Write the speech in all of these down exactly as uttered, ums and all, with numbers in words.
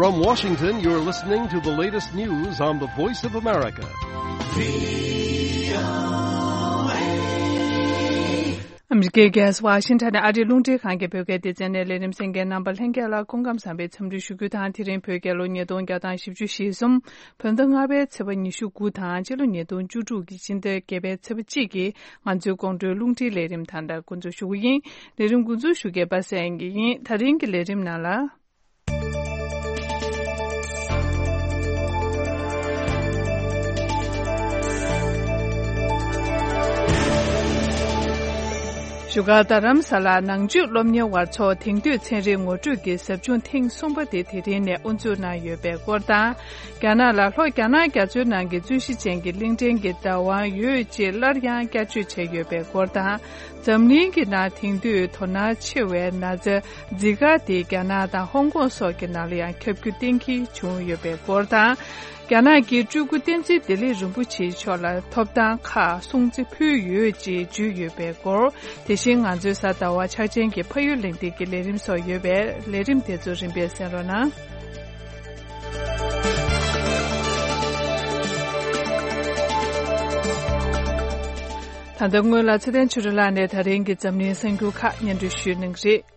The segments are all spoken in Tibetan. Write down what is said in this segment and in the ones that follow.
From Washington, you're listening to the latest news on the Voice of America. ཨ་མི་རི་ཀའི་རྒྱལ་ས་ཝ་ཤིང་ཊོན་ནས་ཨ་རིའི་རླུང་འཕྲིན་ཁང་གི་བོད་སྐད་སྡེ་ཚན་ནས་ལས་རིམ་གསན་མཁན་རྣམ་པ་ལྷན་རྒྱས་ལ་སྐུ་ཁམས་བཟང་པའི་འཚམས་འདྲི་ཞུ་རྒྱུ་དང་། དེ་རིང་བོད་རྒྱལ་ལོ་ཉིས་སྟོང་བརྒྱ་དང་བཞི་བཅུ་ཞེ་གསུམ། བོད་ཟླ་ལྔ་པའི་ཚེས་པ་ཉི་ཤུ་དགུ་དང་། ཕྱི་ལོ་ཉིས་སྟོང་བཅུ་དྲུག་གི་ཕྱི་ཟླ་བརྒྱད་པའི་ཚེས་པ་གཅིག་གི་ང་ཚོའི་དགོང་དྲོའི་རླུང་འཕྲིན་ལས་རིམ་ད་ལྟ་འགོ་འཛུགས་ཞུ་གི་ཡིན། ལས་རིམ་འགོ་འཛུགས་ཞུ་མཁན་པ་སངས་སྐྱིད་ཡིན། ད་རིང་གི་ལས་རིམ་ནང་ལ། བཞུགས་སྒར་རྡ་རམ་ས་ལར་ནང་ཆོས་སློབ་གཉེར་བ་ཚོ་དེང་དུས་ཚན་རིག་ངོ་སྤྲོད་ཀྱི་ཟབ་སྦྱོང་ཐེངས་གསུམ་པ་དེ་དེ་རིང་ནས་དབུ་འཛུགས་གནང་ཡོད་པའི་སྐོར་དང་། རྒྱ་ནག་ལ་ལྷོ་རྒྱ་ནག་རྒྱ་མཚོའི་ནང་གི་རྩོད་གཞི་ཅན་གྱི་གླིང་ཕྲན་གྱི་བདག་དབང་ཡོད་ཅེས་སླར་ཡང་བསྐྱར་བརྗོད་བྱས་ཡོད་པའི་སྐོར་དང་། འཛམ་གླིང་གི་ནང་དེང་དུས་དོ་སྣང་ཆེ་བའི་ན་ཚ་ཛི་ཀ་དེ་རྒྱ་ནག་དང་ཧོང་ཀོང་སོགས་ཀྱི་ནང་ལ་ཡང་ཁྱབ་རྒྱུ་གཏན་འཁེལ་བྱུང་ཡོད་པའི་སྐོར་དང་། རྒྱ་ནག་གི་སྤྲུལ་སྐུ་བསྟན་འཛིན་བདེ་ལེགས་རིན་པོ་ཆེ་མཆོག་ལ་ཐོབ་ཐང་ཁག་སྲུང་བརྩི་ཕུལ་ཡོད་ཅེས་བརྗོད་ཡོད་པའི་སྐོར། དེ་བཞིན་ང་ཚོའི་གཟའ་ཟླ་བ་འཆར་ཅན་གྱི་ཕ་ཡུལ་གླེང་སྟེགས་ཀྱི་ལས་རིམ་སོགས་ཡོད་པས། ལས་རིམ་དེ་ཚོ་རིམ་པས་གསན་རོགས་གནང་། ད་ལྟ་སྔོན་ལ་ཚེ་བརྟན་ཆོས་སྒྲོན་ལགས་ནས་ད་རིང་གི་འཛམ་གླིང་གསར་འགྱུར་ཁག་སྙན་སྒྲོན་ཞུ་གནང་གི་རེད།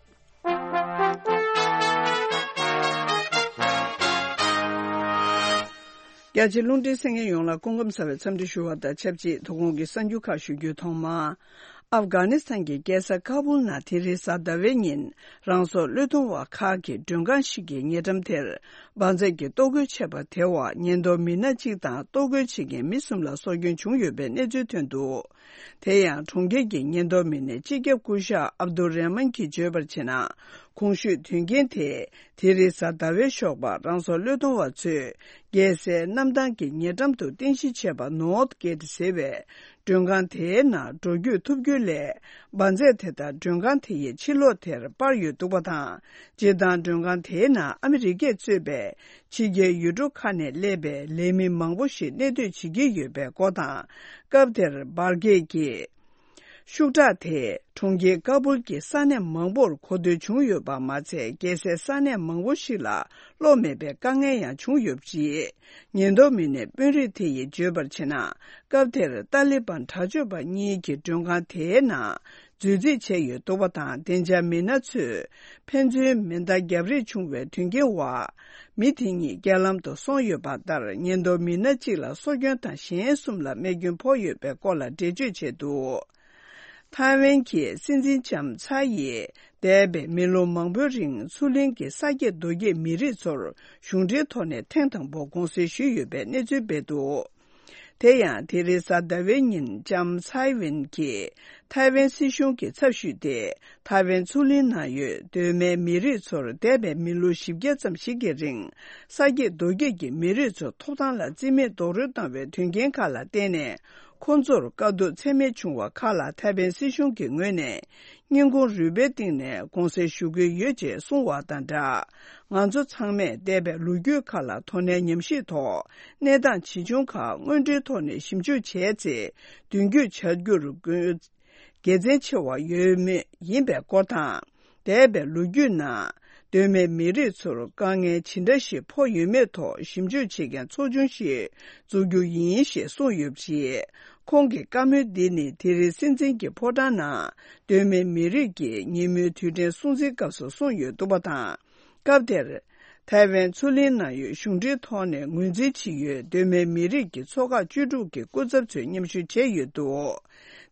རྒྱ་ཆེ་རླུང་འཕྲིན་གསན་མཁན་ཡོངས་ལ་སྐུ་ཁམས་བཟང་བའི་འཚམས་འདྲི་ཞུ་བ་དང་ཆབས་ཅིག་དོ་དགོང་གི་གསར་འགྱུར་ཁག་ཞུ་རྒྱུའི་ཐོག་མར། ཨབ་གྷ་ནི་སི་ཐན་གྱི་རྒྱལ་ས་ཀ་བུལ་ནང་དེ་རིང་གཟའ་ཟླ་བའི་ཉིན་རང་སྲོག་བློས་གཏོང་བ་ཁག་གི་མགྲོན་ཁང་ཞིག་གི་ཉེ་འགྲམ་དེར་འབར་རྫས་ཀྱིས་གཏོར་རྒོལ་བྱས་པ་དེ་བར་ཉེན་རྟོག་མི་སྣ་གཅིག་དང་གཏོར་རྒོལ་བྱེད་མཁན་མི་གསུམ་ལ་སྲོག་སྐྱོན་བྱུང་ཡོད་པའི་གནས་ཚུལ་ཐོན་འདུག་དེ་ཡང་གྲོང་ཁྱེར་གྱི་ཉེན་རྟོག་མི་སྣའི་སྤྱི་ཁྱབ་སྐུ་ཞབས་ཨབ་དུ་རེ་མན་གྱིས་བརྗོད་པར་བྱས་ན། གོང་ཞུས་དོན་རྐྱེན་དེ་དེ་རིང་གཟའ་ཟླ་བའི་ཞོགས་པར་རང་སྲོག་བློས་གཏོང་བ་ཚོས་རྒྱལ་སའི་གནམ་ཐང་གི་ཉེ་འགྲམ་དུ་རྟེན་གཞི་བྱས་པ་ནོར་ཐ་གེ་ཊི་ཟེར་བའི་མགྲོན་ཁང་དེའི་ནང་འགྲོ་སྐྱོད་ཐུབ་རྒྱུ་ལས། འབར་རྫས་དེ་དག་མགྲོན་ཁང་དེ་ཡི་ཕྱི་ལོགས་དེར་སྤར་ཡོད་འདུག་པ་དང་། སྤྱིར་བཏང་མགྲོན་ཁང་དེའི་ནང་ཨ་མི་རི་ཀས་གཙོས་པའི་ཕྱི་རྒྱལ་ཡུལ་གྲུ་ཁག་ནས་སླེབས་པའི་ལས་མི་མང་པོ་ཞིག་གནས་སྡོད་བྱེད་ཀྱི་ཡོད་པའི་སྐོར་དང་། སྐབས་དེར་འབར་གས་ཀྱི་ཤུགས་དྲག་དེས་གྲོང་ཁྱེར་ཀ་བུལ་གྱི་ས་གནས་མང་པོར་གོ་ཐོས་བྱུང་ཡོད་པ་མ་ཚད། རྒྱལ་སའི་ས་གནས་མང་པོ་ཞིག་ལ་གློག་མེད་པའི་དཀའ་ངལ་ཡང་བྱུང་ཡོད་པ་རེད། ཉེན་རྟོག་མི་སྣའི་དཔོན་རིགས་དེ་ཡིས་བརྗོད་པར་བྱས་ན། སྐབས་དེར་ཏཱ་ལི་བན་དྲག་སྤྱོད་པ་གཉིས་ཀྱིས་མགྲོན་ཁང་དེའི་ནང་མཛོད་རྩིས་བྱས་ཡོད་འདུག་པ་དང་། བདེ་འཇགས་མི་སྣ་ཚོས་ཕན་ཚུན་མེ་མདའ་བརྒྱབ་རེས་བྱུང་བའི་དོན་རྐྱེན་འོག་མི་དེ་གཉིས་རྐྱེན་ལམ་དུ་སོང་ཡོད་པ་ལྟར། ཉེན་རྟོག་མི་སྣ་གཅིག་ལ་སྲོག་སྐྱོན་དང་། གཞན་གསུམ་ལ་རྨས་སྐྱོན་ཕོག་ཡོད་པའི་སྐོར་ལ་འགྲེལ་བརྗོད་བྱས་འདུག་ཐའེ་ཝན་གྱི་སྲིད་འཛིན་ལྕམ་ཚའེ་ཡིས་འདས་པའི་མི་ལོ་མང་པོའི་རིང་མཚོ་གླིང་གི་ས་སྐྱེས་རྡོ་སྐྱེས་མི་རིགས་ཚོར་གཞུང་འབྲེལ་ཐོག་ནས་ཐེངས་དང་པོ་དགོངས་སེལ་ཞུས་ཡོད་པའི་གནས་ཚུལ་སྤེལ་འདུག་དེ་ཡང་དེ་རིང་གཟའ་ཟླ་བའི་ཉིན་ལྕམ་ཚའེ་ཝེན་གྱིས་ཐའེ་ཝན་སྲིད་གཞུང་གི་ཚབ་ཞུས་ཏེ། ཐའེ་ཝན་མཚོ་གླིང་ནང་ཡོད་གདོད་མའི་མི་རིགས་ཚོར་འདས་པའི་མི་ལོ་བཞི་བརྒྱ་ཙམ་ཞིག་གི་རིང་ས་སྐྱེས་རྡོ་སྐྱེས་ཀྱི་མི་རིགས་ཚོའི་ཐོབ་ཐང་ལ་རྩིས་མེད་རྡོག་རོལ་བཏང་བའི་དོན་རྐྱེན་ཁག་ལ་བརྟེན་ནས། ཁོང་ཚོར་དཀའ་སྡུག་ཚད་མེད་བྱུང་བ་ཁག་ལ་ཐའེ་ཝན་སྲིད་གཞུང་གི་ངོས་ནས་སྙིང་ཁུང་རུས་པའི་གཏིང་ནས་དགོངས་སེལ་ཞུ་གི་ཡོད་ཅེས་གསུངས་བ་དང་སྦྲགས། ང་ཚོ་ཚང་མས་འདས་པའི་ལོ་རྒྱུས་ཁག་ལ་དོ་ནན་ཉམས་ཞིབ་ཐོག་གནས་སྟངས་ཇི་བྱུང་ཁག་དངོས་འབྲེལ་ཐོག་ནས་ཞིབ་འཇུག་བྱས་ཚེ། མདུན་སྐྱོད་བྱ་རྒྱུར་དགོས་དགེ་མཚན་ཆེ་བ་ཡོད་མུས་ཡིན་པའི་སྐོར་དང་། འདས་པའི་ལོ་རྒྱུས་ནང་གདོད་མའི་མི་རིགས་ཚོར་དཀའ་ངལ་ཇི་འདྲ་ཞིག་ཕོག་ཡོད་མེད་ཐོག་ཞིབ་འཇུག་བྱེད་མཁན་ཚོགས་ཆུང་ཞིག་འཛུགས་རྒྱུ་ཡིན་ཞེས་གསུངས་ཡོད་པ་རེད། ཁོང་གི་བཀའ་མོལ་འདི་ནི་དེ་རིང་སྲིད་འཛིན་གྱི་ཕོ་བྲང་ནང་གདོད་མའི་མི་རིགས་ཀྱི་ཉིན་མོའི་དུས་དྲན་སྲུང་བརྩིའི་སྐབས་སུ་གསུངས་ཡོད་འདུག་པ་དང་། སྐབས་དེར། ཐའེ་ཝན་མཚོ་གླིང་ནང་ཡོད་གཞུང་འབྲེལ་ཐོག་ནས་ངོས་འཛིན་བྱེད་ཡུལ་གདོད་མའི་མི་རིགས་ཀྱི་ཚོགས་ཁག་བཅུ་དྲུག་གི་སྐུ་ཚབ་ཚོས་མཉམ་ཞུགས་བྱས་ཡོད་འདུག་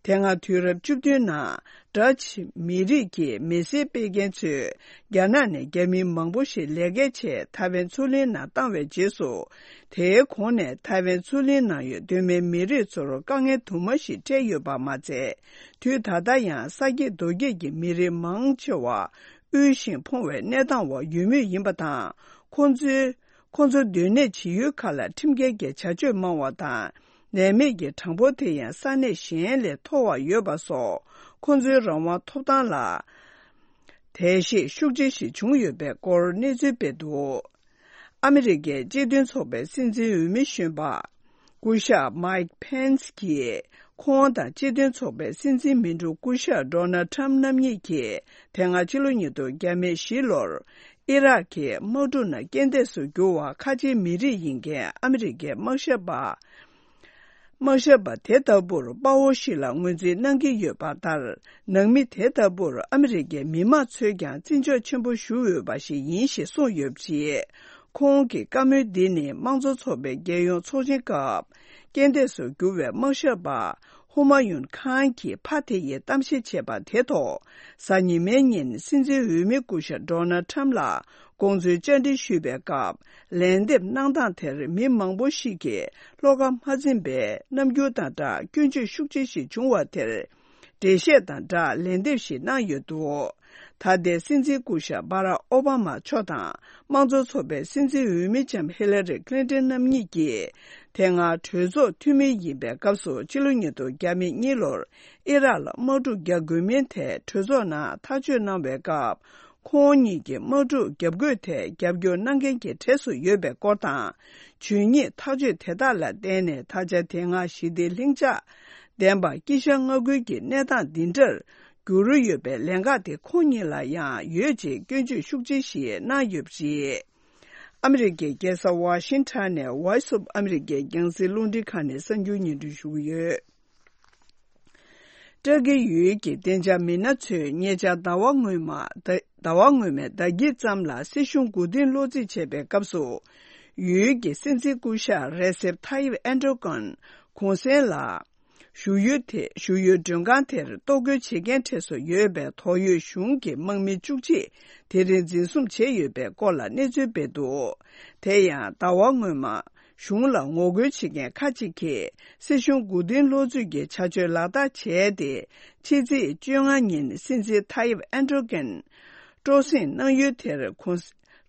དེ་སྔ་དུས་རབས་བཅུ་བདུན་ནང་ཌ་ཆི་མི་རིགས་ཀྱི་མི་སེར་སྤེལ་མཁན་ཚོས་རྒྱ་ནག་ནས་རྒྱ་མི་མང་པོ་ཞིག་ལས་ཀའི་ཆེད་ཐའེ་ཝན་མཚོ་གླིང་ནང་བཏང་བའི་རྗེས་སུ། དེའི་གོང་ནས་ཐའེ་ཝན་མཚོ་གླིང་ནང་ཡོད་གདོད་མའི་མི་རིགས་ཚོར་དཀའ་ངལ་དུ་མ་ཞིག་འཕྲད་ཡོད་པ་མ་ཚད། དུས་ད་ལྟ་ཡང་ས་སྐྱེས་རྡོ་སྐྱེས་ཀྱི་མི་རིགས་མང་ཆེ་བ། དབུལ་ཞིང་ཕོངས་པའི་གནས་སྟངས་འོག་ཡོད་མུས་ཡིན་པ་དང་། ཁོང་ཚོའི་ཁོང་ཚོ་སྡོད་གནས་བྱེད་ཡུལ་ཁག་ལ་ཁྲིམས་འགལ་གྱི་བྱ་སྤྱོད་མང་བ་དང་། ལས་མེད་ཀྱི་གྲངས་འབོར་དེ་ཡང་ས་གནས་གཞན་ལས་མཐོ་བ་ཡོད་པ་སོགས། ཁོང་ཚོའི་རང་དབང་ཐོབ་ཐང་ལ་བརྡལ་བཤིག་ཤུགས་ཆེ་ཞིག་བྱུང་ཡོད་པའི་སྐོར་གནས་ཚུལ་སྤེལ་འདུག་ཨ་མི་རི་ཀའི་སྤྱི་མཐུན་ཚོགས་པའི་སྲིད་འཛིན་འོས་མི་གཞོན་པ། སྐུ་ཞབས་མའིག་ཕེན་སི་གྱིས་ཁོང་དང་སྤྱི་མཐུན་ཚོགས་པའི་སྲིད་འཛིན་མི་འགྲོ་སྐུ་ཞབས་ཌོ་ནལ་ཁྲམ་རྣམ་གཉིས་ཀྱིས་དེ་སྔ་ཕྱི་ལོ་ཉིས་སྟོང་བརྒྱ་མེད་བཞི་ལོར་ ཨི་རག་གི་དམག་འཁྲུག་ནང་རྐྱེན་འདས་སུ་གྱུར་བ་ཁ་ཆེའི་མི་རིགས་ཡིན་མཁན་ཨ་མི་རི་ཀའི་དམག་ཞབས་པ། དམག་ཞབས་པ་དེ་ལྟ་བུར་དཔའ་བོ་ཞིག་ལ་ངོས་འཛིན་གནང་གི་ཡོད་པ་ལྟར། ནང་མི་དེ་ལྟ་བུར་ཨ་མི་རི་ཀའི་མི་མང་ཚོས་ཀྱང་བརྩི་འཇོག་ཆེན་པོ་ཞུ་འོས་པ་ཞིག་ཡིན་ཞེས་གསུངས་ཡོད་པ་རེད། ཁོང་གི་བཀའ་མོལ་འདི་ནི་དམངས་གཙོ་ཚོགས་པའི་རྒྱལ་ཡོངས་ཚོགས་ཆེན་སྐབས། རྐྱེན་འདས་སུ་གྱུར་བའི་དམག་ཞབས་པ་ཧུ་མ་ཡུན་ཁཱན་གྱི་ཕ་དེ་ཡིས་གཏམ་བཤད་བྱས་པ་དེ་ཐོག་གཟའ་ཉི་མའི་ཉིན་སྲིད་འཛིན་འོས་མི་སྐུ་ཞབས་ཌོ་ནལ་ཁྲམ་ལ་དགོངས་ཚུལ་བཅར་འདྲི་ཞུས་པའི་སྐབས། ལན་འདེབས་གནང་སྟངས་དེར་མི་མང་པོ་ཞིག་གིས་བློ་ཁ་མ་འཛིན་པའི་རྣམ་འགྱུར་དང་སྦྲགས་སྐྱོན་བརྗོད་ཤུགས་ཆེ་ཞིག་བྱུང་བ་དེར། འགྲེལ་བཤད་དང་སྦྲགས་ལན་འདེབས་ཤིག་གནང་ཡོད་འདུག་ད་ལྟའི་སྲིད་འཛིན་སྐུ་ཞབས་སྦ་རག་ཨོ་བྷ་མ་མཆོག་དང་དམངས་གཙོ་ཚོགས་པའི་སྲིད་འཛིན་འོས་མི་ལྕམ་ཧི་ལ་རི་ཀླིན་ཏོན་རྣམ་གཉིས་ཀྱིས། དེ་སྔ་གྲོས་ཚོགས་འཐུས་མི་ཡིན་པའི་སྐབས་སུ་ཕྱི་ལོ་ཉིས་སྟོང་གཉིས་ལོར་ཨི་རག་ལ་དམག་འཁྲུག་རྒྱག་དགོས་མིན་ཐད་གྲོས་ཚོགས་ནང་ཐག་གཅོད་གནང་བའི་སྐབས། ཁོང་གཉིས་ཀྱིས་དམག་འཁྲུག་བརྒྱབ་དགོས་ཐད་རྒྱབ་སྐྱོར་གནང་མཁན་གྱི་གྲས་སུ་ཡོད་པའི་སྐོར་དང་། ཇུས་ཉེས་ཐག་གཅོད་དེ་དག་ལ་བརྟེན་ནས་ད་ཆ་དེ་སྔ་ཞི་བདེ་ལྷིང་འཇགས་ལྡན་པ་དཀྱིལ་ཤར་མངའ་ཁུལ་གྱི་གནས་སྟངས་འདི་འདྲར་འགྱུར་ཡོད་པའི་ལན་ཁག་དེ་ཁོང་ཉིད་ལ་ཡང་ཡོད་ཅེས་སྐྱོན་བརྗོད་ཤུགས་ཆེ་ཞིག་གནང་ཡོད་པ་རེད། ཨ་མི་རི་ཀའི་རྒྱལ་ས་ཝ་ཤིང་ཊོན་ནས་Voice of America་རྒྱང་སྲིང་རླུང་འཕྲིན་ཁང་ནས་གསར་འགྱུར་སྙན་སྒྲོན་ཞུ་གི་ཡོད། ཏྲ་ཀི་ཡུལ་གྱི་བདེ་འཇགས་མི་སྣ་ཚོས་ཉེ་ཆར་ཟླ་བ་སྔོན་མ། ཟླ་ཟླ་བ་སྔོན་མའི་ཟླ་དཀྱིལ་ཙམ་ལ་སྲིད་གཞུང་མགོ་རྟིང་སློག་རྩིས་བྱས་པའི་སྐབས་སུ། ཡུལ་གྱི་སྲིད་འཛིན་སྐུ་ཞབས་རེ་སེབ་ཐ་ཡིབ་ཨེན་ཏྲོ་ཀོན་གུང་སེང་ལ། བཞུགས་ཡུལ་དེ། བཞུགས་ཡུལ་མགྲོན་ཁང་དེར་གཏོར་རྒོལ་བྱེད་མཁན་གྲས་སུ་ཡོད་པའི་ཏོག་དབྱིབས་གཞུང་གི་དམག་མི་བཅུ་གཅིག་དེ་རིང་འཛིན་བཟུང་བྱས་ཡོད་པའི་སྐོར་ལ་གནས་ཚུལ་སྤེལ་འདུག་དེ་ཡང་ཟླ་བ་སྔོན་མ། གཞུང་ལ་ངོ་རྒོལ་བྱེད་མཁན་ཁག་ཅིག་གིས་སྲིད་གཞུང་མགོ་རྟིང་སློག་རྩིས་ཀྱི་བྱ་སྤྱོད་ལག་བསྟར་བྱས་ཏེ། ཕྱི་ཚེས་བཅོ་ལྔ་ཉིན་སྲིད་འཛིན་ཐ་ཡིབ་ཨན་ཏྲོ་ཀན་སྤྲོ་གསེང་གནང་ཡུལ་དེར་གུང་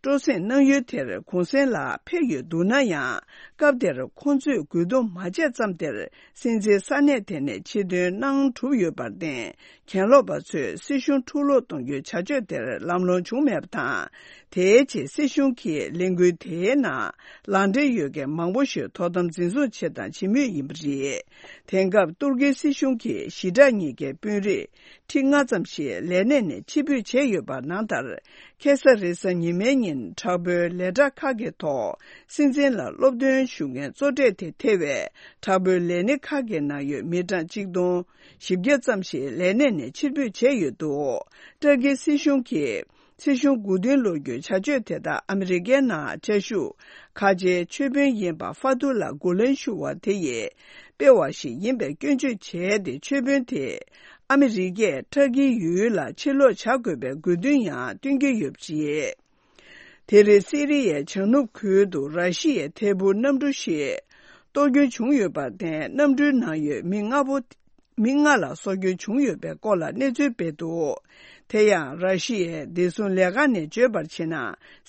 སྤྲོ་གསེང་གནང་ཡུལ་དེར་གུང་སེང་ལ་ཕེབས་ཡོད་འདུག་ན་ཡང་། སྐབས་དེར་ཁོང་ཚོས་རྒོལ་རྡུང་མ་བྱས་ཙམ་དེར་སྲིད་འཛིན་ས་གནས་དེ་ནས་ཕྱིར་ཐོན་གནང་གྲུབ་ཡོད་པར་བརྟེན། གྱེན་ལོག་པ་ཚོས་སྲིད་གཞུང་འཁྲུག་སློག་གཏོང་རྒྱུའི་བྱ་སྤྱོད་དེར་ལམ་ལྷོང་བྱུང་མེད་པ་དང་། དེའི་རྗེས་སྲིད་གཞུང་གིས་ལས་འགུལ་དེའི་ནང་ལག་འབྲེལ་ཡོད་མཁན་མང་པོ་ཞིག་དོ་དམ་འཛིན་བཟུང་བྱས་དང་བྱེད་མུས་ཡིན་པ་རེད། དེང་སྐབས་ཏུར་ཀིའི་སྲིད་གཞུང་གིས་ཞི་དྲག་གཉིས་ཀའི་དཔོན་རིགས་ཁྲི་ལྔ་ཙམ་ཞིག་ལས་གནས་ནས་ཕྱིར་འབུད་བྱས་ཡོད་པ་ནང་ལྟར། ཁ་སང་རེས་གཟའ་ཉི་མའི་ཉིན་དྲག་པོའི་ལས་གྲྭ་ཁག་གི་ཐོག་སྲིད་འཛིན་ལ་སློབ་སྟོན་ཞུ་མཁན་གཙོ་གྲས་དེ་ཐེ་བའི་དྲག་པོའི་ལས་སྣེ་ཁག་གི་ནང་ཡོད་མི་གྲངས་གཅིག་སྟོང་བཞི་བརྒྱ་ཙམ་ཞིག་ལས་གནས་ནས་ཕྱིར་འབུད་བྱས་ཡོད་འདུག་ཏྲ་ཀི་སྲིད་གཞུང་གིས་སྲིད་གཞུང་མགོ་རྟིང་སློག་རྒྱུའི་བྱ་སྤྱོད་དེ་དག་ཨ་མི་རི་ཀའི་ནང་བཅའ་བཞུགས་ཁ་ཆེའི་ཆོས་དཔོན་ཡིན་པ་ཧྥ་ཐུ་ལ་གུ་ལན་ཞུ་བ་དེ་ཡིས་སྤེལ་བ་ཞིག་ཡིན་པའི་སྐྱོན་བརྗོད་བྱས་ཏེ། ཆོས་དཔོན་དེས་ཨ་མི་རི་ཀས་ཏྲ་ཀིའི་ཡུལ་ལ་ཕྱིར་ལོག་བྱ་དགོས་པའི་དགོས་འདུན་ཡང་བཏོན་གྱི་ཡོད་པ་རེད། དེ་རིང་སི་རི་ཡའི་བྱང་ནུབ་ཁུལ་དུ་ར་ཤི་ཡའི་ཐད་འཕུར་གནམ་གྲུ་ཞིག་གཏོར་སྐྱོན་བྱུང་ཡོད་པར་བརྟེན། གནམ་གྲུའི་ནང་ཡོད་མི་ལྔ་པོ། མི་ལྔ་ལ་སྲོག་སྐྱོན་བྱུང་ཡོད་པའི་སྐོར་ལ་གནས་ཚུལ་སྤེལ་འདུག་དེ་ཡང་། ར་ཤི་ཡའི་བདེ་སྲུང་ལས་ཁང་ནས་བརྗོད་པར་བྱས་ན།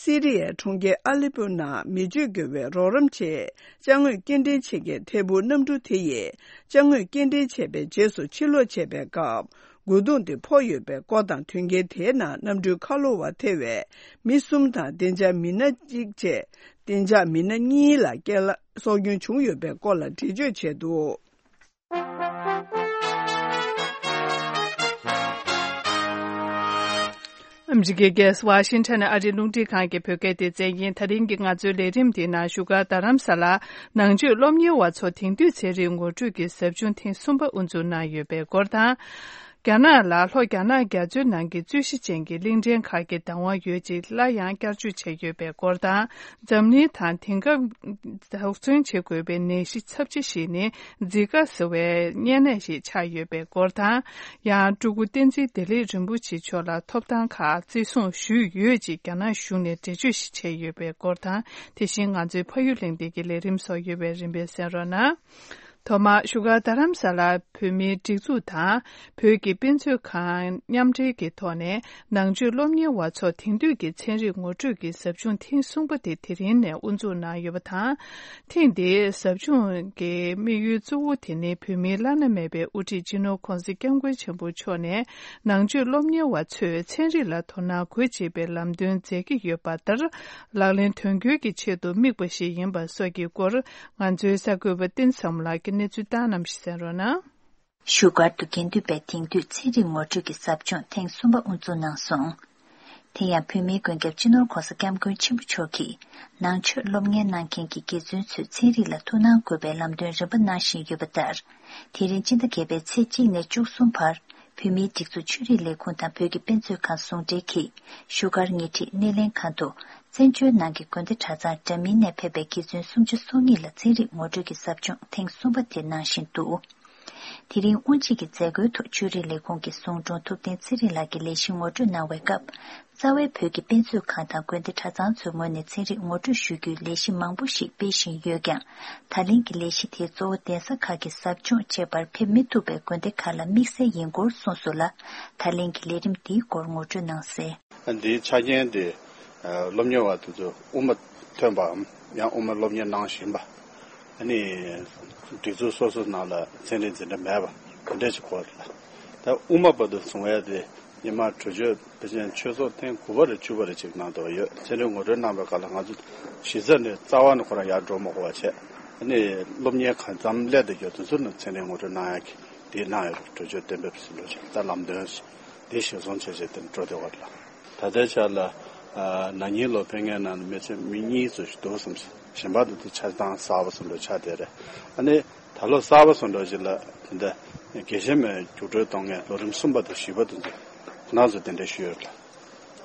སི་རི་ཡའི་གྲོང་ཁྱེར་ཨ་ལེ་པོ་ནང་མི་སྤྱོད་དགོས་པའི་རོགས་རམ་ཆེད་ཅ་དངོས་སྐྱེལ་འདྲེན་བྱེད་མཁན་ཐད་འཕུར་གནམ་གྲུ་དེ་ཡིས་ཅ་དངོས་སྐྱེལ་འདྲེན་བྱས་པའི་རྗེས་སུ་ཕྱིར་ལོག་བྱས་པའི་སྐབས། རྒོལ་རྡུང་དེ་ཕོག་ཡོད་པའི་སྐོར་དང་། མཐུན་རྐྱེན་དེའི་ནང་གནམ་གྲུའི་ཁ་ལོ་བ་ཐེ་བའི་མི་གསུམ་དང་བདེ་འཇགས་མི་སྣ་གཅིག་བཅས་བདེ་འཇགས་མི་སྣ་གཉིས་ལ་རྐྱེན་ལ་སྲོག་སྐྱོན་བྱུང་ཡོད་པའི་སྐོར་ལ་འགྲེལ་བརྗོད་བྱས་འདུག་ཨ་མི་རི་ཀའི་རྒྱལ་ས་ཝ་ཤིང་ཊོན་ནས་ཨ་རིའི་རླུང་འཕྲིན་ཁང་གི་བོད་སྐད་སྡེ་ཚན་ཡིན། ད་རིང་གི་ང་ཚོའི་ལས་རིམ་འདིའི་ནང་བཞུགས་སྒར་རྡ་རམ་ས་ལར་ནང་ཆོས་སློབ་གཉེར་བ་ཚོ་དེང་དུས་ཚན་རིག་ངོ་སྤྲོད་ཀྱི་ཟབ་སྦྱོང་ཐེངས་གསུམ་པ་དབུ་འཛུགས་གནང་ཡོད་པའི་སྐོར་དང་། རྒྱ་ནག་ལ་ལྷོ་རྒྱ་ནག་རྒྱ་མཚོའི་ནང་གི་རྩོད་གཞི་ཅན་གྱི་གླིང་ཕྲན་ཁག་གི་བདག་དབང་ཡོད་ཅེས་སླར་ཡང་བསྐྱར་བརྗོད་བྱས་ཡོད་པའི་སྐོར་དང་། འཛམ་གླིང་དང་དེང་སྐབས་དོགས་ཟོན་བྱེད་དགོས་པའི་ནད་གཞི་ཚབས་ཆེ་ཞིག་ནི་ཛི་ཀ་ཟེར་བའི་གཉན་ནད་ཞིག་ཆགས་ཡོད་པའི་སྐོར་དང་། ཡང་སྤྲུལ་སྐུ་བསྟན་འཛིན་བདེ་ལེགས་རིན་པོ་ཆེ་མཆོག་ལ་ཐོབ་ཐང་ཁག་བརྩི་སྲུང་ཞུས་ཡོད་ཅེས་རྒྱ་ནག་གཞུང་ནས་འགྲེལ་བརྗོད་ཞིག་བྱས་ཡོད་པའི་སྐོར་དང་། དེ་བཞིན་ང་ཚོའི་ཕ་ཡུལ་གླེང་སྟེགས་ཀྱི་ལས་རིམ་སོགས་ཡོད་པས་རིམ་པས་གསན་རོགས་གནང་། ཐོག་མར་བཞུགས་སྒར་རྡ་རམ་ས་ལར་བོད་མིའི་སྒྲིག་འཛུགས་དང་བོད་ཀྱི་དཔེ་མཛོད་ཁང་མཉམ་འབྲེལ་གྱི་ཐོག་ནས་ནང་ཆོས་སློབ་གཉེར་བ་ཚོ་དེང་དུས་ཀྱི་ཚན་རིག་ངོ་སྤྲོད་ཀྱི་ཟབ་སྦྱོང་ཐེངས་གསུམ་པ་དེ་དེ་རིང་ནས་དབུ་འཛུགས་གནང་ཡོད་པ་དང་། ཐེངས་འདིའི་ཟབ་སྦྱོང་གི་དམིགས་ཡུལ་གཙོ་བོ་དེ་ནི་བོད་མིའི་བླ་ན་མེད་པའི་དབུ་ཁྲིད་སྤྱི་ནོར་༧གོང་ས་༧སྐྱབས་མགོན་ཆེན་པོ་མཆོག་ནས་ནང་ཆོས་སློབ་གཉེར་བ་ཚོས་ཚན་རིག་ལ་དོ་སྣང་དགོས་ཅེས་པའི་ལམ་སྟོན་མཛད་ཀྱི་ཡོད་པ་ལྟར་ལག་ལེན་དོན་འཁྱོལ་གྱི་ཆེད་དུ་དམིགས་པ་ཞིག་ཡིན་པ་སོགས་ཀྱི་སྐོར། ང་ཚོའི་གསར་འགོད་པ་བསྟན་བཟང་མོ་ལགས་ཀྱིས་གནས་ཚུལ་བཏང་གནང་བཞིན་གསན་རོགས་གནང་། བཞུགས་སྒར་དུ་དགེ་འདུན་པའི་དེང་དུས་ཚན་རིག་ངོ་སྤྲོད་ཀྱི་ཟབ་སྦྱོང་ཐེངས་གསུམ་པ་དབུ་འཛུགས་གནང་སོང་། དེ་ཡང་བོད་མིའི་མགོན་སྐྱབས་སྤྱི་ནོར་༸གོང་ས་༸སྐྱབས་མགོན་ཆེན་པོ་མཆོག་གིས་ནང་ཆོས་སློབ་གཉེར་གནང་མཁན་གྱི་དགེ་བཙུན་ཚོས་ཚན་རིག་ལ་ཐུགས་སྣང་དགོས་པའི་ལམ་སྟོན་རིམ་པ་གནང་བཞིན་ཡོད་པ་ལྟར། དེ་རིང་སྤྱི་ཟླ་བརྒྱད་པའི་ཚེས་གཅིག་ནས་བཅུ་གསུམ་བར་བོད་མིའི་སྒྲིག་འཛུགས་ཆོས་རིག་ལས་ཁུངས་དང་བོད་ཀྱི་དཔེ་མཛོད་ཁང་ཟུང་འབྲེལ་གྱིས་བཞུགས་སྒར་ཉེ་འཁྲིས་སྣེ་ལེན་ཁང་དུ། བཙན་བྱོལ་ནང་གི་དགོན་སྡེ་གྲྭ་ཚང་འདྲ་མིན་ནས་ཕེབས་པའི་དགེ་བཙུན་སུམ་ཅུ་སོ་གཉིས་ལ་ཚན་རིག་ངོ་སྤྲོད་ཀྱི་ཟབ་སྦྱོང་ཐེངས་གསུམ་པ་དེ་གནང་བཞིན་འདུག་དེ་རིང་དབུ་འབྱེད་ཀྱི་མཛད་སྒོའི་ཐོག་ཆོས་རིག་ལས་ཁུངས་ཀྱི་ཟུང་དྲུང་ཐུབ་བསྟན་ཚེ་རིང་ལགས་ཀྱིས་ལས་གཞི་ངོ་སྤྲོད་གནང་བའི་སྐབས། རྩ་བའི་བོད་ཀྱི་དཔེ་མཛོད་ཁང་དང་དགོན་སྡེ་གྲྭ་ཚང་ཚོའི་ངོས་ནས་ཚན་རིག་ངོ་སྤྲོད་ཞུ་རྒྱུའི་ལས་གཞི་མང་པོ་ཞིག་སྤེལ་བཞིན་ཡོད་ཀྱང་། ད་ལན་གྱི་ལས་གཞི་དེའི་གཙོ་བོ་གདན་ས་ཁག་གི་ཟབ་སྦྱོང་བཅས་པར་ཕེབས་མི་ཐུབ་པའི་དགོན་སྡེ་ཁག་ལ་དམིགས་བསལ་ཡིན་སྐོར་གསུངས་སོང་ལ། ད་ལན་གྱི་ལས་རིམ་འདིའི་སྐོར་ངོ་སྤྲོད་གནང་གསལ། འདིའི་ཆ་རྐྱེན་དེ། སློབ་གཉེར་བ་དེ་ཚོ་དབུ་མ་ཐོན་པའམ་ཡང་དབུ་མ་སློབ་གཉེར་གནང་བཞིན་པ། ཨ་ནི། སྒྲིག་འཛུགས་སོ་སོ་ནང་ལ་ཚན་རིག་འཛིན་གྲྭ་མེད་པ་དེ་འདྲ་ཞིག་གོ་རེད་ལ། ད་དབུ་མ་བར་དུ་བཟུང་བའི་དེ་ཉི་མ་གྲོས་ཆོད་དཔེ་ཆ་ཆོས་ཚོགས་ཐེངས་དགུ་པ་རེ་བཅུ་པ་རེ་ཅིག་གནང་འདུག་ཡོད། ཚན་རིག་ངོ་སྤྲོད་གནང་བའི་སྐབས་ལ་ང་ཚོ་གཞི་རྩ་ནས་རྩ་བ་ནས་ཁོ་རང་ཡར་འགྲོ་མ་དགོས་པ་བྱས། ཨ་ནི་སློབ་གཉེར་གང་འཚམ་སླེབས་བསྡད་ཡོད་དེ་ཚོ་ནི་ཚན་རིག་ངོ་སྤྲོད་གནང་ཡག་གི་དེ་གནང་ཡོད་རེད། གྲོས་ཆོད་གཏན་འབེབས་ཟིན་འགྲོ་ཆེད་ད་ལམ་སྟོན་དེ་གཞིར་བཟུང་བྱས་བྱས་དེ་འགྲོ་བསྡད་པ་རེད་ལ། ད་ལྟའི་ཆར་ལ། ན་ནིང་ལོ་ཕེབས་མཁན་ནང་ནས་མི་ཚེ་མི་གཉིས་ཙམ་ཞིག་འདུག་བསམ། གཞན་པ་དེ་ཚོ་ཆ་ཚང་གསར་པ་བཟོ་འདྲ་ཆགས་བསྡད་རེད། ཨ་ནི་ད་ལོ་གསར་པ་བཟོ་འདྲ་ཞིག་ལ་དེ་འདྲ་དགེ་བཤེས་མའི་རྒྱུགས་སྤྲོད་གཏོང་མཁན་ལོ་རིམ་གསུམ་པ་དང་བཞི་པ་དེ་ཚོ་ཁོ་རང་ཚོ་དེ་འདྲ་ཞུས་ཡོད་རེད།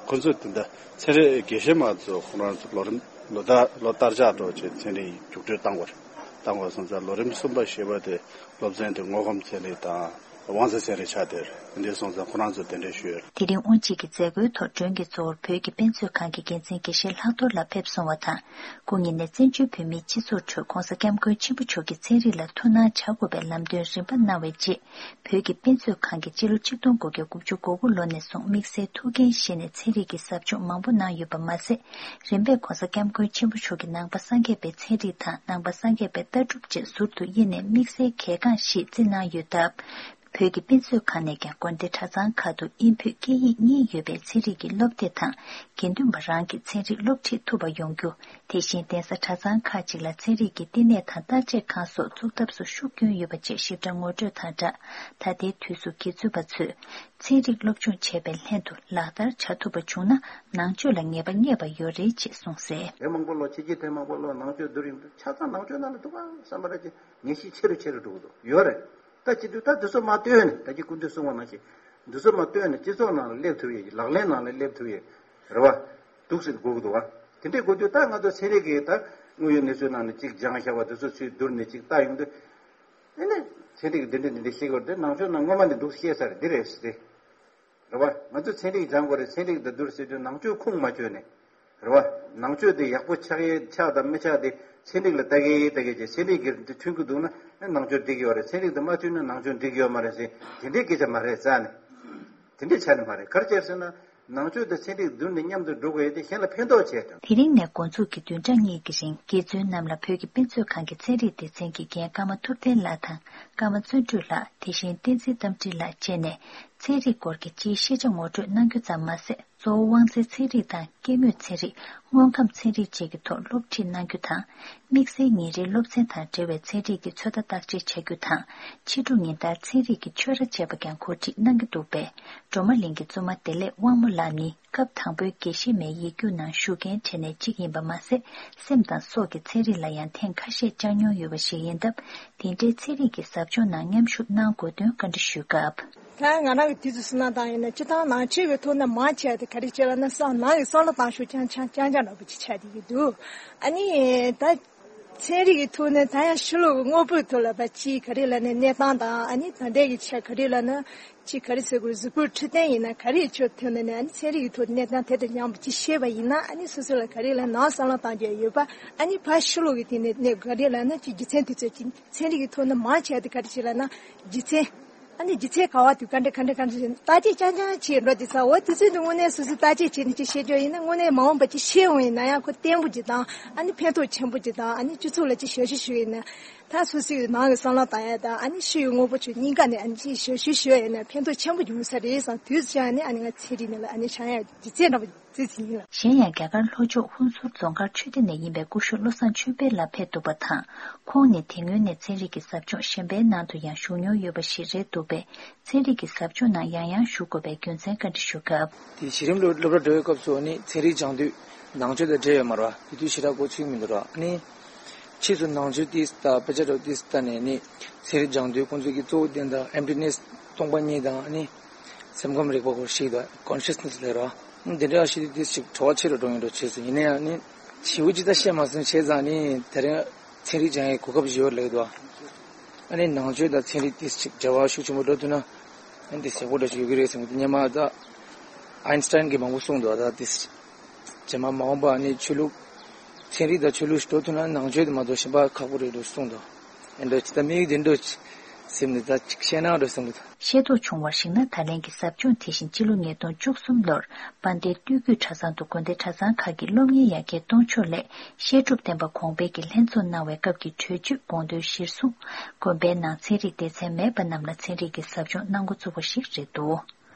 ཁོ་ཚོས་དེ་འདྲ་ཚན་རིག་དགེ་བཤེས་མ་ཚོ་ཁོ་རང་ཚོ་ལོ་རིམ་ལོ་ལྟར་ལོ་ལྟར་ཆགས་འགྲོ་བྱས་ཚན་རིག་རྒྱུགས་སྤྲོད་བཏང་དགོས་རེད། བཏང་དགོས་སོང་ཙང་ལོ་རིམ་གསུམ་པ་བཞི་པ་དེ་སློབ་ཚན་དེ་དངོས་ཁམས་ཚན་རིག་དང་། དབང་རྩ་ཚན་རིག་ཆགས་བསྡད་རེད། འདི་སོང་ཙང་ཁོ་རང་ཚོ་དེ་འདྲ་ཞུས་ཡོད། དེ་རིང་དབུ་འབྱེད་ཀྱི་མཛད་སྒོའི་ཐོག་མགྲོན་གྱི་གཙོ་བོར་བོད་ཀྱི་དཔེ་མཛོད་ཁང་གི་འགན་འཛིན་དགེ་བཤེས་ལྷག་རྡོར་ལགས་ཕེབས་སོང་བ་དང་། སྐུ་ཉིད་ནས་བཙན་བྱོལ་བོད་མིའི་སྤྱི་ཚོགས་ཁྲོད་༸གོང་ས་༸སྐྱབས་མགོན་ཆེན་པོ་མཆོག་གིས་ཚན་རིག་ལ་ཐུགས་སྣང་བྱ་དགོས་པའི་ལམ་སྟོན་རིམ་པ་གནང་བའི་རྗེས། བོད་ཀྱི་དཔེ་མཛོད་ཁང་གིས་སྤྱི་ལོ་ཆིག་སྟོང་དགུ་བརྒྱ་དགུ་བཅུ་གོ་དགུ་ལོ་ནས་བཟུང་དམིགས་བསལ་ཐུགས་འགན་བཞེས་ནས་ཚན་རིག་གི་ཟབ་སྦྱོང་མང་པོ་གནང་ཡོད་པ་མ་ཟད། རིམ་པས་༸གོང་ས་༸སྐྱབས་མགོན་ཆེན་པོ་མཆོག་གིས་ནང་པ་སངས་རྒྱས་པའི་ཚན་རིག་དང་ནང་པ་སངས་རྒྱས་པའི་ལྟ་གྲུབ་བཅས་ཟུར་དུ་དབྱེ་ནས་དམིགས་བསལ་གལ་འགངས་ཤིག་བརྩི་གནང་ཡོད་སྟབས། བོད་ཀྱི་དཔེ་མཛོད་ཁང་ནས་ཀྱང་དགོན་སྡེ་གྲྭ་ཚང་ཁག་ཏུ་དབྱིན་བོད་སྐད་ཡིག་གཉིས་ཡོད་པའི་ཚན་རིག་གི་སློབ་དེབ་དང་། དགེ་འདུན་པ་རང་གིས་ཚན་རིག་སློབ་ཁྲིད་ཐུབ་པ་ཡོང་རྒྱུ། དེ་བཞིན་གདན་ས་གྲྭ་ཚང་ཁག་ཅིག་ལ་ཚན་རིག་གི་བསྟི་གནས་དང་བརྟག་དཔྱད་ཁང་སོགས་འཛུགས་ཐབས་སུ་ཤུགས་བསྐྱོན་ཡོད་པ་བཅས་ཞིབ་ཕྲ་ངོ་སྤྲོད་དང་སྦྲགས། ད་ལྟའི་དུས་སུ་དགེ་ཚུལ་པ་ཚོས་ཚན་རིག་སློབ་སྦྱོང་བྱས་པའི་ལྷན་དུ་ལག་བསྟར་བྱ་ཐུབ་པ་བྱུང་ན་ནང་ཆོས་ལ་ངེས་པ་རྙེད་པ་ཡོད་རེད་ཅེས་གསུངས་གསལ། དེ་མང་པོ་ལོ་ཕྱི་རྒྱལ་དེ་མང་པོ་ལོ་ནང་ཆོས་བསྡུར་ཡིན་དུས་ཆ་ཚང་ནང་ཆོས་ནང་ལ་འདུག་ག་བསམ་པ་རེད་ཅེས་ངེས་ཤེས་ཆེ་རུ་ཆེ་རུ་འགྲོ་གི་འདུག་ཡོད་རེད། ད་བྱེད་དུས་ད་འདི་ཚོ་མ་བཏོན་ནས་ད་ཀྱི་སྐུ་མདུན་གསུངས་པ་ནང་བཞིན་འདི་ཚོ་མ་བཏོན་ནས་སྤྱི་ཚོགས་ནང་ལ་སླེབས་ཐུབ་ཡས་ལག་ལེན་ནང་ལ་སླེབས་ཐུབ་ཡས་རེད་བ། འདུག་ཟེར་དགོས་ཀྱི་འདུག་བ། དེ་འདྲས་དགོས་དུས་ད་ང་ཚོ་ཚན་རིག་གི་ད་དངོས་ཡོད་གནས་ཚུལ་ནང་ནས་གཅིག་སྦྱང་བཞག་པ་འདི་ཚོ་ཚུར་བསྡུར་ནས་གཅིག་ལྟ་ཡོང་དུས། ཨེ་ནས་ཚན་རིག་འདི་འདྲས་འདི་འདྲས་ཤེས་དགོས་རེད་དེ་ནང་ཆོས་ནང་སྔོན་མ་ནས་འདུག་ཤེས་ས་རེད་འདི་རེད་ཟེར་ཏེ། རེད་བ། ང་ཚོ་ཚན་རིག་སྦྱང་དགོས་རེད་ཚན་རིག་དང་བསྡུར་ཟེར་དུས་ནང་ཆོས་ཁུངས་མ་བཅོལ་ནས། རེད་བ། ནང་ཆོས་དེ་ཡག་པོ་ཆགས་ཡས་ཆགས་དང་མི་ཆགས་དེ་ཚན་རིག་ལ་ལྟ་གི་ལྟ་གི་བྱས་ཚན་རིག་གི་འདི་མཐུན་གི་འདུག་ན་ནང་ཆོས་འགྲིག་ཡོད་རེད་ཚན་རིག་དང་མ་མཐུན་ན་ནང་ཆོས་འགྲིག་ཡོད་མ་རེད་ཟེར་དེ་འདྲའི་སྐད་ཆ་མ་རེད་རྩ་ནས། དེ་འདྲའི་ཆ་ནས་མ་རེད་ག་རེ་བྱས་ཟེར་ན་ནང་ཆོས་དང་ཚན་རིག་བསྡུར་ནས་མཉམ་དུ་འགྲོ་དགོས་ཡས་དེ་གཞན་ལ་ཕན་ཐོགས་བྱས་ཀྱང་། དེ་རིང་ནས་འགོ་འཛུགས་ཀྱི་བདུན་ཕྲག་གཉིས་ཀྱི་རིང་དགེ་བཙུན་རྣམས་ལ་བོད་ཀྱི་དཔེ་མཛོད་ཁང་གི་ཚན་རིག་སྡེ་ཚན་གྱི་འགན་ཀརྨ་ཐུབ་བསྟན་ལགས་དང་ཀརྨ་བརྩོན་འགྲུས་ལགས་དེ་བཞིན་བསྟན་འཛིན་རྟ་མགྲིན་ལགས་བཅས་ནས་ཚན་རིག་སྐོར་གྱི་སྤྱིའི་ཤེས་བྱ་ངོ་སྤྲོད་གནང་རྒྱུ་ཙམ་མ་ཟད། གཙོ་བོ་དབང་རྩའི་ཚན་རིག་དང་སྐྱེ་དངོས་ཚན་རིག་དངོས་ཁམས་ཚན་རིག་བཅས་ཀྱི་ཐོག་སློབ་ཁྲིད་གནང་རྒྱུ་དང་། དམིགས་བསལ་ཉིན་རེའི་སློབ་ཚན་དང་འབྲེལ་བའི་ཚན་རིག་གི་ཚོད་ལྟ་བརྟག་དཔྱད་བྱ་རྒྱུ་དང་། ཕྱི་དྲོ་ཉིན་ལྟར་ཚན་རིག་གི་ཆོས་ར་བཅས་པ་ཀྱང་གོ་སྒྲིག་གནང་གི་འདུག་པས། སྒྲོལ་མ་གླིང་གི་བཙུན་མ་བདེ་ལེགས་དབང་མོ་ལགས་ནི་སྐབས་དང་པོའི་དགེ་བཤེས་མའི་ཡིག་རྒྱུགས་ནང་ཞུགས་མཁན་གྲས་ནས་གཅིག་ཡིན་པ་མ་ཟད། སེམས་དང་སྲོག་གི་ཚན་རིག་ལ་ཡང་ཐེངས་ཁ་ཤས་བཅར་མྱོང་ཡོད་པ་ཞིག་ཡིན་སྟབས། དེ་འདྲའི་ཚན་རིག་གི་ཟབ་སྦྱོང་ནང་མཉམ་ཞུགས་གནང་དགོས་དོན་བཀའ་འདྲི་ཞུས་སྐབས། ད་ང་རང་གི་དུས་སུ་བསམ་བློ་བཏང་ཡིན་ན་སྤྱིར་བཏང་ནང་ཆོས་ཀྱི་ཐོག་ནས་མང་ཆེ་བ་དེ་ག་རེ་བྱས་ལབ་ན་སང་ནང་གི་བསམ་བློ་བཏང་ཤུགས་རྐྱང་རྐྱང་རྐྱང་རྐྱང་འདྲ་པོ་ཅིག་ཆགས་བསྡད་ཀྱི་འདུག་ཨ་ནི་ད་ཚན་རིག་གི་ཐོག་ནས་ད་ཡང་ཕྱི་ལོགས་ཀྱི་དངོས་པོའི་ཐོག་ལ་ཕར་ཅིག་ག་རེ་ལབ་ན་གནས་སྟངས་དང་ཨ་ནི་ད་ལྟའི་གི་ཆ་ག་རེ་ལབ་ན་ཅིག་ག་རེ་ཟེར་དགོས་གཟུགས་པོའི་འཕྲོད་བསྟེན་ཡིན་ན་ག་རེ་ཆོས་ཐོག་ནས་ནས་ཨ་ནི་ཚན་རིག་གི་ཐོག་གནས་སྟངས་དེ་དང་མཉམ་པོ་ཅིག་ཤེས་པ་ཡིན་ན་ཨ་ནི་སོ་སོ་ལ་ག་རེ་ལབ་ནང་བསམ་བློ་བཏང་རྒྱུ་ཡོད་པ་ཨ་ནི་ཕར་ཕྱི་ལོགས་ཀྱི་དེ་ནས་གནས་ག་རེ་ལབ་ན་ཅིག་རྒྱུ་མཚན་དེ་ཚོ་ཅིག་ཚན་རིག་གི་ཐོག་ནས་མང་ཆེ་བ་དེ་ག་རེ་ཅིག་ལབ་ན་རྒྱུ་མཚན། ཨ་ནི་རྒྱུ་མཚན་ག་བ་དུས་ག་འདྲ་ག་འདྲ་ག་འདྲ་ཞིག་བརྟག་དཔྱད་རྐྱང་རྐྱང་བྱེད་འགྲོ་དེ་ཚ་འོ་དུས་ཚོད་དུ་དངོས་གནས་སོ་སོས་བརྟག་དཔྱད་བྱེད་ནས་ཅིག་བཤད་རྒྱུ་ཡིན་ན་དངོས་གནས་མ་འོངས་པ་ཅིག་ཤེས་འོང་ཡིན་ན་ཡང་ཁོ་བརྟན་པོ་ཅིག་དང་ཨ་ནི་ཕན་ཐོགས་ཆེན་པོ་ཅིག་དང་ཨ་ནི་སྤྱི་ཚོགས་ལ་ཅིག་ཞབས་ཞུ་ཞུ་ཡིན་ན་ ད་སོ་སོའི་ནང་གི་བསམ་བློ་བཏང་ཡ་དང་ཨ་ནི་ཤི་བའི་དངོས་པོ་ཚོའི་སྙིང་ག་ནས་ཨ་ནི་ཅིག་ཞབས་ཞུ་ཞུ་ཡ་ཡིན་ན་ཕན་ཐོགས་ཆེན་པོ་ཡོང་ས་རེད་བསམ། དུས་ཚོད་ཡང་ནི་ཨ་ནི་ང་ཚན་རིག་ནང་ལ་ཨ་ནི་བྱང་ཡ་རྗེས་ཚད་འདྲ་པོ་རྗེས་ཚད་ཡིན་ལ། གཞན་ཡང་རྒྱ་གར་ལྷོ་ཕྱོགས་ཧུན་སུར་རྫོང་མཁར་ཆོས་སྡེ་ནས་ཡིན་པའི་སྐུ་ཞབས་བློ་བཟང་ཆོས་འཕེལ་ལགས་ཕེབས་འདུག་པ་དང་། ཁོང་ནི་དེ་སྔོན་ནས་ཚན་རིག་གི་ཟབ་སྦྱོང་གཞན་པའི་ནང་དུ་ཡང་ཞུགས་མྱོང་ཡོད་པ་ཞིག་རེད་འདུག་པས། ཚན་རིག་གི་ཟབ་སྦྱོང་ནང་ཡང་ཡང་ཞུགས་དགོས་པའི་རྒྱུ་མཚན་བཀའ་འདྲི་ཞུ་སྐབས། དེ་གཞི་རིམ་སློབ་སློབ་གྲྭ་འགྲོ་བའི་སྐབས་སུ་ནི་ཚན་རིག་སྦྱང་དུས་ནང་ཆོས་དང་འབྲེལ་ཡོད་མ་རེད་པ། དེ་དུས་ཞེ་དྲག་གོ་ཚུལ་མི་འདུག་ར། ནི་ཕྱིས་སུ་ནང་ཆོས་ཏིས་ལྟ་དཔེ་ཆ་འདྲ་ཏིས་ལྟ་ནས་ནི་ཚན་རིག་སྦྱང་དུས་ཁོང་ཚོས་ཀྱི་གཙོ་བོ་དེ་འདྲ་ཨེམ་ཊི་ནེས་སྟོང་པ་ཉིད་དང་ནི་སེམས་ཁམས་རིག་པ་སྐོར་ཞིག་དང་ཀོན་ཤི་ཡས་ནེས་ལབ་ར། དེ་འདྲ་ཞིག་ཏིས་ཅིག་བྲོ་བ་ཆེ་རུ་འགྲོ་ཡོང་འགྲོ་བྱས་སོང་། ཡིན་ན་ཡང་ནི་ཞེ་པོ་ཅིག་ད་བཤད་མ་སོང་བྱས་ཙང་ནི་དེ་རིང་ཚན་རིག་སྦྱང་ཡའི་གོ་སྐབས་ཞིག་ཡོད་ལབ་འདུག་ཨ་ནི་ནང་ཆོས་དང་ཚན་རིག་ཏིས་ཅིག་འབྲེལ་བ་ཤུགས་ཆེན་པོ་འགྲོ་ཐུབ་ན་ཨ་ནི་དེ་ཡག་པོ་འདྲ་ཞིག་ཡོད་ཀྱི་རེད་བསམ་གྱི་འདུག་སྔོན་མ་ད་ཨའིན་སི་ཊའིན་གྱིས་མང་པོ་གསུངས་འདུག་ད་ཏིས་རྗེས་མ་མ་འོངས་པ་ནི་ཆོས་ལུགས་ཚན་རིག་དང་ཆོས་ལུགས་ཤིག་འགྲོ་ཐུབ་ན་ནང་ཆོས་དེ་མ་གཏོགས་གཞན་པ་ཁག་པོ་རེད་འགྲོ་གསུངས་འདུག་ཨེ་འགྲོ་ཅི་ད་དམིགས་ཡུལ་དེ་འགྲོ་ཅི་སེམས་ནས་ད་ཅིག་བཤད་ན་འགྲོ་བསམ་གྱི་འདུག་ཤེས་རྟོགས་བྱུང་བར་གཞིགས་ན། ད་ལན་གྱི་ཟབ་སྦྱོང་དེ་བཞིན་སྤྱི་ལོ་ཉིས་སྟོང་བཅུ་གསུམ་ལོར་དཔལ་ལྡན་སྟོད་བརྒྱུད་གྲྭ་ཚང་དུ་དགོན་སྡེ་གྲྭ་ཚང་ཁག་གི་སློབ་གཉེར་ཡར་རྒྱས་གཏོང་ཕྱོགས་སླད་བཤད་སྒྲུབ་བསྟན་པ་གོང་འཕེལ་གྱི་ལྷན་ཚོགས་གནང་བའི་སྐབས་ཀྱི་གྲོས་ཆོད་དགོངས་དོན་གཞིར་བཟུང་། དགོན་པའི་ནང་ཚན་རིག་སྡེ་ཚན་མེད་པ་རྣམས་ལ་ཚན་རིག་གི་ཟབ་སྦྱོང་གནང་འགོ་བཙུགས་པ་ཞིག་རེད་འདུག་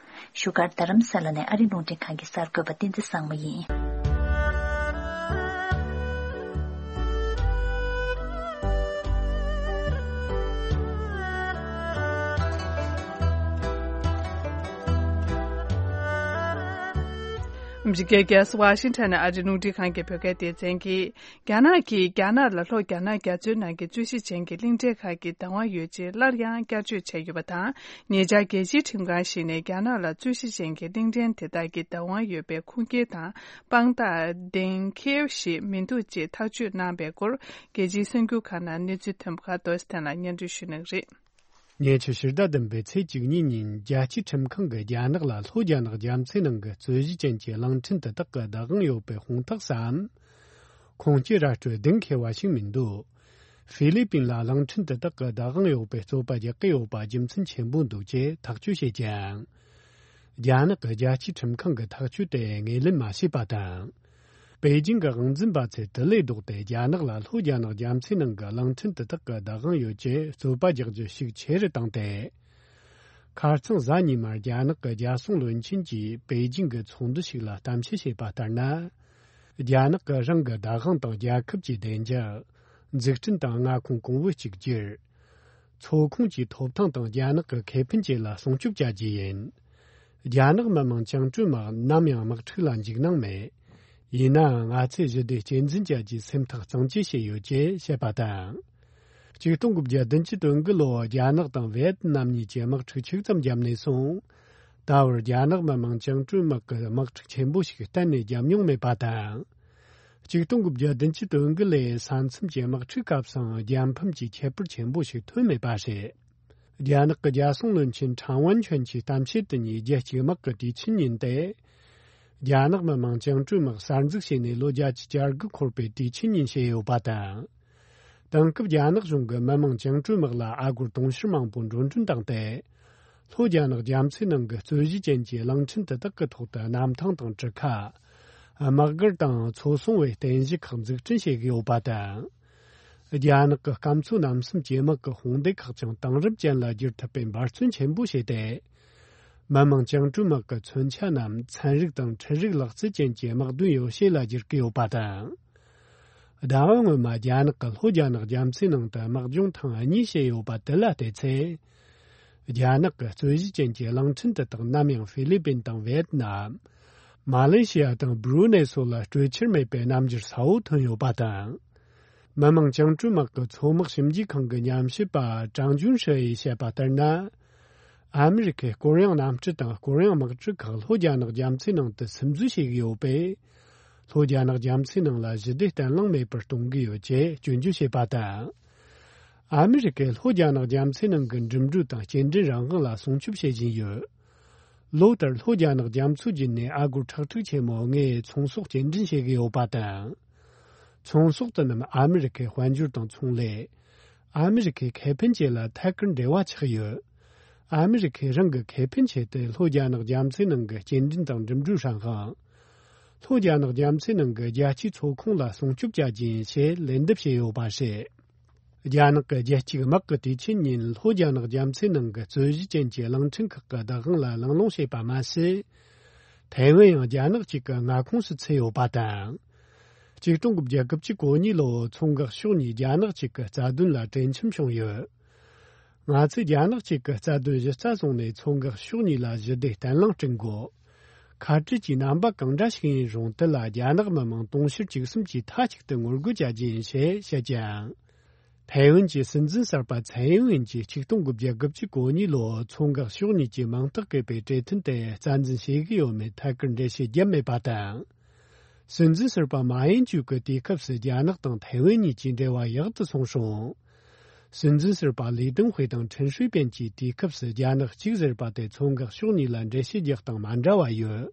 བཞུགས་སྒར་རྡ་རམ་ས་ལ་ནས་ཨ་རི་རླུང་འཕྲིན་ཁང་གི་གསར་འགོད་པ་བསྟན་འཛིན་བཟང་མོ་ཡིན། ཨ་མི་རི་ཀའི་རྒྱལ་ས་ཝ་ཤིང་ཊོན་ནས་ཨ་རི་རླུང་འཕྲིན་ཁང་གི་བོད་སྐད་སྡེ་ཚན་གྱིས། རྒྱ་ནག་གིས་རྒྱ་ནག་ལ་ལྷོ་རྒྱ་ནག་རྒྱ་མཚོའི་ནང་གི་རྩོད་གཞི་ཅན་གྱི་གླིང་ཕྲན་ཁག་གི་བདག་དབང་ཡོད་ཅེས་སླར་ཡང་བསྐྱར་བརྗོད་བྱས་ཡོད་པ་དང་། ཉེ་ཆར་རྒྱལ་སྤྱིའི་ཁྲིམས་ཁང་ཞིག་ནས་རྒྱ་ནག་ལ་རྩོད་གཞི་ཅན་གྱི་གླིང་ཕྲན་དེ་དག་གི་བདག་དབང་ཡོད་པའི་ཁུངས་སྐྱེལ་དང་དཔང་རྟགས་གཏན་འཁེལ་ཞིག་མི་འདུག་ཅེས་ཐག་གཅོད་གནང་བའི་སྐོར། རྒྱལ་སྤྱིའི་གསར་འགྱུར་ཁག་ནང་གནས་ཚུལ་ཐོན་པ་ཁག་ཏོ་སི་ཐན་ལ་སྙན་སྒྲོན་ཞུ་གནང་གི་རེད། ཉེ་ཆར་ཕྱི་ཟླ་བདུན་པའི་ཚེས་བཅུ་གཉིས་ཉིན་རྒྱལ་སྤྱིའི་ཁྲིམས་ཁང་གིས་རྒྱ་ནག་ལ་ལྷོ་རྒྱ་ནག་རྒྱ་མཚོའི་ནང་གི་རྩོད་གཞི་ཅན་གྱི་གླིང་ཕྲན་དེ་དག་གི་བདག་དབང་ཡོད་པའི་དཔང་རྟགས་སམ། ཁུངས་སྐྱེལ་ར་སྤྲོད་གཏན་འཁེལ་བ་ཞིག་མི་འདུག་ཧྥི་ལི་པིན་ལ་གླིང་ཕྲན་དེ་དག་གི་བདག་དབང་ཡོད་པའི་རྩོད་པ་རྒྱག་གི་ཡོད་པ་རྒྱུ་མཚན་ཆེན་པོ་འདུག་ཅེས་ཐག་གཅོད་བྱེད་ཀྱང་། རྒྱ་ནག་གི་རྒྱལ་སྤྱིའི་ཁྲིམས་ཁང་གི་ཐག་གཅོད་དེ་ངོས་ལེན་མ་བྱས་པ་དང་། པེ་ཅིང་གི་དབང་འཛིན་པ་ཚོས་དེ་ལས་ལྡོག་སྟེ་རྒྱ་ནག་ལ་ལྷོ་རྒྱ་ནག་རྒྱ་མཚོའི་ནང་གི་གླིང་ཕྲན་དེ་དག་གི་བདག་དབང་ཡོད་ཅེས་རྩོད་པ་རྒྱག་རྒྱུ་ཤུགས་ཆེ་རུ་བཏང་སྟེ། ཁ་རྩང་གཟའ་ཉི་མར་རྒྱ་ནག་གི་རྒྱལ་སྲུང་བློན་ཆེན་གྱིས་པེ་ཅིང་གི་ཚོགས་འདུ་ཞིག་ལ་གཏམ་བཤད་བྱས་པ་ལྟར་ན། རྒྱ་ནག་གིས་རང་གི་བདག་དབང་དང་རྒྱལ་ཁབ་ཀྱི་བདེ་འཇགས། འཛུགས་སྐྲུན་དང་མངའ་ཁོངས་གོང་བུ་གཅིག་གྱུར། ཚོ་ཁོངས་ཀྱི་ཐོབ་ཐང་དང་རྒྱ་ནག་གི་ཁེ་ཕན་བཅས་ལ་སྲུང་སྐྱོབ་བྱ་རྒྱུ་ཡིན། རྒྱ་ནག་མི་དམངས་བཅིངས་འགྲོལ་དམག་ནམ་ཡང་དམག་འཁྲུག་ལ་འཇིགས་སྣང་མེད། ཡིན་ནའང་ང་ཚོས་ཞི་བདེ་གཅེས་འཛིན་བྱ་རྒྱུའི་སེམས་ཐག་གཙང་བཅད་བྱས་ཡོད་ཅེས་བཤད་པ་དང་། ཆིག་སྟོང་དགུ་བརྒྱ་བདུན་ཅུ་དོན་དགུ་ལོར་རྒྱ་ནག་དང་ཝེ་ཏི་ནམ་གཉིས་ཀྱིས་དམག་འཁྲུག་ཆིག་ཙམ་བརྒྱབ་ནས་བཟུང་། ད་བར་རྒྱ་ནག་མི་དམངས་བཅིངས་འགྲོལ་དམག་གིས་དམག་འཁྲུག་ཆེན་པོ་ཞིག་གཏན་ནས་བརྒྱབ་མྱོང་མེད་པ་དང་། ཆིག་སྟོང་དགུ་བརྒྱ་བདུན་ཅུ་དོན་དགུ་ལོའི་ས་མཚམས་ཀྱི་དམག་འཁྲུག་སྐབས་སུའང་རྒྱལ་ཕམ་གྱི་ཁྱད་པར་ཆེན་པོ་ཞིག་ཐོན་མེད་པ་རེད། རྒྱ་ནག་གི་རྒྱལ་སྲུང་བློན་ཆེན་ཁྲང་ཝན་ཆོན་གྱིས་གཏམ་བཤད་དེ་ཉིད་རྒྱལ་གཅེས་དམག་གི་དུས་ཆེན་ཉིན་ཏེ། རྒྱ་ནག་མི་དམངས་བཅིངས་འགྲོལ་དམག་གསར་འཛུགས་བྱས་ནས་ལོ་བརྒྱད་ཅུ་གྱ་དགུ་འཁོར་བའི་དུས་ཆེན་ཉིན་བྱས་ཡོད་པ་དང་། དེང་སྐབས་རྒྱ་ནག་གཞུང་གིས་མི་དམངས་བཅིངས་འགྲོལ་དམག་ལ་ཨ་སྒོར་དུང་ཕྱུར་མང་པོ་འགྲོ་གྲོན་བཏང་སྟེ། ལྷོ་རྒྱ་ནག་རྒྱ་མཚོའི་ནང་གི་རྩོད་གཞི་ཅན་གྱི་གླིང་ཕྲན་དེ་དག་གི་ཐོག་ཏུ་གནམ་ཐང་དང་གྲུ་ཁ། དམག་སྒར་དང་མཚོ་སྲུང་བའི་རྟེན་གཞི་ཁག་འཛུགས་སྐྲུན་བྱེད་ཀྱི་ཡོད་པ་དང་། རྒྱ་ནག་གི་སྐམ་མཚོ་རྣམ་གསུམ་གྱི་དམག་གི་དཔུང་སྡེ་ཁག་ཀྱང་དེང་རབས་ཅན་ལ་བསྒྱུར་ཐུབ་པའི་འབད་བརྩོན་ཆེན་པོ་བྱས་ཏེ། མི་དམངས་བཅིངས་འགྲོལ་དམག་གི་མཚོན་ཆ་རྣམས་ཚན་རིག་དང་འཕྲུལ་རིག་ལག་རྩལ་ཅན་གྱི་དམག་དོན་ཡོ་བྱད་ལ་བསྒྱུར་གྱི་ཡོད་པ་དང་། ཟླ་བ་སྔོན་མ་རྒྱ་ནག་གིས་ལྷོ་རྒྱ་ནག་རྒྱ་མཚོའི་ནང་དུ་དམག་སྦྱོང་ཐེངས་གཉིས་བྱས་ཡོད་པ་དེ་ལ་བལྟས་ཚེ། རྒྱ་ནག་གི་རྩོད་གཞི་ཅན་གྱི་གླིང་ཕྲན་དེ་དག་ནམ་ཡང་ཧྥི་ལི་པིན་དང་ཝེ་ཏི་ནམ། མ་ལེ་ཤི་ཡ་དང་སྦྲུ་ནེ་སོགས་ལ་སྤྲོད་འཆར་མེད་པའི་རྣམ་འགྱུར་གསལ་བོ་ཐོན་ཡོད་པ་དང་། མི་དམངས་བཅིངས་འགྲོལ་དམག་གི་མཚོ་དམག་ཞིབ་འཇུག་ཁང་གི་ཉམས་ཞིབ་པ་ཀྲང་ཅུན་ཧྲི་ཡིས་བཤད་པ་ལྟར་ན། ཨ་མི་རི་ཁས་ཀོ་རི་ཡང་གནམ་གྲུ་དང་ཀོ་རི་ཡང་དམག་གྲུ་ཁག་ལྷོ་རྒྱ་ནག་རྒྱ་མཚོའི་ནང་དུ་སིམ་འཛུལ་བྱེད་ཀྱི་ཡོད་པས། ལྷོ་རྒྱ་ནག་རྒྱ་མཚོའི་ནང་ལ་ཞི་བདེ་བརྟན་ལྷིང་མེད་པར་གཏོང་གི་ཡོད་ཅེས་སྐྱོན་བརྗོད་བྱས་པ་དང་། ཨ་མི་རི་ཀས་ལྷོ་རྒྱ་ནག་རྒྱ་མཚོའི་ནང་གི་འགྲིམ་འགྲུལ་དང་སྐྱེལ་འདྲེན་རང་དབང་ལ་སྲུང་སྐྱོབ་བྱེད་བཞིན་ཡོད། ལོ་ལྟར་ལྷོ་རྒྱ་ནག་རྒྱ་མཚོ་བརྒྱུད་ནས་ཨ་སྒོར་ཁྲག་ཁྲིག་ཆེན་མོ་ལྔའི་ཚོང་ཟོག་སྐྱེལ་འདྲེན་བྱེད་ཀྱི་ཡོད་པ་དང་། ཚོང་ཟོག་དེ་རྣམས་ཨ་མི་རི་ཀའི་དཔལ་འབྱོར་དང་ཚོང་ལས། ཨ་མི་རི་ཀའི་ཁེ་ཕན་བཅས་ལ་ཐད་ཀར་འབྲེལ་བ་ཆགས་ཡོད། ཨ་མི་རི་ཀས་རང་གི་ཁེ་ཕན་ཆེད་དུ་ལྷོ་རྒྱ་ནག་རྒྱ་མཚོའི་ནང་གི་སྐྱེལ་འདྲེན་དང་འགྲིམ་འགྲུལ་རང་དབང་། ལྷོ་རྒྱ་ནག་རྒྱ་མཚོའི་ནང་གི་རྒྱལ་སྤྱིའི་མཚོ་ཁོངས་ལ་སྲུང་སྐྱོབ་བྱ་རྒྱུ་ཡིན་ཞེས་ལན་འདེབས་བྱས་ཡོད་པ་རེད། རྒྱ་ནག་གི་རྒྱལ་གཅེས་དམག་གི་དུས་ཆེན་ཉིན་ལྷོ་རྒྱ་ནག་རྒྱ་མཚོའི་ནང་གི་རྩོད་གཞི་ཅན་གྱི་གླིང་ཕྲན་ཁག་གི་བདག་དབང་ལ་གླེང་སློང་བྱས་པ་མ་ཟད། ཐའེ་ཝན་ཡང་རྒྱ་ནག་གཅིག་གི་མངའ་ཁོངས་སུ་ཚུད་ཡོད་པ་དང་། ཆིག་སྟོང་དགུ་བརྒྱ་གོ་གཉིས་ལོའི་མཚོ་འགག་ཕྱོགས་གཉིས་རྒྱ་ནག་གཅིག་གི་རྩ་དོན་ལ་གྲོས་འཆམ་བྱུང་ཡོད། ང་ཚོས་རྒྱ་ནག་གཅིག་གི་རྩ་དོན་གཞི་རྩ་བཟུང་ནས་མཚོ་འགག་ཕྱོགས་གཉིས་ལ་ཞི་བདེ་བརྟན་ལྷིང་བསྐྲུན་དགོས། ཁ་བྲལ་གྱི་རྣམ་པ་གང་འདྲ་ཞིག་ཡིན་རུང་དེ་ལ་རྒྱ་ནག་མི་དམངས་དུང་ཕྱུར་བཅུ་གསུམ་གྱིས་མཐའ་གཅིག་ཏུ་ངོ་རྒོལ་བྱ་རྒྱུ་ཡིན་ཞེས་བཤད་ཀྱང་། ཐའེ་ཝན་གྱི་སྲིད་འཛིན་གསར་པ་ཚའེ་ཨིན་ཝེན་གྱིས་ཆིག་སྟོང་དགུ་བརྒྱ་གོ་གཉིས་ལོའི་མཚོ་འགག་ཕྱོགས་གཉིས་ཀྱི་མིང་རྟགས་བཀོད་པའི་གྲོས་མཐུན་དེ་རྩ་འཛིན་བྱེད་ཀྱི་ཡོད་མེད་ཐད་ཀར་འགྲེལ་བཤད་བརྒྱབ་མེད་པ་དང་། སྲིད་འཛིན་ཟུར་པ་མ་ཡན་ཅུ་གིས་དུས་སྐབས་སུ་རྒྱ་ནག་དང་ཐའེ་ཝན་གཉིས་ཀྱི་འབྲེལ་བ་ཡག་ཏུ་སོང་སོང་། སྲིད་འཛིན་ཟུར་པ་ལི་ཏུང་ཧུའེ་དང་ཁྲིན་ཧྲུའེ་པེན་གྱིས་དུས་སྐབས་སུ་རྒྱ་ནག་གཅིག་ཟེར་པ་དེ་མཚོ་འགག་ཕྱོགས་གཉིས་ལ་འགྲེལ་བཤད་རྒྱག་སྟངས་མ་འདྲ་བ་ཡོད།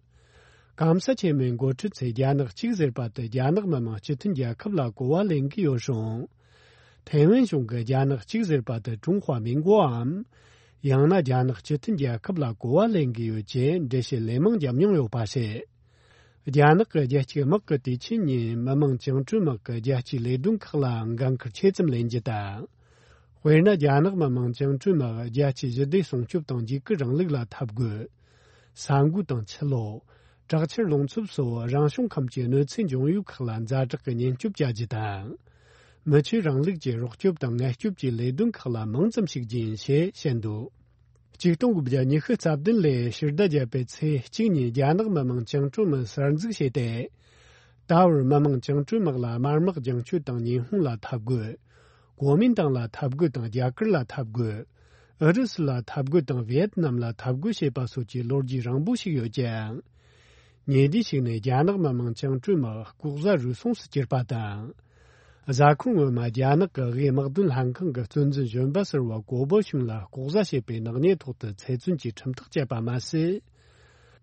གོང་ས་ཆེན་མོའི་འགོ་ཁྲིད་ཚོས་རྒྱ་ནག་གཅིག་ཟེར་པ་དེ་རྒྱ་ནག་མི་དམངས་སྤྱི་མཐུན་རྒྱལ་ཁབ་ལ་གོ་བ་ལེན་གྱི་ཡོད་རུང་། ཐའེ་ཝན་གཞུང་གིས་རྒྱ་ནག་གཅིག་ཟེར་པ་དེ་ཀྲུང་ཧྭ་མིན་གོའམ། ཡང་ན་རྒྱ་ནག་སྤྱི་མཐུན་རྒྱལ་ཁབ་ལ་གོ་བ་ལེན་གྱི་ཡོད་ཅེས་འགྲེལ་བཤད་ལན་མང་བརྒྱབ་མྱོང་ཡོད་པ་རེད། རྒྱ་ནག་གི་རྒྱལ་གཅེས་དམག་གི་དུས་ཆེན་ཉིན་མི་དམངས་བཅིངས་འགྲོལ་དམག་གི་རྒྱལ་གཅེས་ལས་དོན་ཁག་ལ་འགན་ཁུར་ཆེ་ཙམ་ལེན་རྒྱུ་དང་། དཔེར་ན། རྒྱ་ནག་མི་དམངས་བཅིངས་འགྲོལ་དམག་རྒྱལ་གཅེས་ཞི་བདེ་སྲུང་སྐྱོབ་དང་འཇིགས་སྐུལ་རིང་ལུགས་ལ་འཐབ་རྒོལ། ས་འགུལ་དང་ཆུ་ལོག་དྲག་ཆར་རླུང་འཚུབ་སོགས་རང་བྱུང་ཁམས་ཀྱི་གནོད་འཚེ་འབྱུང་ཡུལ་ཁག་ལ་ཛ་དྲག་གི་ཉེན་སྐྱོབ་བྱ་རྒྱུ་དང་། མི་ཆོས་རིང་ལུགས་ཀྱི་རོགས་སྐྱོབ་དང་ངལ་སྐྱོབ་ཀྱི་ལས་དོན་ཁག་ལ་མང་ཙམ་ཞུགས་རྒྱུ་ཡིན་ཞེས་བཤད་འདུག་ཆིག་སྟོང་དགུ་བརྒྱ་ཉི་ཤུ་རྩ་བདུན་ལོའི་ཕྱི་ཟླ་བརྒྱད་པའི་ཚེས་གཅིག་ཉིན་རྒྱ་ནག་མི་དམངས་བཅིངས་འགྲོལ་དམག་གསར་འཛུགས་བྱས་ཏེ། ད་བར་མི་དམངས་བཅིངས་འགྲོལ་དམག་ལ་དམར་དམག་རྒྱང་སྐྱོད་དང་ཉི་ཧོང་ལ་འཐབ་རྒོལ། གོ་མིན་ཏང་ལ་འཐབ་རྒོལ་དང་རྒྱ་གར་ལ་འཐབ་རྒོལ། ཨུ་རུ་སུ་ལ་འཐབ་རྒོལ་དང་ཝི་ཡེད་ནམ་ལ་འཐབ་རྒོལ་བྱས་པ་སོགས་ཀྱི་ལོ་རྒྱུས་རིང་པོ་ཞིག་ཡོད་ཀྱང་། ཉེ་དུས་ཤིག་ནས་རྒྱ་ནག་མི་དམངས་བཅིངས་འགྲོལ་དམག་ལྐོག་ཟ་རུལ་སུངས་སུ་གྱུར་པ་དང་། གཟའ་འཁོར་སྔོན་མ་རྒྱ་ནག་གི་དབུས་དམག་དོན་ལྷན་ཁང་གི་གཙོ་འཛིན་གཞོན་པ་ཟུར་པ་གོ་བོ་ཤུན་ལ་ལྐོག་ཟ་བྱས་པའི་ནག་ཉེས་ཐོག་ཏུ་ཚེ་བཙོན་གྱི་ཁྲིམས་ཐག་བཅད་པ་མ་ཟད།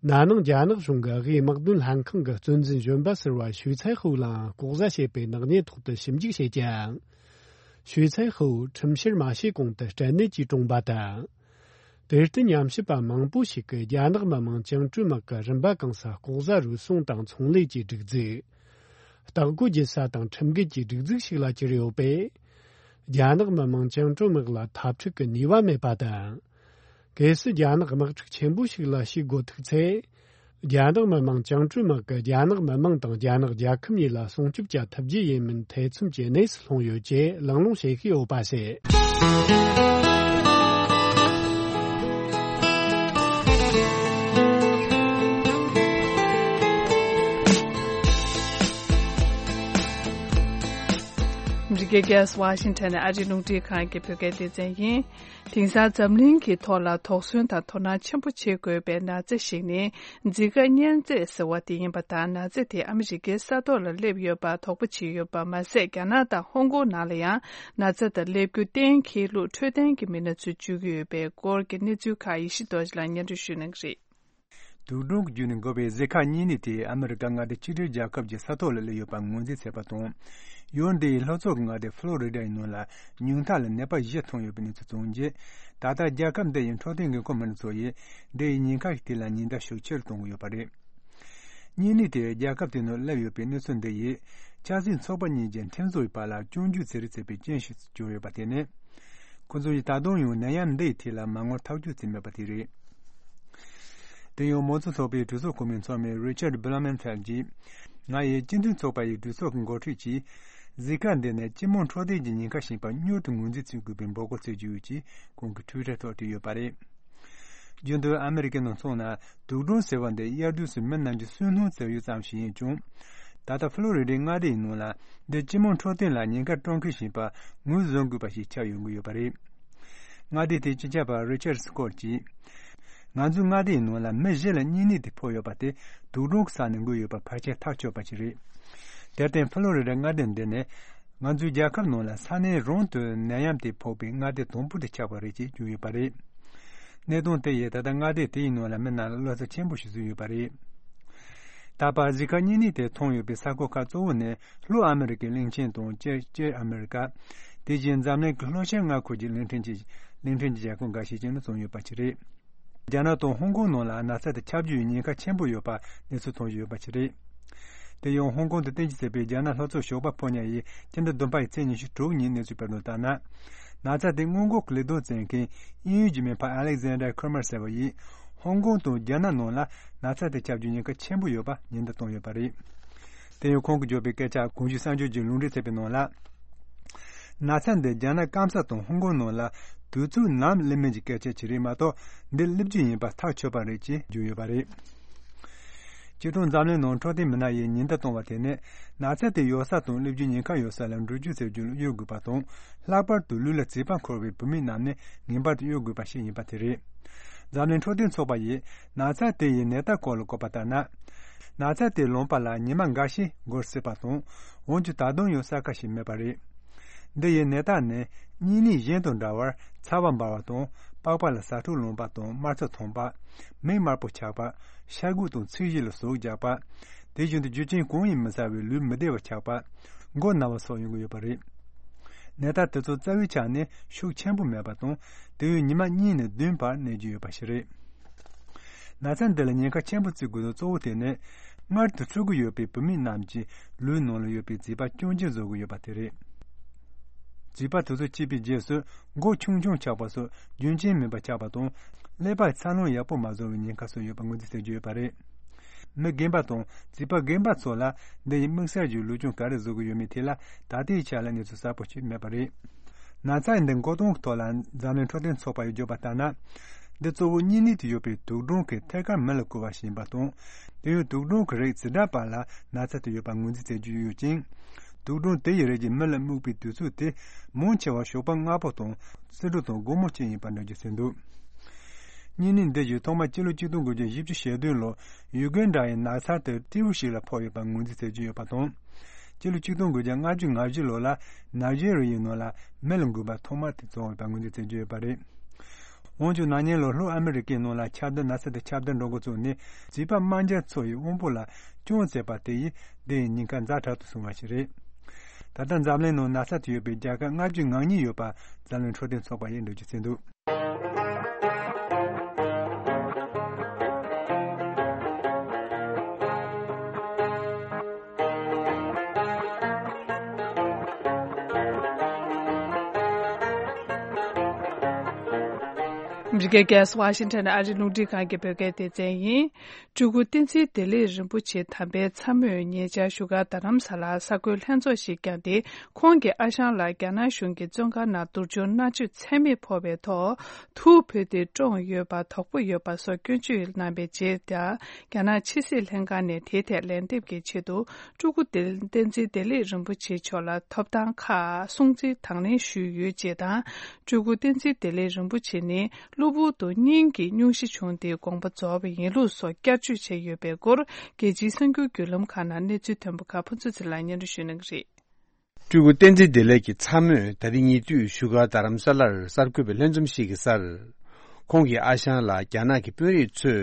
ན་ནིང་རྒྱ་ནག་གཞུང་གི་དབུས་དམག་དོན་ལྷན་ཁང་གི་གཙོ་འཛིན་གཞོན་པ་ཟུར་པ་ཞུས་ཚའེ་ཧུའུ་ལའང་ལྐོག་ཟ་བྱས་པའི་ནག་ཉེས་ཐོག་ཏུ་ཞིབ་འཇུག་བྱས་ཀྱང་། ཞུས་ཚའེ་ཧུའུ་ཁྲིམས་བཤེར་མ་བྱས་གོང་དུ་སྐྲན་ནད་ཀྱིས་གྲོངས་པ་དང་། དེར་བརྟེན་ཉམས་ཞིབ་པ་མང་པོ་ཞིག་གིས་རྒྱ་ནག་མི་དམངས་བཅིངས་འགྲོལ་དམག་གི་རིམ་པ་གང་ས་ལྐོག་ཟ་རུལ་སུངས་དང་ཚོང་ལས་ཀྱི་སྒྲིག་འཛུགས། རྟ་རྒོད་རྒྱུ་ས་དང་ཁྲིམས་འགལ་གྱི་སྒྲིག་འཛུགས་ཤིག་ལ་གྱུར་ཡོད་པས། རྒྱ་ནག་མི་དམངས་བཅིངས་འགྲོལ་དམག་ལ་འཐབ་འཁྲུག་གི་ནུས་པ་མེད་པ་དང་། གལ་སྲིད་རྒྱ་ནག་དམག་འཁྲུག་ཆེན་པོ་ཞིག་ལ་ཞུགས་དགོས་ཐུག་ཚེ། རྒྱ་ནག་མི་དམངས་བཅིངས་འགྲོལ་དམག་གིས་རྒྱ་ནག་མི་དམངས་དང་རྒྱ་ནག་རྒྱལ་ཁབ་གཉིས་ལ་སྲུང་སྐྱོབ་བྱ་ཐུབ་རྒྱུ་ཡིན་མིན་ཐེ་ཚོམ་གྱི་གནས་སུ་ལྷུང་ཡོད་ཅེས་གླེང་སློང་བྱེད་ཀྱི་ཡོད་པ་རེད། འདི་ག་གལ་སྲིད་ཝ་ཤིང་ཊོན་ནས་ཨ་རིའི་རླུང་འཕྲིན་ཁང་གི་བོད་སྐད་སྡེ་ཚན་ཡིན། དེང་སང་འཛམ་གླིང་གི་ཐོག་ལ་དོགས་ཟོན་དང་དོ་སྣང་ཆེན་པོ་བྱེད་དགོས་པའི་ན་ཚ་ཞིག་ནི་ཛི་ཀ་གཉན་ཚད་ཟེར་བ་དེ་ཡིན་པ་དང་། ན་ཚ་དེ་ཨ་མི་རི་ཀའི་ས་ཐོག་ལ་སླེབས་ཡོད་པར་དོགས་པ་བྱེད་ཡོད་པ་མ་ཟད། རྒྱ་ནག་དང་ཧོང་ཀོང་ནང་ལ་ཡང་ན་ཚ་དང་སླེབས་རྒྱུ་གཏན་འཁེལ་ལུགས་འཕྲོད་བསྟེན་གྱི་མི་སྣ་ཚོས་བརྗོད་ཀྱི་ཡོད་པའི་སྐོར་གྱི་གནས་ཚུལ་ཁག་ཡེ་ཤེས་རྡོ་རྗེ་ལགས་སྙན་སྒྲོན་ཞུ་གནང་གི་རེད། དུག་སྦྲང་གི་བརྒྱུད་ནས་འགོ་བའི་ཟི་ཁ་གཉན་ནད་དེ་ཨ་མི་རི་ཀ་མངའ་སྡེ་གཅིག་སྒྲིལ་རྒྱལ་ཁབ་ཀྱི་ས་ཐོག་ལ་སླེབས་ཡོད་པ་ངོས་འཛིན་བྱས་པ་དང་། ཡུལ་འདིའི་ལྷོ་ཕྱོགས་ཀྱི་མངའ་སྡེ་ཕློ་རི་ཌ་ཡི་ནང་ལ་ཉུང་མཐའ་ལ་ནད་པ་བཞི་ཐོན་ཡོད་པའི་གནས་ཚུལ་བྱུང་རྗེས། ད་ལྟ་རྒྱལ་ཁབ་འདི་ཡི་འཕྲོད་བསྟེན་འགན་འཁུར་མི་སྣ་ཚོ་ཡིས་འདི་ཡི་ཉེན་ཁ་ཞིག་དེ་ལ་ཉེན་བརྡ་ཤུགས་ཆེར་གཏོང་གི་ཡོད་པ་རེད། གཉན་ནད་དེ་རྒྱལ་ཁབ་དེ་ནང་སླེབས་ཡོད་པའི་གནས་ཚུལ་འདི་ཡིས་ཆབ་སྲིད་ཚོགས་པ་གཉིས་ཀྱི་ཁྲིམས་བཟོ་བའི་བར་ལ་སྐྱོན་བརྗོད་བྱེད་རེས་བྱས་པའི་རྐྱེན་ཞིག་གྱུར་ཡོད་པ་དེ་ནི། ཁོ་ཚོ་ཡིས་ད་དུང་ཡང་ནད་ཡམས་འདི་ཡི་ཐད་ལ་མ་དངུལ་ཐག་གཅོད་བྱས་མེད་པ་དེ་རེད། དེ་ཡང་མང་གཙོ་ཚོགས་པའི་གྲོས་ཚོགས་གོ་མིའི་ཚོགས་མི་རི་ཆར་ཌི་བྷི་ལ་མན་ཕེལ་གྱིས། ང་ཡིས་སྤྱི་མཐུན་ཚོགས་པ་ཡི་གྲོས་ཚོགས་ཀྱི་འགོ་ཁྲིད་ཀྱིས། ཟི་ཀ་འདི་ནི་སྤྱི་དམངས་འཕྲོད་བསྟེན་གྱི་ཉེན་ཁ་ཞིག་པ་མྱུར་དུ་ངོས་འཛིན་བྱེད་དགོས་པའི་འབོད་སྐུལ་བྱེད་རྒྱུ་ཡོད་ཅེས་ཁོང་གིས་ཊུའི་ཊར་ཐོག་བྲིས་ཡོད་པ་རེད། རྒྱུན་དུ་ཨ་མི་རི་ཀའི་ནང་སོང་ན་དུག་སྦྲང་ཟེར་བ་འདི་དབྱར་དུས་སུ་མི་རྣམས་ཀྱི་སུན་སྣང་སེལ་ཡུལ་ཙམ་ཞིག་ཡིན་ཀྱང་། ད་ལྟ་ཕློ་རི་ཌའི་མངའ་སྡེ་ཡི་ནང་ལ་འདི་སྤྱི་དམངས་འཕྲོད་བསྟེན་ལ་ཉེན་ཁ་སྤྲོད་མཁན་ཞིག་པ་ངོས་བཟུང་དགོས་པ་ཞིག་ཆགས་ཡོང་གི་ཡོད་པ་རེད། མངའ་སྡེ་དེའི་སྤྱི་ཁྱབ་པ་རི་ཆར་སི་ཀོར་གྱིས། ང་ཚོའི་མངའ་སྡེའི་ནང་ལ་མི་བཞི་ལ་གཉན་ནད་དེ་ཕོག་ཡོད་པ་དེ་དུག་སྦྲང་གི་ས་ནས་འགོས་ཡོད་པ་ཕལ་ཆེར་ཐག་ཆོད་པ་ཞིག་རེད། དེར་བརྟེན་ཕློ་རི་ཌ་མངའ་སྡེ་འདི་ནི། ང་ཚོའི་རྒྱལ་ཁབ་ནང་ལ་ས་གནས་རང་དུ་ནད་ཡམས་དེ་ཕོག་པའི་མངའ་སྡེ་དང་པོ་དེ་ཆགས་པ་རེད་ཅེས་བརྗོད་ཡོད་པ་རེད། གནད་དོན་དེ་ཡིས་ད་ལྟ་མངའ་སྡེ་དེའི་ནང་ལ་མི་རྣམས་ལ་བློ་འཚབ་ཆེན་པོ་ཞིག་བཟོས་ཡོད་པ་རེད། ད་བར་ཟི་ཁ་གཉན་ནད་དེ་ཐོན་ཡོད་པའི་ས་ཁུལ་ཁག་གཙོ་བོ་ནི་ལྷོ་ཨ་མི་རི་ཀའི་གླིང་ཆེན་དང་སྤྱིར་སྤྱིར་ཨ་མི་རི་ཀ། དེ་བཞིན་འཛམ་གླིང་གི་ལྷོ་ཤར་མངའ་ཁུལ་གྱི་གླིང་ཕྲན་གྱི་གླིང་ཕྲན་གྱི་རྒྱལ་ཁབ་འགའ་ཤས་ཀྱི་ནང་ཚང་ཡོད་པ་ཞིག་རེད། རྒྱ་ནག་དང་ཧོང་ཀོང་ནང་ལ་ན་ཚ་དེ་ཁྱབ་རྒྱུའི་ཉེན་ཁ་ཆེན་པོ་ཡོད་པ་གནས་ཚུལ་ཐོན་བཞིན་ཡོད་པ་ཞིག་རེད། དེ་ཡང་ཧོང་ཀོང་དུ་རྟེན་གཞི་བྱས་པའི་རྒྱ་ནག་ལྷོ་ཕྱོགས་ཞོགས་པ་ཕོ་ཉ་ཡིས་སྤྱི་ཟླ་བདུན་པ་ཡི་ཚེས་ཉི་ཤུ་དྲུག་ཉིན་གནས་ཚུལ་སྤེལ་དོན་ལྟར་ན། ན་ཚ་དེ་སྔོན་འགོག་གི་ལས་དོན་བྱེད་མཁན་དབྱིན་ཡུལ་གྱི་མི་ཕ་Alexander Cramer ཟེར་བ་ཡིས་ཧོང་ཀོང་དང་རྒྱ་ནག་ནང་ལ་ན་ཚ་དེ་ཁྱབ་རྒྱུའི་ཉེན་ཁ་ཆེན་པོ་ཡོད་པ་ཉེན་བརྡ་བཏང་ཡོད་པ་རེད། དེ་ཡང་ཁོང་གིས་བརྗོད་པའི་སྐད་ཆ་གོང་ཞུས་གསར་འགྱུར་གྱིས་ལུང་འདྲེན་བྱས་པའི་ནང་ལ། ན་ཚ་འདི་རྒྱ་ནག་སྐམ་ས་དང་ཧོང་ཀོང་ནང་ལ་དུས་ཚོད་ནམ་སླེབས་མིན་གྱི་སྐད་ཆ་ཅིག་རེད་མ་གཏོགས། འདི་སླེབས་རྒྱུ་ཡིན་པ་ཐག་ཆོད་པ་རེད་ཅེས་བརྗོད་ཡོད་པ་རེད། སྤྱིར་བཏང་འཛམ་གླིང་ནང་འཕྲོད་བསྟེན་མི་སྣ་ཡིས་ཉེན་བརྡ་བཏང་བ་དེ་ནི། ན་ཚ་དེ་ཡོད་ས་དང་སླེབས་རྒྱུའི་ཉེན་ཁ་ཡོད་ས་ལ་འགྲོ་རྒྱུ་ཟེར་རྒྱུ་ལ་གཡོལ་དགོས་པ་དང་། ལྷག་པར་དུ་ལུས་ལ་རྩིས་པ་འཁོར་བའི་བུད་མེད་རྣམས་ནི་ངེས་པར་དུ་གཡོལ་དགོས་པ་ཞིག་ཡིན་པ་དེ་རེད། འཛམ་གླིང་འཕྲོད་བསྟེན་ཚོགས་པ་ཡིས་ན་ཚ་དེ་ཡི་ནད་རྟགས་སྐོར་ལ་བཀོད་པ་ལྟར་ན། ན་ཚ་དེ་ལངས་པ་ལ་ཉི་མ་འགའ་ཤས་འགོར་སྲིད་པ་དང་། འོན་ཀྱང་ད་དུང་ཡང་གསལ་ཁ་ཞིག་མེད་པ་རེད། འདི་ཡི་ནད་རྟགས་ནི་གཉན་ནད་གཞན་དང་འདྲ་བར་ཚ་བ་འབར་བ་དང་། པགས་པ་ལ་ཟ་འཕྲུག་ལངས་པ་དང་། དམར་ཚ་ཐོན་པ། མིག་དམར་པོ་ཆགས་པ། ཤ་དགུ་དང་ཚིལ་བཞི་ལ་ཟུག་རྒྱག་པ། དེ་བཞིན་དུ་རྒྱུ་རྐྱེན་གང་ཡིན་མི་གསལ་བའི་ལུས་མི་བདེ་བ་ཆགས་པ། མགོ་ན་བ་སོགས་ཡོང་གི་ཡོད་པ་རེད། ནད་རྟགས་དེ་ཚོ་རྩ་བའི་ཆ་ནས་ཤུགས་ཆེན་པོ་མེད་པ་དང་། དེ་ཡང་ཉི་མ་གཉིས་ནས་བདུན་བར་གནས་ཀྱི་ཡོད་པ་ཞིག་རེད། ན་ཚ་འདི་ལ་ཉེན་ཁ་ཆེན་པོ་བརྩི་དགོས་དོན་གཙོ་བོ་དེ་ནི། མངལ་དུ་འཚོ་གི་ཡོད་པའི་བུད་མེད་རྣམས་ཀྱི་ལུས་ནང་ལ་ཡོད་པའི་རྩིས་པ་སྐྱོན་ཅན་བཟོ་གི་ཡོད་པ་དེ་རེད། རྩིས་པ་དེ་ཚོ་སྐྱེས་པའི་རྗེས་སུ་མགོ་ཆུང་ཆུང་ཆགས་པ་སོགས་རྒྱུན་ཆད་མིན་པར་ཆགས་པ་དང་། ཀླད་པར་འཚར་ལོངས་ཡག་པོ་མ་བཟོ་བའི་ཉེན་ཁ་སོགས་ཡོད་པ་ངོས་འཛིན་བྱེད་ཀྱི་ཡོད་པ་རེད། མི་རྒན་པ་དང་རྩིས་པ་རྒན་པ་ཚོ་ལ་འདི་ཡི་དམིགས་བསལ་གྱི་ལུས་སྦྱོང་ག་རེ་བཟོ་གི་ཡོད་མེད་ཐད་ལ་ད་ལྟའི་ཆ་ལ་གནས་ཚུལ་གསལ་པོ་ཞིག་མེད་པ་རེད། ན་ཚ་འདི་འགོག་གཏོང་གི་ཐོག་ལ་འཛམ་གླིང་འཕྲོད་བསྟེན་ཚོགས་པ་ཡིས་བརྗོད་པ་ལྟར་ན། འདི་གཙོ་བོ་གཉན་ནད་དུ་ཡོད་པའི་དུག་སྦྲང་གིས་ཐད་ཀར་མི་ལ་འགོ་བ་ཞིག་ཡིན་པ་དང་། དེ་ཡང་དུག་སྦྲང་གི་རིགས་ཇི་འདྲ་བར་ལ་ན་ཚ་དེ་ཡོད་པ་ངོས་འཛིན་བྱེད་རྒྱུ་ཡོད་ཅིང་། དུག་སྦྲང་དེ་ཡི་རིགས་ཀྱིས་མི་ལ་རྨུགས་པའི་དུས་ཚོད་དེ་མང་ཆེ་བ་ཞོགས་པ་སྔ་པོ་དང་། ཕྱི་དྲོ་དང་དགོང་མོ་བཅས་ཡིན་པར་འགྲེལ་བརྗོད་བྱས་འདུག། གཉན་ནད་འདི་ཡིས་ཐོག་མར་སྤྱི་ལོ་ཆིག་སྟོང་དགུ་བརྒྱ་བཞི་བཅུ་ཞེ་བདུན་ལོར་ཡུ་གན་ཌ་ཡི་ནགས་ཚལ་དུ་སྤྲེའུ་ཞིག་ལ་ཕོག་ཡོད་པ་ངོས་འཛིན་བྱེད་ཀྱི་ཡོད་པ་དང་། སྤྱི་ལོ་ཆིག་སྟོང་དགུ་བརྒྱ་ལྔ་བཅུ་ང་བཞི་ལོ་ལ་ནཱི་ཇེ་རི་ཡའི་ནང་ལ་མི་ལ་འགོས་པ་ཐོག་མར་དེ་བྱུང་ཡོད་པ་ངོས་འཛིན་བྱེད་ཀྱི་ཡོད་པ་རེད། འོན་ཀྱང་ན་ནིང་ལོར་ལྷོ་ཨ་མི་རི་ཀའི་ནང་ལ་ཁྱབ་གདལ་ན་ཚ་དེ་ཁྱབ་གདལ་འགྲོ་འགོ་བཙུགས་ནས་རྩིས་པ་དམག་འཁྱུག་ཚོ་ཡི་དབང་པོ་ལ་སྐྱོན་བཙལ་བ་དེ་ཡིས་འདི་ཡི་ཉེན་ཁ་ཛ་དྲག་ཏུ་སོང་བ་ཞིག་རེད། ད་ལྟ་འཛམ་གླིང་ནང་ན་ཚ་དེ་ཡོད་པའི་རྒྱལ་ཁབ་ལྔ་བཅུ་ང་གཉིས་ཡོད་པ་འཛམ་གླིང་འཕྲོད་བསྟེན་ཚོགས་པ་ཡིས་འགྲེལ་བརྗོད་བྱས་འདུག། ཨ་མི་རི་ཀའི་རྒྱལ་ས་ཝ་ཤིང་ཊོན་ནས་ཨ་རིའི་རླུང་འཕྲིན་ཁང་གི་བོད་སྐད་སྡེ་ཚན་ཡིན། སྤྲུལ་སྐུ་བསྟན་འཛིན་བདེ་ལེགས་རིན་པོ་ཆེ་དམ་པའི་ཚ་མོས་ཉེ་ཆར་བཞུགས་སྒར་རྡ་རམ་ས་ལར་གསར་འགོད་ལྷན་ཚོགས་ཤིག་བསྐྱངས་ཏེ། ཁོང་གི་ཨ་ཞང་ལགས་རྒྱ་ནག་གཞུང་གི་བཙོན་ཁང་ནང་སྡུག་སྦྱོང་མནར་གཅོད་ཚད་མེད་ཕོག་པའི་ཐོག་ཐུགས་ཕུལ་ཏེ་བཀྲོངས་ཡོད་པ། དོགས་པ་ཡོད་པ་སོགས་སྐྱོན་བརྗོད་གནང་བའི་རྗེས། རྒྱ་ནག་ཕྱི་སྲིད་ལྷན་ཁང་ནས་དེའི་ཐད་ལན་འདེབས་ཀྱི་ཆེད་དུ། སྤྲུལ་སྐུ་བསྟན་འཛིན་བདེ་ལེགས་རིན་པོ་ཆེ་མཆོག་ལ་ཐོབ་ཐང་ཁག་སྲུང་བརྩི་དང་ལེན་ཞུས་ཡོད་ཅེས་དང་། སྤྲུལ་སྐུ་བསྟན་འཛིན་བདེ་ལེགས་རིན་པོ་ཆེ་ནི་གློ་བུར་དུ་སྙིང་གི་སྙུང་གཞི་བྱུང་སྟེ་དགོངས་པ་རྫོགས་པ་ཡིན་ལུགས་སོགས་བསྐྱར་བརྗོད་བྱས་ཡོད་པའི་སྐོར། རྒྱལ་སྤྱིའི་གསར་འགྱུར་བརྒྱུད་ལམ་ཁག་ནང་གནས་ཚུལ་ཐོན་པ་ཁག་ཕུན་ཚོགས་ཚེ་རིང་ལགས་སྙན་སྒྲོན་ཞུ་གནང་གི་རེད། སྤྲུལ་སྐུ་བསྟན་འཛིན་བདེ་ལེགས་ཀྱི་ཚ་མོས་ད་རིང་ཉེ་དུས་བཞུགས་སྒར་རྡ་རམ་ས་ལར་གསར་འགོད་པའི་ལྷན་འཛོམས་ཤིག་གི་སར། ཁོང་གི་ཨ་ཞང་ལ་རྒྱ་ནག་གི་དཔོན་རིགས་ཚོས་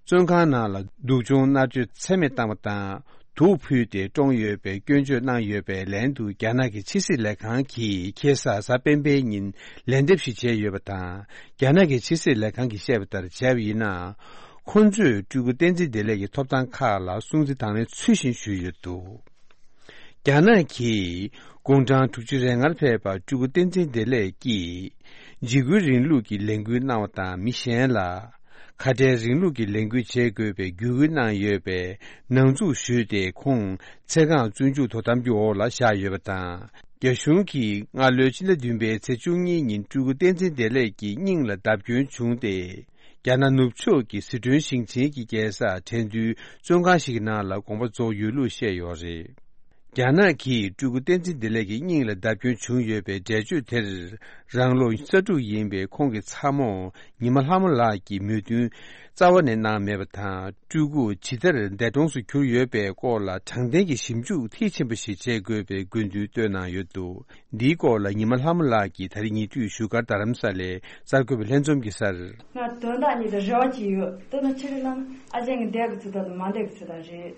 བཙོན་ཁང་ནང་ལ་སྡུག་སྦྱོང་མནར་གཅོད་ཚད་མེད་བཏང་བ་དང་། དུག་ཕུལ་ཏེ་བཀྲོངས་ཡོད་པའི་སྐྱོན་བརྗོད་གནང་ཡོད་པའི་ལན་དུ། རྒྱ་ནག་གི་ཕྱི་སྲིད་ལས་ཁང་གིས་ཁ་སང་གཟའ་སྤེན་པའི་ཉིན་ལན་འདེབས་ཤིག་བྱས་ཡོད་པ་དང་། རྒྱ་ནག་གི་ཕྱི་སྲིད་ལས་ཁང་གིས་བཤད་པ་ལྟར་བྱས་པ་ཡིན་ན། ཁོ་ཚོས་སྤྲུལ་སྐུ་བསྟན་འཛིན་བདེ་ལེགས་ཀྱི་ཐོབ་ཐང་ཁག་ལ་སྲུང་བརྩི་དང་ལེན་ཚུལ་བཞིན་ཞུས་ཡོད་འདུག། རྒྱ་ནག་གིས་དགུང་གྲངས་དྲུག་ཅུ་རེ་ལྔར་ཕེབས་པ་སྤྲུལ་སྐུ་བསྟན་འཛིན་བདེ་ལེགས་ཀྱིས་འཇིགས་སྐུལ་རིང་ལུགས་ཀྱི་ལས་འགུལ་གནང་བ་དང་། མི་གཞན་ལ་ཁ་བྲལ་རིང་ལུགས་ཀྱི་ལས་འགུལ་བྱེད་དགོས་པའི་བརྒྱུད་སྐུལ་གནང་ཡོད་པའི་ནང་འཛུལ་ཞུས་ཏེ། ཁོང་ཚེ་གང་བཙོན་འཇུག་དོ་དམ་གྱི་འོག་ལ་བཞག་ཡོད་པ་དང་། རྒྱ་གཞུང་གིས་སྔ་ལོའི་ཕྱི་ཟླ་བདུན་པའི་ཚེས་བཅུ་གཉིས་ཉིན་སྤྲུལ་སྐུ་བསྟན་འཛིན་བདེ་ལེགས་ཀྱི་སྙིང་ལ་བརྡབ་སྐྱོན་བྱུང་སྟེ། རྒྱ་ནག་ནུབ་ཕྱོགས་ཀྱི་ཟི་ཁྲོན་ཞིང་ཆེན་གྱི་རྒྱལ་སར་ཁྲེང་ཏུའུ་བཙོན་ཁང་ཞིག་གི་ནང་ལ་དགོངས་པ་རྫོགས་ཡོད་ལུགས་བཤད་ཡོད་རེད། རྒྱ་ནག་གིས་སྤྲུལ་སྐུ་བསྟན་འཛིན་བདེ་ལེགས་ཀྱི་སྙིང་ལ་བརྡབ་སྐྱོན་བྱུང་ཡོད་པའི་འགྲེལ་བརྗོད་དེར། རང་ལོ་ས་དྲུག་ཡིན་པའི་ཁོང་གི་ཚ་མོ་ཉི་མ་ལྷ་མོ་ལགས་ཀྱིས་མོས་མཐུན་རྩ་བ་ནས་གནང་མེད་པ་དང་། སྤྲུལ་སྐུ་ཇི་ལྟར་འདས་གྲོངས་སུ་གྱུར་ཡོད་པའི་སྐོར་ལ་དྲང་བདེན་གྱི་ཞིབ་འཇུག་མཐིལ་ཕྱིན་པ་ཞིག་བྱེད་དགོས་པའི་དགོས་འདུན་བཏོན་གནང་ཡོད་འདུག། འདིའི་སྐོར་ལ་ཉི་མ་ལྷ་མོ་ལགས་ཀྱིས་ད་རིང་ཉེ་དུས་བཞུགས་སྒར་རྡ་རམ་ས་ལའི་གསར་འགོད་པའི་ལྷན་འཛོམས་ཀྱི་སར། ང་དོན་དག་གཉིས་དང་རེ་བ་གཅིག་ཡོད། དོན་དག་ཆི་རེད་ལབ་ན། ཨ་ཅེ་གི་འདས་གི་ཚུལ་དག་དང་མ་འདས་གི་ཚུལ་དག་རེད།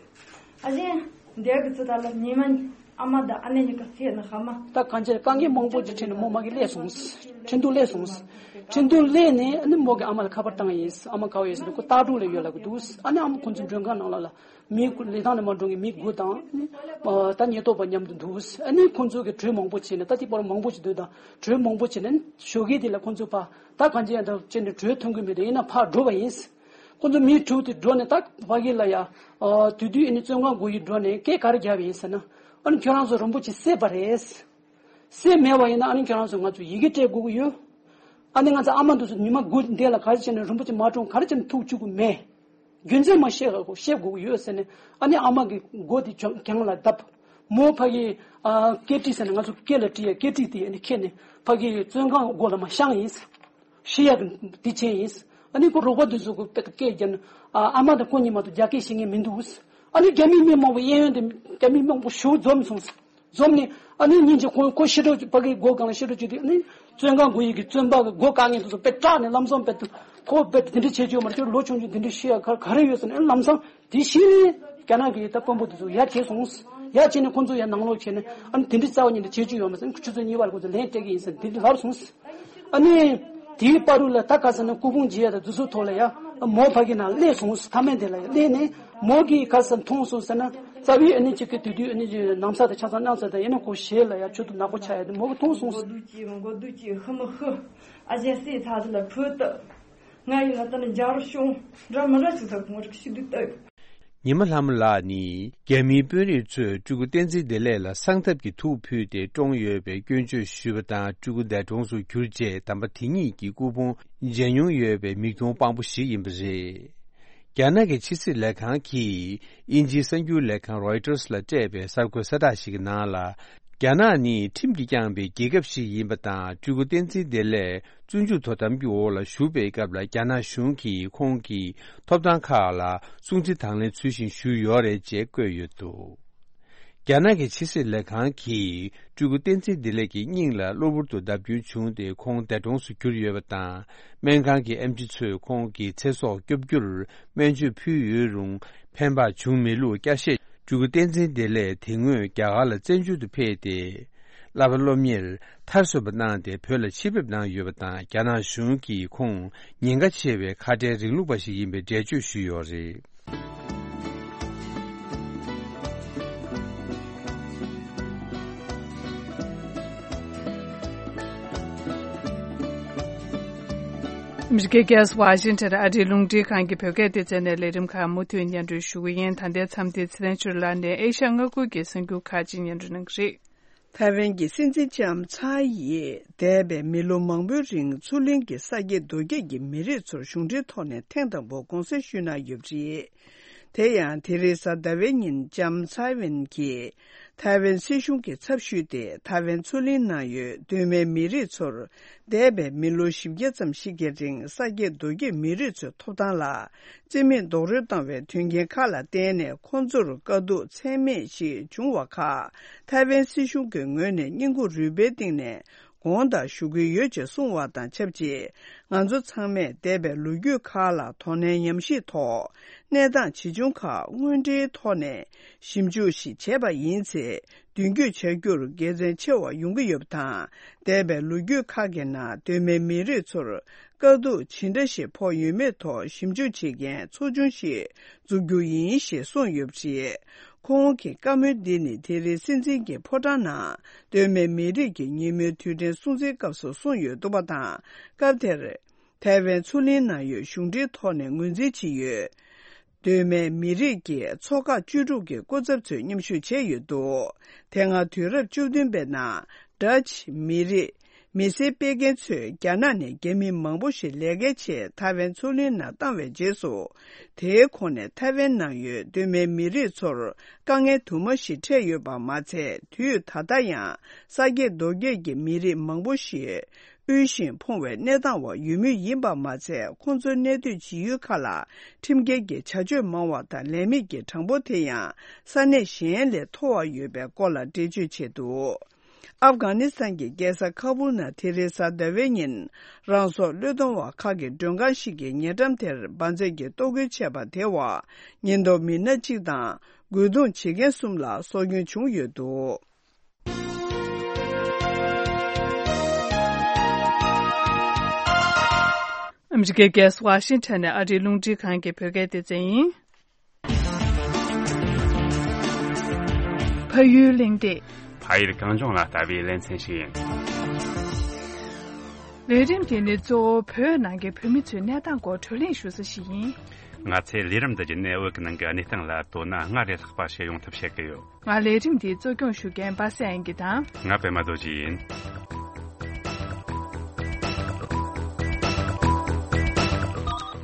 ཨ་ཅེ་འདས་གི་ཚུལ་དག་ལ་ཉི་མ་ ཨ་མ་དང་ཨ་ནེ་གཉིས་ཀ་སེམས་ནང་ཧ་མ། ད་གང་ཅི་དཀའ་ངལ་མང་པོ་ཅིག་འཕྲད་ནས་མོ་མ་གི་སླེབས་སོང་། ཁྲིན་ཏུ་སླེབས་སོང་། ཁྲིན་ཏུ་སླེབས་ནས་ཨ་ནི་མོ་གི་ཨ་མ་ལ་ཁ་པར་བཏང་ཡིན། ཨ་མ་ག་བ་ཡོད་ཟེར་ན་ཁོ་སྟག་གྲོང་ལ་ཡོད་ལབ་གི་འདུག་ཨ་ནི་ཨ་མ་ཁོ་ཚོ་མགྲོན་ཁང་ནང་ལ་ལ་མི་དགུ་ལི་ཐང་ནས་མ་འགྲོ་མཁན་མི་དགུ་དང་ཨ་ནི་ད་ཉེན་རྟོག་པ་མཉམ་དུ་འདུག་ཨ་ནི་ཁོ་ཚོ་གི་གྲོས་མང་པོ་བྱས་ནས་ད་དེ་བར་མང་པོ་ཅིག་འདུག་ད་གྲོས་མང་པོ་བྱས་ནས་ཞོགས་ཀས་དེ་ལ་ཁོ་ཚོ་ཕར་ད་གང་ཅི་ཡང་ད་བྱས་ནས་གྲོས་མཐུན་གི་མི་འདུག་ཡིན་ན་ཕར་འགྲོ་བ་ཡིན། ཁོ་ཚོ་མི་དྲུག་དེ་འགྲོ་ནས་ད་ཕ་གི་ལ་ཡ། ཨ་དེ་དུས་ཨ་ནི་བཙོན་ཁང་སྒོ་ཡི་འགྲོ་ནས་སྐད་ག་རེ་བརྒྱབ་ཡིན་ཟེར་ན། ཨ་ནི་ཁྱོད་རང་ཚོ་རིན་པོ་ཆེ་བསད་པ་རེད། བསད་མེད་པ་ཡིན་ན་ཨ་ནི་ཁྱོད་རང་ཚོ་ང་ཚོ་ཡི་གེ་སྤྲད་དགོས་ཀྱི་ཡོད། ཨ་ནི་ང་ཚོ་ཨ་མ་འདི་ཚོ་ཉི་མ་དགུ་འདས་ལ་ག་རེ་བྱས་ནས་རིན་པོ་ཆེ་མ་གྲོངས་ག་རེ་བྱས་ནས་ཐུག་བཅུག་གི་མེད། རྒྱུ་མཚན་མ་བཤད་དགོས་བཤད་དགོས་ཀྱི་ཡོད་ཟེར་ནས་ཨ་ནི་ཨ་མ་གི་མགོ་དེ་གྱང་གྱང་ལ་བརྡབས། མོ་ཕ་གི་ཨ་སྐེ་དཀྲིས་ཟེར་ནས་ང་ཚོ་སྐེ་ལ་དཀྲིས་ཡ་སྐེ་དཀྲིས་དེ་ཨ་ནི་ཁྱེར་ནས་ཕ་གི་བཙོན་ཁང་སྒོ་ལ་མར་བཤམས་ཡིན། ཤི་ཡག་གི་དེ་བྱས་ཡིན། ཨ་ནི་ཁོ་རོགས་པ་འདི་ཚོ་གི་དཔེ་སྐད་རྒྱབ་ནས་ཨ་ཨ་མ་དང་ཁོ་གཉིས་མ་གཏོགས་རྒྱ་སྐད་ཤེས་མཁན་མི་འདུག་ཨ་ནི་རྒྱ་མི་མི་མང་པོ་གཡས་གཡོན་དེ་རྒྱ་མི་མང་པོ་ཞུགས་འཛོམས་སོང་། འཛོམས་ནས་ཨ་ནི་སྙིང་རྗེ་ཁོ་ཁོ་ཤི་འགྲོ་ཕ་གི་སྒོ་སྒང་ལ་ཤི་འགྲོ་བྱེད་དུས་ཨ་ནི་བཙོན་ཁང་སྒོ་ཡི་གི་བཙོན་པ་གི་སྒོ་བཀག་མཁན་དེ་ཚོ་དཔེ་སྐྲག་ནས་ལམ་སང་དཔེ་ཁོ་དཔེ་དེ་འདྲ་བྱེད་རྒྱུ་མ་རེད། ཁྱོད་ལོ་ཆུང་ཆུང་དེ་འདྲ་ཤི་ཡག་ག་ག་རེ་ཡོད་ཟེར་ནས་ལམ་སང་། དེ་བཞིན་རྒྱ་ནག་གི་ད་དཔོན་པོ་དེ་ཚོ་ཡར་བྱས་སོང་། ཡར་བྱས་ནས་ཁོང་ཚོ་ཡར་ནང་ལོགས་བྱས་ནས་ཨ་ནི་དེ་འདྲའི་རྩ་བ་ཉིད་ནས་བྱེད་རྒྱུ་ཡོད་མ་ཟད་ཁྱོད་ཚོ་གཉིས་བར་ཁོང་ཚོ་ལན་སྤྲད་ཀྱི་ཡིན་ཟེར་དེ་འདྲ་ལབ་སོང་། ཨ་ནི་དེའི་བར་དུ་ལ་ད་ག་ཟེར་ན་སྐུ་ཕུང་རྒྱས་ཡ་དང་དེ་ཚོའི་ཐོག་ལ་ཡ་མོ་ཕ་གི་ནང་སླེབས་སོང་། མཐའ་མའི་དེ་ལ་ཡ་སླེབས་ནས་མོ་གིས་ག་ཟེར་མཐོང་སོང་ཟེར་ན་རྩ་བའི་ཨ་ནི་གཅིག་གི་དེ་དུས་ཨ་ནི་ནམ་ས་དང་ཆ་ཚང་གནམ་ས་དང་ཡིན་ན་ཁོ་ཞེད་ལ་ཡ་ཆུ་དུ་ནག་པོ་ཆགས་ཡ་དེ་མོ་གིས་མཐོང་སོང་། མགོ་སྡུག་ཅིག་མགོ་སྡུག་ཅིག་ཧི་མི་ཧི། ཨ་ཅེ་སྲིད་ཚ་ཚ་ལ་ཕུད་དུ། ང་ཡིན་ན་ད་ནི་འཇའ་རུ་ཤོང་འདྲ་མི་འདྲ་ཞིག་ཟེར་ངོ་རིག་ཤི་དུས་ལྟ། ཉི་མ་ལྷ་མོ་ལགས་ནི་རྒྱ་མིའི་དཔོན་རིགས་ཚོས་སྤྲུལ་སྐུ་བསྟན་འཛིན་བདེ་ལེགས་ལ་གསང་ཐབས་ཀྱི་ཐུགས་ཕུལ་ཏེ་བཀྲོངས་ཡོད་པའི་སྐྱོན་བརྗོད་ཞུས་པ་དང་སྤྲུལ་སྐུ་འདས་གྲོངས་སུ་གྱུར་རྗེས་དམ་པ་དེ་ཉིད་ཀྱི་སྐུ་ཕུང་མཇལ་མྱོང་ཡོད་པའི་མིག་མཐོང་དཔང་པོ་ཞིག་ཡིན་པ་རེད། རྒྱ་ནག་གི་ཕྱི་སྲིད་ལས་ཁང་གིས་དབྱིན་ཇིའི་གསར་འགྱུར་ལས་ཁང་Reuters་ལ་སྤྲད་པའི་གསར་འགོད་གསལ་བསྒྲགས་ཤིག་གི་ནང་ལ། རྒྱ་ནག་ནི་ཁྲིམས་ཀྱིས་བསྐྱངས་པའི་རྒྱལ་ཁབ་ཞིག་ཡིན་པ་དང་སྤྲུལ་སྐུ་བསྟན་འཛིན་བདེ་ལེགས་བཙོན་འཇུག་དོ་དམ་གྱི་འོག་ལ་བཞུགས་པའི་སྐབས་ལ་རྒྱ་ནག་གཞུང་གིས་ཁོང་གི་ཐོབ་ཐང་ཁག་ལ་སྲུང་བརྩི་དང་ལེན་ཚུལ་བཞིན་ཞུས་ཡོད་རེད་ཅེས་བཀོད་ཡོད་འདུག་རྒྱ་ནག་གི་ཕྱི་སྲིད་ལས་ཁང་གིས་སྤྲུལ་སྐུ་བསྟན་འཛིན་བདེ་ལེགས་ཀྱི་སྙིང་ལ་གློ་བུར་དུ་བརྡབ་སྐྱོན་བྱུང་སྟེ་ཁོང་འདས་གྲོངས་སུ་གྱུར་ཡོད་པ་དང་། སྨན་ཁང་གི་ཨེམ་ཆི་ཚོས་ཁོང་གི་ཚེ་སྲོག་སྐྱོབ་རྒྱུར་སྨན་བཅོས་ཕུལ་ཡོད་རུང་ཕན་པ་བྱུང་མེད་ལུགས་བསྐྱར་བཤད། སྤྲུལ་སྐུ་བསྟན་འཛིན་བདེ་ལེགས་དེ་སྔོན་རྒྱ་གར་ལ་བཙན་བྱོལ་དུ་ཕེབས་ཏེ། བསླབ་པ་སློབ་གཉེར་མཐར་སོན་པ་གནང་སྟེ་བོད་ལ་ཕྱིར་ཕེབས་གནང་ཡོད་པ་དང་རྒྱ་ནག་གཞུང་གིས་ཁོང་ཉེན་ཁ་ཆེ་བའི་ཁ་བྲལ་རིང་ལུགས་པ་ཞིག་ཡིན་པའི་འགྲེལ་བརྗོད་ཞུས་ཡོད་རེད། ཨ་མི་རི་ཀའི་རྒྱལ་ས་ཝ་ཤིང་ཊོན་ཨ་རིའི་རླུང་འཕྲིན་ཁང་གི་བོད་སྐད་སྡེ་ཚན་ནས་ལས་རིམ་ཁག་མུ་མཐུད་སྙན་སྒྲོན་ཞུ་གི་ཡིན། ད་ལྟའི་མཚམས་འདིར་ཚེ་རིང་ཆོས་ལགས་ནས་ཨེ་ཤ་ཡ་མངའ་ཁུལ་གྱི་གསར་འགྱུར་ཁག་ཅིག་སྙན་སྒྲོན་གནང་གི་རེད། ཐའེ་ཝན་གྱི་སྲིད་འཛིན་ལྕམ་ཚའེ་ཡིས་འདས་པའི་མི་ལོ་མང་པོའི་རིང་མཚོ་གླིང་གི་ས་དགེ་རྡོ་སྐྱེས་ཀྱི་མི་རིགས་ཚོར་གཞུང་འབྲེལ་ཐོག་ནས་ཐེངས་དང་པོ་དགོངས་སེལ་ཞུས་གནང་ཡོད་པ་རེད། དེ་ཡང་དེ་རིང་གཟའ་ཟླ་བའི་ཉིན་ལྕམ་ཚའེ་ཝེན་གྱིས་ཐའེ་ཝན་སྲིད་གཞུང་གི་ཚབ་ཞུས་ཏེ་ཐའེ་ཝན་མཚོ་གླིང་ནང་ཡོད་གདོད་མའི་མི་རིགས་ཚོར་འདས་པའི་མི་ལོ་བཞི་བརྒྱ་ཙམ་ཞིག་གི་རིང་ས་དགེ་རྡོ་སྐྱེས་མི་རིགས་ཚོའི་ཐོབ་ཐང་ལ་རྩིས་མེད་རྡོག་རོལ་བཏང་བའི་དོན་རྐྱེན་ཁག་ལ་བརྟེན་ནས་ཁོང་ཚོར་དཀའ་སྡུག་ཚད་མེད་ཞིག་བྱུང་བ་ཁག་ཐའེ་ཝན་སྲིད་གཞུང་གི་ངོས་ནས་བསྙེན་བཀུར་རུས་པའི་གཏིང་ནས་དགོངས་དག་ཞུ་གི་ཡོད་ཅེས་གསུངས་བ་དང་ཆབས་ཅིག་ང་ཚོ་ཚང་མས་འདས་པའི་ལོ་རྒྱུས་ཁག་ལ་དོ་ནན་ཉམས་ཞིབ་ཐོག་གནས་སྟངས་ཇི་བྱུང་ཁག་དངོས་འབྲེལ་ཐོག་ནས་ཞིབ་འཇུག་ཞིག་བྱས་པ་ཡིན་ཚེ། མདུན་སྐྱོད་བྱ་རྒྱུར་དགེ་མཚན་ཆེ་བ་ཡོང་གི་ཡོད་པ་དང་། འདས་པའི་ལོ་རྒྱུས་ཁག་གི་ནང་གདོད་མའི་མི་རིགས་ཚོར་དཀའ་སྡུག་ཇི་འདྲ་ཞིག་ཕོག་ཡོད་མེད་ཐོག་ཞིབ་འཇུག་བྱེད་མཁན་ཚོགས་ཆུང་ཞིག་འཛུགས་རྒྱུ་ཡིན་ཞེས་གསུངས་ཡོད་པ་རེད། ཁོང་གི་བཀའ་མོལ་འདི་ནི་དེ་རིང་སྲིད་འཛིན་གྱི་ཕོ་བྲང་ནང་གདོད་མའི་མི་རིགས་ཀྱི་ཉིན་མོའི་དུས་དྲན་སྲུང་བརྩིའི་སྐབས་སུ་གསུངས་ཡོད་འདུག་པ་དང་། སྐབས་དེར། ཐའེ་ཝན་མཚོ་གླིང་ནང་ཡོད་གཞུང་འབྲེལ་ཐོག་ནས་ངོས་འཛིན་བྱས་ཡོད། གདོད་མའི་མི་རིགས་ཀྱི་ཚོགས་ཁག་བཅུ་དྲུག་གི་སྐུ་ཚབ་ཚོས་མཉམ་ཞུགས་བྱས་ཡོད་འདུག་དེ་སྔ་དུས་རབས་བཅུ་བདུན་པའི་ནང་ཌ་ཅི་མི་རིགས་མི་སེར་སྤེལ་མཁན་ཚོས་རྒྱ་ནག་ནས་རྒྱ་མི་མང་པོ་ཞིག་ལས་ཀའི་ཆེད་ཐའེ་ཝན་མཚོ་གླིང་ནང་བཏང་བའི་རྗེས་སུ། དེའི་ཁོངས་ནས་ཐའེ་ཝན་ནང་ཡོད་གདོད་མའི་མི་རིགས་ཚོར་དཀའ་ངལ་དུ་མ་ཞིག་འཕྲད་ཡོད་པ་མ་ཚད། དུས་ད་ལྟ་ཡང་ས་དགེ་རྡོ་སྐྱེས་ཀྱི་མི་རིགས་མང་པོ་ཞིག་དབུལ་ཞིང་ཕོངས་པའི་གནས་སྟངས་འོག་ཡོད་མུས་ཡིན་པ་མ་ཚད། ཁོང་ཚོའི་གནས་སྡོད་བྱེད་ཡུལ་ཁག་ལ་ཁྲིམས་འགལ་གྱི་བྱ་སྤྱོད་མང་བ་དང་། ལས་མེད་ཀྱི་གྲངས་འབོར་དེ་ཡང་ས་གནས་གཞན་ལས་མཐོ་བ་ཡོད་པའི་སྐོར་ལ་འགྲེལ་བརྗོད་བྱས་འདུག་ཨབ་གྷ་ནི་སི་ཐན་གྱི་རྒྱལ་ས་ཁ་བུལ་ནང་དེ་རིང་གཟའ་ཟླ་བའི་ཉིན། རང་སྲོག་བློས་གཏོང་བ་ཁག་གི་མགྲོན་ཁང་ཞིག་གི་ཉེ་འགྲམ་དེར་འབར་རྫས་ཀྱིས་གཏོར་རྒོལ་བྱས་པ་དེའི་འོག་ཉེན་རྟོག་མི་སྣ་གཅིག་དང་། རྒོལ་རྡུང་བྱེད་མཁན་གསུམ་ལ་སྲོག་སྐྱོན་བྱུང་ཡོད་འདུག་ཨ་མི་རི་ཀའི་རྒྱལ་ས་ཝ་ཤིང་ཊོན་ནས་ཨ་རིའི་རླུང་འཕྲིན་ཁང་གི་བོད་སྐད་སྡེ་ཚན་ཡིན། ཕ་ཡུལ་གླེང་སྟེགས། ཕ་ཡུལ་གངས་ལྗོངས་ལ་ལྟ་བའི་ལེ་ཚན་ཞིག་ཡིན། ལས་རིམ་དེ་ནི་གཙོ་བོ་བོད་ནང་གི་བོད་མི་ཚོའི་གནས་སྟངས་སྐོར་བགྲོ་གླེང་ཞུ་ས་ཞིག་ཡིན། ང་ཚོས་ལས་རིམ་འདི་བརྒྱུད་ནས་བོད་ཀྱི་ནང་གི་གནས་སྟངས་ལ་དོ་སྣང་སྔར་ལས་ལྷག་པ་ཞིག་ཡོང་ཐབས་བྱེད་ཀྱི་ཡོད། ང་ལས་རིམ་འདིའི་གཙོ་སྐྱོང་ཞུ་མཁན་པ་སངས་དབྱངས་སྐྱིད་དང་། ང་པད་མ་རྡོ་རྗེ་ཡིན།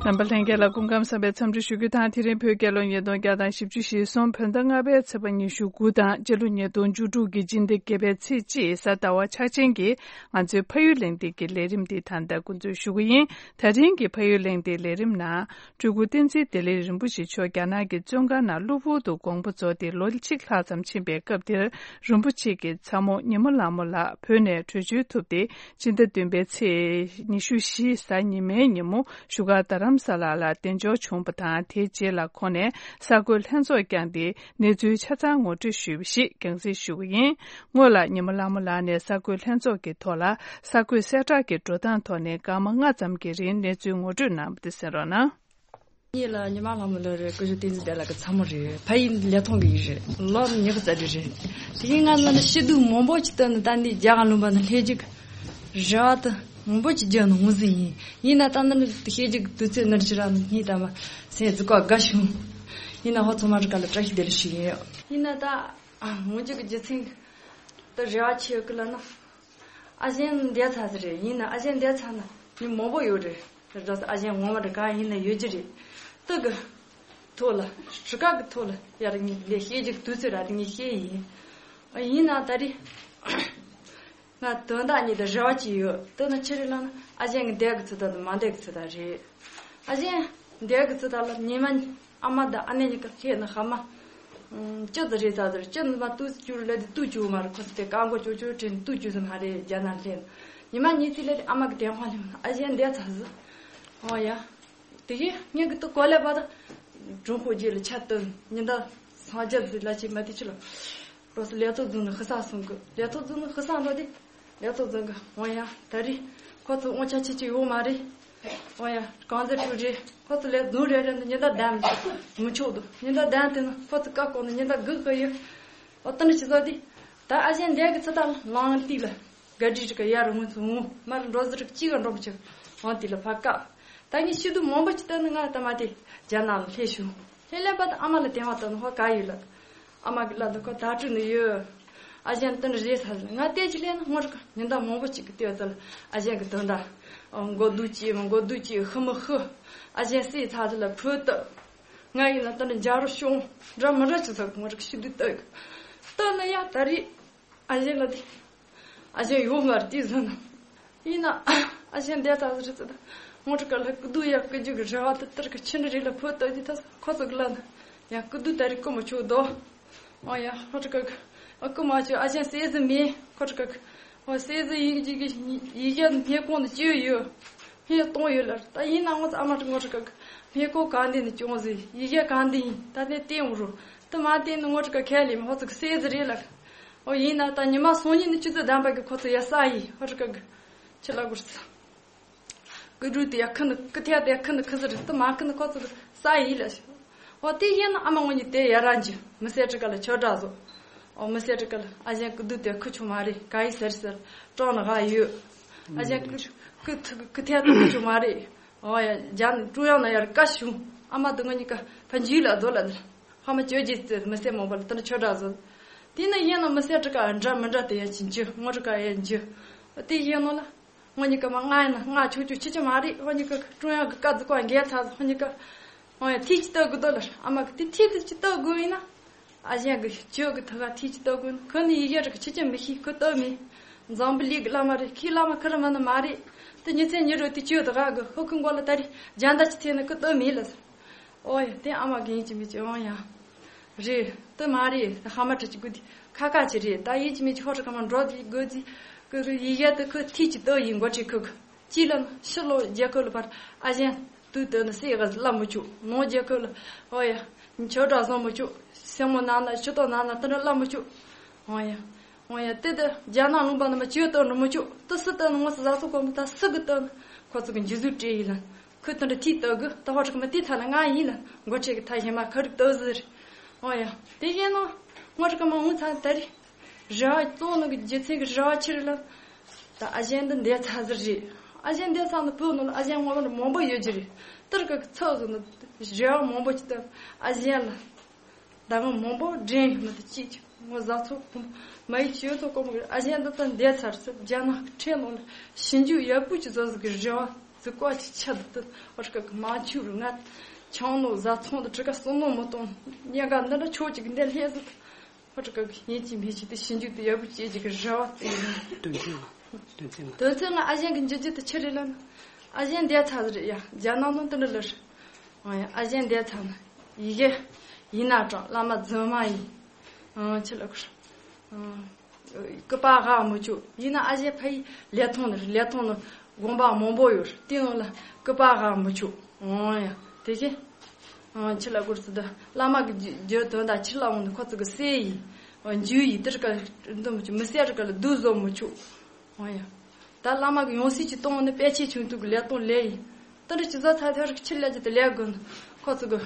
རྣམ་པ་ལྷན་རྒྱས་ལ་སྐུ་ཁམས་བཟང་བའི་འཚམས་འདྲི་ཞུ་རྒྱུ་དང་། དེ་རིང་བོད་རྒྱལ་ལོ་ཉིས་སྟོང་བརྒྱ་དང་བཞི་བཅུ་ཞེ་གསུམ་བོད་ཟླ་ལྔ་པའི་ཚེས་པ་ཉི་ཤུ་དགུ་དང་། སྤྱི་ལོ་ཉིས་སྟོང་བཅུ་དྲུག་གི་སྤྱི་ཟླ་བརྒྱད་པའི་ཚེས་གཅིག་གཟའ་ཟླ་བ་ཆགས་ཅན་གྱི་ང་ཚོའི་ཕ་ཡུལ་གླེང་སྟེགས་ཀྱི་ལས་རིམ་འདི་ད་ལྟ་འགོ་འཛུགས་ཞུ་གི་ཡིན། ད་རིང་གི་ཕ་ཡུལ་གླེང་སྟེགས་ལས་རིམ་ནང་། སྤྲུལ་སྐུ་བསྟན་འཛིན་བདེ་ལེགས་རིན་པོ་ཆེ་མཆོག་རྒྱ་ནག་གི་བཙོན་ཁང་ནང་གློ་བུར་དུ་དགོངས་པ་རྫོགས་ཏེ་ལོ་གཅིག་ལྷག་ཙམ་ཕྱིན་པའི་སྐབས་དེར། རིན་པོ་ཆེ་གི་ཚ་མོ་ཉི་མ་ལྷ་མོ་ལགས་བོད་ནས་བྲོས་བྱོལ་ཐུབ་སྟེ། སྤྱི་ཟླ་བདུན་པའི་ཚེས་ཉི་ཤུ་བཞི་གཟའ་ཉི་མའི་ཉིན་མོ་བཞུགས་སྒར་རྡ་རམ་ས་ལ་ལ་གདན་འཇོག་བྱུང་བ་དང་། དེའི་རྗེས་ལ་ཁོང་ནས་གསར་འགོད་ལྷན་ཚོགས་བསྐྱངས་ཏེ། གནས་ཚུལ་ཆ་ཚང་ངོ་སྤྲོད་ཞུས་པ་ཞིག་རྒྱང་སྲིང་ཞུ་གི་ཡིན། སྔོན་ལ་ཉི་མ་ལྷ་མོ་ལགས་ནས་གསར་འགོད་ལྷན་ཚོགས་ཀྱི་ཐོག་ལ་གསར་འགོད་གསལ་བསྒྲགས་ཀྱི་འགྲོ་སྟངས་ཐོག་ནས་སྐར་མ་ལྔ་ཙམ་གྱི་རིང་གནས་ཚུལ་ངོ་སྤྲོད་གནང་བ་དེ་གསན་རོགས་གནང་། ངེད་ལ་ཉི་མ་ལྷ་མོ་ལགས་རེད། སྐུ་ཞབས་བསྟན་འཛིན་བདེ་ལགས་ཀྱི་ཚ་མོ་རེད། ཕ་ཡུལ་ལི་ཐང་གི་ཡིན་རེད། ལོ་ཉི་ཤུ་རྩ་དྲུག་རེད། དེ་ཡིན་ང་ནི་ཤི་སྡུག་མང་པོ་ཅིག་བཏོན་ནས་ད་འདི་རྒྱ་གར་ལུང་པ་ནས་སླེབས་རྒྱུ་རེ་བ་དུ་མང་པོ་ཅིག་བརྒྱབ་ནས་འོང་ཟིན་ཡིན། ཡིན་ན་ད་ནི་སླེབས་རྒྱུ་དུས་ཚོད་ནི་ཅི་ར་ནི་ངས་ད་མ་སེམས་ཟུག་ག་དགའ་བྱུང་། ཡིན་ན་ཧོ་ཚང་མ་རི་ཀ་ལ་བཀྲ་ཤིས་བདེ་ལེགས་ཞུ་ཡིན། ཡིན་ན་ད་འོང་རྒྱུ་གི་རྒྱུ་མཚན་ད་རེ་བ་ཆེ་གི་ལ་ན། ཨ་ཞང་འདས་ཚར་ཟིག་རེད། ཡིན་ན་ཨ་ཞང་འདས་ཚར་ན་མི་མང་པོ་ཡོད་རེད། རེད་ཨ་ཞང་ངོ་མ་རེད་གང་ཡིན་ན་ཡོད་ཀྱི་རེད། སྟག་གི་ཐོག་ལ་གྲུ་ཁ་གི་ཐོག་ལ་ཡར་ངས་ལས་བཤད་རྒྱུ་དུས་ཚོད་ར་དེ་ངས་བཤད་ཡིན། ཡིན་ན་ད་རེས་ང་དོན་དག་གཉིས་དང་རེ་བ་གཅིག་ཡོད། དེ་ནི་ཆི་རེད་ལབ་ན་ཨ་ཞང་གི་འདས་གི་ཚུལ་དང་མ་འདས་གི་ཚུལ་དང་རེད། ཨ་ཞང་འདས་གི་ཚུལ་དང་ལ་ཉི་མ་ཨ་མ་དང་ཨ་ནེ་གཉིས་ཀ་ལྷས་ནི་ཧ་མ། ཨུམ། ཅི་ཟིག་རེད་ད་ཟེར། ཅི་ནི་མ་ཏུ་ཅུ་ལ་དེ་ཏུ་ཅུ་མ་རེད། ཁོ་ཚོ་དེ་ཀ་མགོ་ཅོ་ཅོ་དྲན་ཏུ་ཅུ་ཟིག་མ་རེད། རྒྱ་ནག་ལྷན་ཉི་མ་གཉིས་ཚེ་ལ་དེ་ཨ་མ་གི་དེ་ཧོན་ལེ་ཨ་ཞང་འདས་ཚ་ཟི། ཨོ་ཡ། དེ་གི་ངས་གི་ཏུ་གོ་ལེ་བ་ད་གྲོང་ཁོ་རྗེས་ལ་ཆ་ཏུ་ཉི་ཟླ་སངས་རྒྱས་ཟི་ལ་ཆེ་མ་དེ་ཆི་ལ། ལོ་སི་ལས་ཐོག་རྫོང་ནས་ཧི་ས་སོང་གི། ལས་ཐོག་རྫོང་ནས་ཧི་ས་འགྲོ་དེ། ལས་ཐོག་རྫོང་གི་འོ་ཡ་ད་རེས་ཁོ་ཚོ་དབང་ཆ་ཆེ་ཆེ་ཡོད་མ་རེད། འོ་ཡ་གང་ཟེར་ཐུག་རེད། ཁོ་ཚོ་ལས་རྫོང་རེ་རེ་འདི་ཉི་ཟླ་བདུན་མི་ཆོག་འདུག་ཉི་ཟླ་བདུན་དེ་ནི་ཁོ་ཚོ་བཀའ་བཀོད་ནི་ཉི་ཟླ་དགུ་གི་ཡོད། འོ་ད་ནི་ཆི་ཟོ་དེ། ད་ཨ་ཞང་འདས་གི་ཚུལ་དང་ལང་ལ་ཏི་ལ་ག་དྲི་རི་ཀ་ཡར་འོང་ཚུ་འོང་མར་འགྲོ་ཟི་རི་ཀ་གཅིག་ག་འགྲོ་མི་ཆོག་འོང་དེ་ལ་ཕ་བཀའ། ད་ངས་ཤི་དུས་མང་པོ་ཅིག་བཏོན་ནི་ང་ད་མ་དེ་རྒྱ་ནག་ལ་སླེབས་བྱུང་། སླེབས་སླེབས་པ་དང་ཨ་མ་ལ་དེ་བ་བཏོན་ནི་ཧོ་ག་ཡོད་ལ། ཨ་མ་གི་ལ་དུ་ཁོ་ད་སྤྲུལ་ནི་ཡོད། ཨ་ཞང་དོན་རེད་ས་ལ་ང་བལྟས་ཅི་ལས་ན་ངོ་རི་ཀ་ཉི་ཟླ་མང་པོ་ཅིག་གི་ལྟས་ཚ་ལ་ཨ་ཞང་གི་དོན་དག་མགོ་སྡུག་ཅིག་མ་མགོ་སྡུག་ཅིག་ཤི་མི་ཤི། ཨ་ཞང་སྲིད་ཚ་ཚ་ལ་ཕུ་ཏི། ང་ཡིན་ན་དོན་རྒྱ་རུ་ཤོང་འདྲ་མི་འདྲ་ཅི་ཚ་ངོ་རི་ཀ་ཤི་དུས་ལྟ་གི་ལྟ་ན་ཡ་ད་རེས། ཨ་ཞང་ལ་དེ། ཨ་ཞང་ཡོད་མ་རེད་དེ་ཟེར་ན། ཡིན་ན། ཨ་ཞང་འདས་ད་ཟེར་ཙི་ད། ངོ་ཁྲ་ཀ་ལ་སྐུ་སྡུག་ཡ་སྐུ་རྒྱུ་གི་རེ་བ་དེ་ལྟར་གི་ཕྱི་འདྲ་རེ་ལ་ཕོ་ལྟ་དེ་ད་ཁོ་ཚོ་གི་ལ་ན། ཡ་སྐུ་སྡུག་ད་རེ་སྐུ་མ་ཆོག་དོ། ཨོ་ཡ་ཁོ་ཁྲ་ཀ་གི། ཨ་སྐུ་མ་ཆོག་ཨ་ཞང་སྲས་ཟི་མེད་ཁོ་ཁྲ་ཀ་གི། ཨོ་སྲས་ཟི་ཡིན་གྱི་གི་ཡི་ཡ་སྨན་ཁང་དུ་བཅོས་ཡོད། སྨན་གཏོང་ཡོད་ལ་ད་ཡིན་ན་ངོ་ཚ་ཨ་མ་ཁྲ་ངོ་ཁྲ་ཀ་གི། སྨན་ཁང་གང་དེ་ནས་སྐྱོང་ཟི་ཡི་ཡ་གང་དེ་ཡིན་ད་དེ་བསྟན་འོ་རུ། དུ་མ་བསྟན་ནི་ངོ་ཁྲ་ཀ་ཁས་ལེན་མ་ཧོ་ཚོ་གི་སྲས་ཟི་རེད་ལ། ཨོ་ཡིན་ན་ད་ཉི་མ་སང་ཉིན་ནི་ཆུ་ཚོད་བདམས་པ་གི་ཁོ་ཚོ་ཡ་ས་ཡི་ཧོ་ཁྲ་ཀ་གི་ཆི་ལ་གུར་ས། ཀི་འགྲུལ་དེ་ཡ་ཁི་ནི་ཀི་ཐེ་དེ་ཁི་ནི་ཁི་ཟི་རི་ཏི་མ་ཁི་ནི་ཁོ་ཚོ་གི་ས་ཡི་ལ་ཤི། ཨོ་དེ་ཡིན་ན་ཨ་མ་ངོ་ཉི་དེ་ཡ་ར་འཇི་མི་སེ་ཀྲི་ཀ་ལ་ཆོ་འདྲ་བཟོ། ཨོ་མི་སེ་ཀྲི་ཀ་ལ་ཨ་ཞང་ཀི་འདུ་དེ་ཁི་ཆུ་མ་རེད་ག་ཡི་ཟེར་ཟེར་ཀྲོང་ནི་ག་ཡོད། ཨ་ཞང་ཀི་ཀི་ཐི་ཀི་ཐེ་ཏི་ཁི་ཆུ་མ་རེད། ཨོ་ཡ་རྒྱ་ནི་ཀྲུང་དབྱང་ན་ཡར་བཀའ་ཞུ། ཨ་མ་དེ་ངོ་ཉི་ཀ་ཕ་འཇུས་ལ་རྡོ་ལ་ཧ་མ་ཅོ་རྗེས་ཙེ་མི་སེར་མང་པོ་ལ་དེ་འདྲ་ཆོས་གྲགས་བཟོ། དེ་ནི་ཡིན་ན་མི་སེར་ཀྲི་ཀ་འདྲ་མི་འདྲ་དེ་ཡ་ཅིན་ཅི་ངོ་ཀྲི་ཀ་ཡ་ཅི། དེ་ཡིན་ནོ་ལ། ངོ་ཉི་ཀ་མ་ང་ཡིན་ན་ང་ཆོ་ཆོ་ཆི་ཆི་མ་རེད། ངོ་ཉི་ཀ་ཀྲུང་དབྱང་གི་བཀའ་ཟི་ཀོ་འགལ་ཚ་ཟི་ངོ་ཉི་ཀ་ཨོ་ཡ་ཐིག་ཅི་ལྟ་དགོས་དོ་ལ་ཨ་མ་གི་དེ་ཐིག་དེ་ཅི་ལྟ་དགོས་ཡིན་ན། ཨ་ཞང་གི་ཆོས་གི་ཐུགས་ཁ་ཐིག་ཅི་ལྟ་དགོས་ན་ཁོ་ནི་ཡི་གེ་རིག་ཆི་ཆི་མི་ཤེས་ཁོ་ལྟ་མི། འཛམ་བུ་གླིང་གི་བླ་མ་རེད་ཁྱི་བླ་མ་ཁི་རི་མ་ནི་མ་རེད། དེ་ཉི་ཚེ་ཉི་རུ་དེ་ཆོས་དུ་ག་གི་ཧོ་ཁི་མགོ་ལ་ད་རེས་རྒྱ་མདའ་ཅི་ཐེ་ན་ཁོ་ལྟ་མི་ལ་ཟེར། ཨོ་ཡ་དེ་ཨ་མ་གི་ཡིན་གཅིག་མིན་གཅིག་ཨོ་ཡ། རེད་དེ་མ་རེད་དེ་ཧ་མ་ཁྲི་གཅིག་དགོས་དེ་ཁ་ཁ་ཅི་རེད་ད་ཡིན་གཅིག་མིན་གཅིག་ཧོ་ཁྲི་ཁ་མ་འགྲོ་དེ་དགོས་དེ་ཁོ་ཁོ་ཡི་གེ་དེ་ཁོ་ཐིག་ཅི་ལྟ་ཡིན་མགོ་ཁྲི་ཁོ་ཁོ་ཅི་ལ་ཕྱི་ལོ་རྒྱལ་ཁབ་ལ་བར་ཨ་ཞང་དུས་དེ་ནི་སྲས་ག་ལ་མི་བཅུག་ནང་རྒྱལ་ཁབ་ལ་ཨོ་ཡ་ཆོས་གྲྭ་བཟང་མི་བཅུག་སེ་མོ་ནང་ན་ཕྱི་ཏོ་ནང་ན་དེ་འདྲ་ལ་མི་བཅུག་ཨོ་ཡ། འོ་ཡ་དེ་དེ་རྒྱ་ནག་ལུང་པ་ནི་མ་ཅིའི་ལྟ་ནི་མི་ཆོག་ཏི་སི་ལྟ་ནི་ངོ་སི་ཟ་སོ་གོ་མི་ད་སི་གི་ལྟ་ནི་ཁོ་ཚོ་གི་འཇུ་ཟུ་སྤྲད་ཡིན་ལ། ཁོས་དེ་འདྲ་ཐིག་བཏབ་གི། ད་ཧོ་ཁྲི་ཀ་མ་དེ་ཐ་ན་ང་ཡིན་ན་འགོ་ཁྲིད་ཀྱི་ཐ་ཞེ་མ་ཁ་རིག་བཏབ་ཟིག་རེད། ཨོ་ཡ། དེ་བཞིན་ནོ། ཧོ་ཁྲི་ཀ་མ་འུ་ཚང་ད་རེས་རེ་བ་གཙོ་བོ་ནོ་གི་རྒྱུ་མཚན་གི་རེ་བ་ཆི་རེད་ལ། ད་ཨ་ཞང་འདི་འདས་ཚར་ཟིག་རེད། ཨ་ཞང་འདས་ཚར་ནི་བོད་ནང་ལ་ཨ་ཞང་ངོ་མ་མང་པོ་ཡོད་རྒྱུ་རེད། དེར་གི་ཚོགས་ཟིག་ནི་རེ་བ་མང་པོ་ཅིག་བཏབ། ཨ་ཞང་ལ། ཟླ་ངོ་མང་པོ་འདྲེན་ཡོད་ནི་དེ་གཅིག་ཅིག་ངོ་བཟའ་ཚོ་ཁོམ་མ་ཡི་ཆེ་ཚོ་ཀོ་མོ་གི་ཨ་ཞང་འདི་ད་འདས་ཚར་ཚེ་རྒྱ་ནག་གི་ཁྲིམས་ནང་ལ་ཞིབ་འཇུག་ཡག་པོ་ཅིག་བཟོ་ཟིག་གི་རེ་བ་ཟིག་བཀའ་ཅིག་ཆད་དུ་ཨོ་ཀ་གི་མ་ཆུ་རུ་ང་ཆང་ནོ་བཟའ་ཚོང་དུ་གྲི་ཀ་སོ་ནོ་མི་གཏོང་ཉེ་ག་འདི་འདྲ་ཆོག་ཅིག་གི་འདས་ལྷས་ཟིག་ཨོ་ཀ་གི་ཡིན་གཅིག་མིན་གཅིག་དེ་ཞིབ་འཇུག་དེ་ཡག་པོ་བྱེད་ཅིག་གི་རེ་བ་དེ་ཡིན། དོན་ཚན་ལ། དོན་ཚན་ལ། དོན་ཚན་ལ་ཨ་ཞང་གི་འཇུ་རྒྱུ་དེ་ཆི་རེད་ལབ་ན། ཨ་ཞང་འདས་ཚར་ཟིག་རེད་ཡ། རྒྱ་ནག་ནང་དེ་འདྲ་ལ་རེད། ཨོ་ཡ། ཨ་ཞང་འདས་ཚར་ན་ཡི་གེ་ཡིན་ན་གྲངས་བླ་མ་རྫུན་མ་ཡིན། ཨང་ཆི་ལ་ཁུར། ཨང་། སྐུ་པར་ཧ་མི་ཆོག་ཡིན་ན་ཨ་ཞང་ཕ་ཡི་ལས་ཐོང་ནི་རེད། ལས་ཐོང་ནི་དགོན་པ་མང་པོ་ཡོད་རེད། དེ་ནང་ལ་སྐུ་པར་ཧ་མི་ཆོག་ཨང་ཡ། དེ་བཞིན། ཨང་ཆི་ལ་ཁུར་ཚི་ད་བླ་མ་གི་རྒྱུ་དོན་དག་ཕྱི་ལ་འོང་ནི་ཁོ་ཚོ་གི་སྲས་ཡིན། འཇུ་ཡིན་དེར་ཀ་འདུ་མི་ཆོག་མི་སྲས་རེ་ཀ་ལ་སྡུག་བཟོ་མི་ཆོག་ཨོ་ཡ། ད་བླ་མ་གི་ཡང་སྲིད་ཅིག་གཏོང་ནི་དཔེ་ཆའི་ཆུང་དུ་གི་ལས་གཏོང་ལས་ཡིན། ད་འདྲ་ཅི་ཟ་ཐ་ཐ་རིག་ཕྱིར་ལས་ཀྱི་དེ་ལས་དགོས་ནི། ཁོ་ཚོ་གི་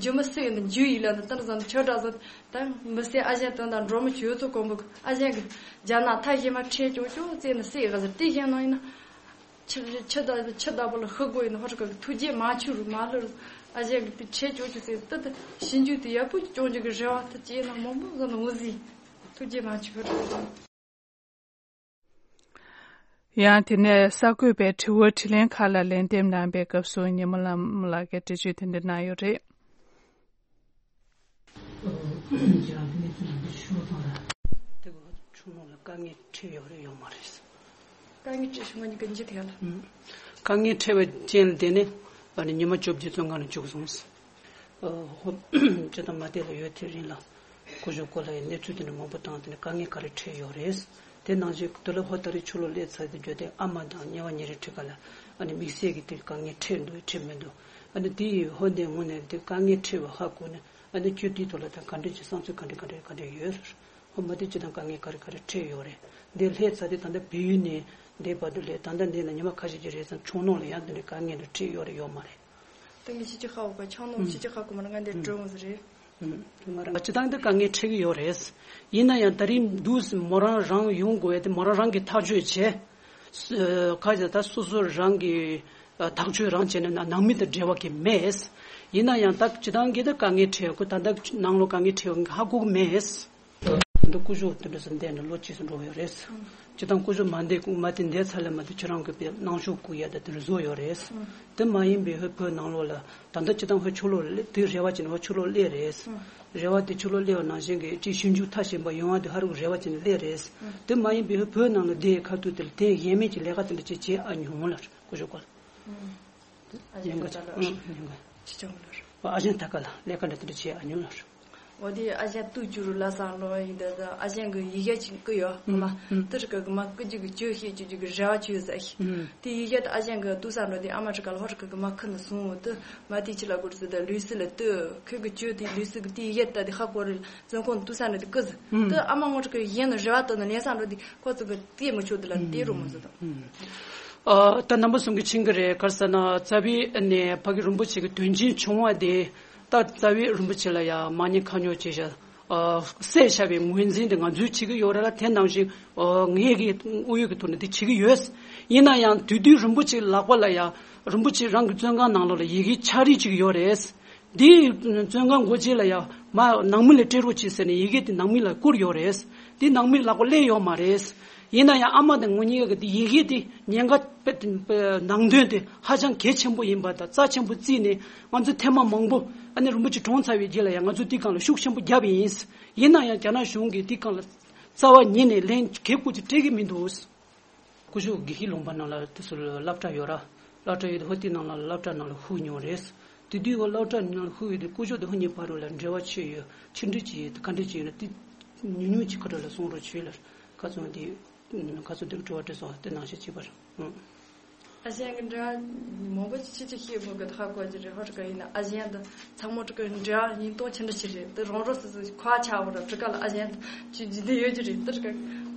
འཇུ་མི་སྲིད་ཡོད་ནི་འཇུ་ཡིན་ལ་ནི་ད་འདྲ་ཟ་ནི་ཆོས་གྲགས་ཟ་ད་མི་སྲིད་ཨ་ཞང་དོན་དང་འགྲོ་མི་ཆོས་ཚོ་གོམ་པོ་གི་ཨ་ཞང་གི་རྒྱ་ནག་ཐ་ཞེ་མ་ཁྲེལ་ཅོག་ཅོག་བཙལ་ནི་སྲིད་ག་ཟེར་དེ་བཞིན་ནང་ཡིན་ན། ཕྱི་ཕྱི་ད་ཕྱི་ད་པོ་ལ་ཤི་དགོས་ཡིན་ནི་ཧོ་རི་ཀ་གི་ཐུགས་རྗེ་མ་ཆུ་རུ་མ་ལུ་རུ་ཨ་ཞང་གི་དེ་ཁྲེལ་ཅོག་ཅོག་བཙལ་ད་ད་ཞིབ་འཇུག་དེ་ཡག་པོ་ཅོག་འཇུག་གི་རེ་བ་ད་ཅེ་ན་མང་པོ་ཟ་ནི་འུ་ཟི་ཐུགས་རྗེ་མ་ཆུ་ཧོ་རི་ཀ་ཟ། ཡང་དེ་ནས་གསར་འགོད་པའི་དྲི་བ་དྲིས་ལན་ཁག་ལ་ལན་འདེབས་གནང་པའི་སྐབས་སུ་ཉི་མ་ལྷ་མོ་ལགས་ཀྱིས་འགྲེལ་བརྗོད་དེ་འདྲ་གནང་ཡོད་རེད། དེ་ག་ཆུང་ནང་ལ་དཀའ་ངལ་འཕྲད་ཡོད་རེད་ཡོད་མ་རེད། དཀའ་ངལ་འཕྲད་བྱུང་བ་ཉིད་ཀྱི་འཇིག་རྟེན་ལ། ཨུམ། དཀའ་ངལ་འཕྲད་པའི་རྐྱེན་ལ་བརྟེན་ནས་ཨ་ནི་ཉི་མ་བཅོ་བརྒྱད་བཙོན་ཁང་ནང་བཅུག་སོང་། ཨ་ཧོ། སྤྱི་དང་མ་དེ་ལ་ཡོད་དེ་རིང་ལ་སྐུ་ཞབས་སྐོར་ལ་ཡི་གནས་ཚུལ་དེ་འདྲ་མང་པོ་བཏང་དེ་ནས་དཀའ་ངལ་ག་རེ་འཕྲད་ཡོད་རེད། དེ་ནང་བཞིན་དུ་ལ་ཧོ་ད་རེས་ཆུ་ལོག་སླེབས་ཚར་དེ་བརྗོད་དེ་ཨ་མ་དང་ཉེ་བ་ཉེ་རིགས་ཁྲི་ཀ་ལ་ཨ་ནི་དམིགས་བསལ་གྱི་དེ་དཀའ་ངལ་འཕྲད་འདུག་འཕྲད་མི་འདུག་ཨ་ནི་དེ་ཡི་ཧོ་འདས་ངོ་ནས་དེ་དཀའ་ངལ་འཕྲད་པ་ཧ་གོ་ནས་ཨ་ནི་ཁྱོད་དེའི་ཐོག་ལ་ད་ག་འདྲ་ཅིག་བསམ་ཚུལ་ག་འདྲ་ག་འདྲ་ག་འདྲ་ཡོད། ཧོ་མ་དེ་ཅི་དང་དཀའ་ངལ་ག་རེ་ག་རེ་འཕྲད་ཡོད་རེད། འདི་སླེབས་ཚར་དེ་ད་ལྟ་བལ་ཡུལ་ནས་འདི་བར་དུ་སླེབས་ད་ལྟ་འདི་ན་ཉི་མ་ཁ་ཤས་ཀྱི་རེས་ཙམ་ཆུང་ནང་ལ་ཡང་འདི་འདྲའི་དཀའ་ངལ་འདི་འཕྲད་ཡོད་རེད་ཡོད་མ་རེད། ད་ངས་ཕྱི་རྒྱལ་ཁག་འོག་ག་ཆང་ནོར་ཕྱི་རྒྱལ་ཁག་གོ་མར་ང་འདིར་འགྲོ་འོང་ཟེར་རེད། ང་རང་སྤྱི་བཏང་འདི་དཀའ་ངལ་འཕྲད་ཀྱི་ཡོད་རེད། ཡིན་ན་ཡང་ད་རིང་འདུག་མོ་རང་རང་ཡོང་དགོས་ཡ་དེ་མོ་རང་རང་གི་ཐག་གཅོད་བྱས། ཁ་ཅིག་ད་སོ་སོ་རང་གི་ཐག་གཅོད་རང་བྱས་ནས་ནང་མི་དང་འབྲེལ་བ་གི་མེད། ཡིན་ན་ཡང་ད་སྤྱི་བཏང་གི་ད་དཀའ་ངལ་འཕྲད་ཁོ་ད་ད་ནང་ལོ་དཀའ་ངལ་འཕྲད་ཧ་གོ་གི་མེད། འདི་སྐུ་ཞབས་དེ་འདྲ་སེ་འདས་ནས་ལོ་གཅིག་སུ་འགྲོ་ཡོད་རེད། སྤྱི་བཏང་སྐུ་ཞབས་མ་འདས་མ་དེ་འདས་ཚར་ལ་མ་དེ་ཁྱེད་རང་གི་པའི་གནང་ཤོག་བསྐུར་ཡ་ད་དེ་རུ་བཟོ་ཡོད་རེད། དེ་མ་ཡིན་པའི་ཧོད་བོད་ནང་ལོགས་ལ་ད་ལྟ་སྤྱི་བཏང་ཧོད་ཆུ་ལོག་དེ་རེ་བ་ཅན་ཧོད་ཆུ་ལོག་སླེབས་རེད། རེ་བ་དེ་ཆུ་ལོག་སླེབས་པ་ནང་བཞིན་གྱི་ཅིག་ཞིབ་འཇུག་མཐའ་ཕྱིན་པ་ཡོང་བ་དེ་ཧ་རུ་རེ་བ་ཅན་སླེབས་རེད། དེ་མ་ཡིན་པའི་ཧོད་བོད་ནང་ལ་བསྡད་ཁ་ཐུག་དེ་ལ་དེ་ཡན་མེད་ཀྱི་ལས་ཀ་དེ་འདྲ་ཅིག་བྱེད་ཨ་མྱོང་ལ་སྐུ་ཞབས་སྐོར་ལ། ཨ་ཅག་ཉན་ག་ད་ལ་ཨང་ཉན་ག་ཅི་ཅང་ལ། ཨ་ཅག་ད་ག་ལ་ལས་ཀ་འདྲ་དེ་འདྲ་བྱེད་ཨ་ཉོན་ལ། འོ་དེ་ཨ་ཅག་ཏུ་ཅུ་རུ་ལ་སང་ལོ་ཡིན་ད་ད་ཨ་ཅག་གི་ཡི་གེ་ཅིག་བསྐུར་ཡོད་ཨ་མ། ཨུམ། དེ་རིགས་གི་མ་བསྐུར་རྒྱུ་གི་ཅོ་ཤེས་རྒྱུ་གི་རེ་བ་ཅོ་ཟ་ཤི། ཨུམ། དེ་ཡི་གེ་ད་ཨ་ཅག་གི་ཏུ་ས་འགྲོ་དེ་ཨ་མ་རི་ཀ་ལ་ཧོ་རི་ཀ་གི་མ་ཁུ་ནི་སོང་འོ་དེ་མ་དེ་ཅི་ལ་གོ་རི་སི་ད་ལུས་སི་ལ་དེ་ཁོས་གི་ཅོ་དེ་ལུས་སི་གི་དེ་ཡི་གེ་ད་དེ་ཧ་གོ་རི་ལ་བཙོན་ཁང་ཏུ་ས་འགྲོ་དེ་བསྐུར་ཟི། ཨུམ། དེ་ཨ་མ་ངོ་རི་ཀ་ཡིན་ནི་རེ་བ་ཏོ་ནི་ལེན་སང་འགྲོ་དེ་ཁོ་ཚོ་གི་དེ་མི་ཆོག་དེ་ལ་དེ་རུ་མི་ཟི་དང་། ཨུམ། ཨ། ད་རྣམ་པ་གསུམ་གྱིས་མཁྱེན་གྱི་རེད། ག་རེ་ཟེར་ན་རྩ་བའི་ནས་ཕ་གི་རིན་པོ་ཆེ་གི་དོན་ཆེན་བྱུང་བ་དེ་ད་རྩ་བའི་རིན་པོ་ཆེ་ལ་ཡང་མ་ཉེས་ཁ་ཉོག་བྱས་ཤག་ཨ། བསད་བཞག་པའི་ངོས་འཛིན་དེ་ང་ཚོས་བྱེད་ཀྱི་ཡོད་རེད་ལ། དེ་ནང་བཞིན་ཨ། ངས་ཀྱི་དངོས་ཡོད་ཀྱི་ཐོག་ནས་དེ་བྱེད་ཀྱི་ཡོད། ཡིན་ན་ཡང་དུས་དུས་རིན་པོ་ཆེ་ལག་པ་ལ་ཡང་རིན་པོ་ཆེ་རང་གི་བཙོན་ཁང་ནང་ལོགས་ལ་ཡི་གེ་ཕྱག་བྲིས་བྱེད་ཀྱི་ཡོད་རེད། འདི་བཙོན་ཁང་སྒོ་འབྱེད་ལ་ཡང་མ་ནང་མི་ལ་སྤྲད་རོགས་བྱེད་ཟེར་ནས་ཡི་གེ་དེ་ནང་མི་ལ་བསྐུར་ཡོད་རེད། འདི་ནང་མི་ལག་པ་སླེབས་ཡོད་མ་རེད། ཡིན་ན་ཡང་ཨ་མ་དང་ངོ་གཉིས་ཀ་གི་དེ་ཡི་གེ་དེ་ཉེན་ཁ་དཔེ་དེ་ནང་དོན་དེ་ཧ་ཅང་གལ་ཆེན་པོ་ཡིན་པ་དང་རྩ་ཆེན་པོ་བརྩིས་ནས་ང་ཚོ་ཐེངས་མ་མང་པོ་ཨ་ནི་རིན་པོ་ཆེ་གྲོངས་ཚར་བའི་རྗེས་ལ་ཡང་ང་ཚོ་དེའི་སྒང་ལ་ཤུགས་ཆེན་པོ་བརྒྱབ་ཡིན། ཡིན་ན་ཡང་རྒྱ་ནག་གཞུང་གིས་དེའི་སྒང་ལ་རྩ་བ་ཉིད་ནས་ལན་གལ་ཁུར་ཅིག་སྤྲད་ཀྱི་མི་འདུག་སྐུ་ཞབས་དགེ་བཤེས་ལུང་པ་ནང་ལ་དེ་ཚོ་སློབ་གྲྭ་ཡོད་ར། སློབ་གྲྭ་ཡོད་དེ་ཧོ་དེ་ནང་ལ་སློབ་གྲྭ་ནང་ལ་ཧུར་མྱོང་རེད། དེ་དུས་ཧོ་སློབ་གྲྭ་ནང་ལ་ཧུར་ཡོད་དེ་སྐུ་ཞབས་དེ་ཧོ་གཉིས་བར་རུ་ལ་འབྲེལ་བ་ཆེ་ཡོད་ཕྱི་འབྲེལ་ཅིག་ཡོད་དེ་ག་འདྲ་ཅིག་ཡོད་ན་དེ་ཉུང་ཉུང་ཅིག་ཁ་ཐུག་ལ་གསུང་རོགས་བྱོས་ལ་ཁ་ཚོན་དེ་ཁ་ཚོན་དེ་གི་དྲི་བ་དྲི་སོང་དེ་ནང་བཞིན་བྱེད་པར། ཨ་ཞང་གི་འབྲེལ་བ་མང་པོ་ཅིག་ཅིག་ཤེས་མོད་གི་ཧ་གོ་རྒྱུ་རེད། ཧོ་ཁྲི་ཀ་ཡིན་ན་ཨ་ཞང་དང་ཚ་མོ་ཁྲི་ཀ་འབྲེལ་བ་ཡིན་སྟོང་ཆེ་འདྲ་ཞིག་རེད། དེ་རང་རང་སོ་སོའི་ཁ་ཆག་པ་ར་ཁྲི་ཀ་ལ་ཨ་ཞང་དང་ཅིག་འཇིག་རྟེན་ཡོད་རྒྱུ་རེད། དེ་ཁྲི་ཀ་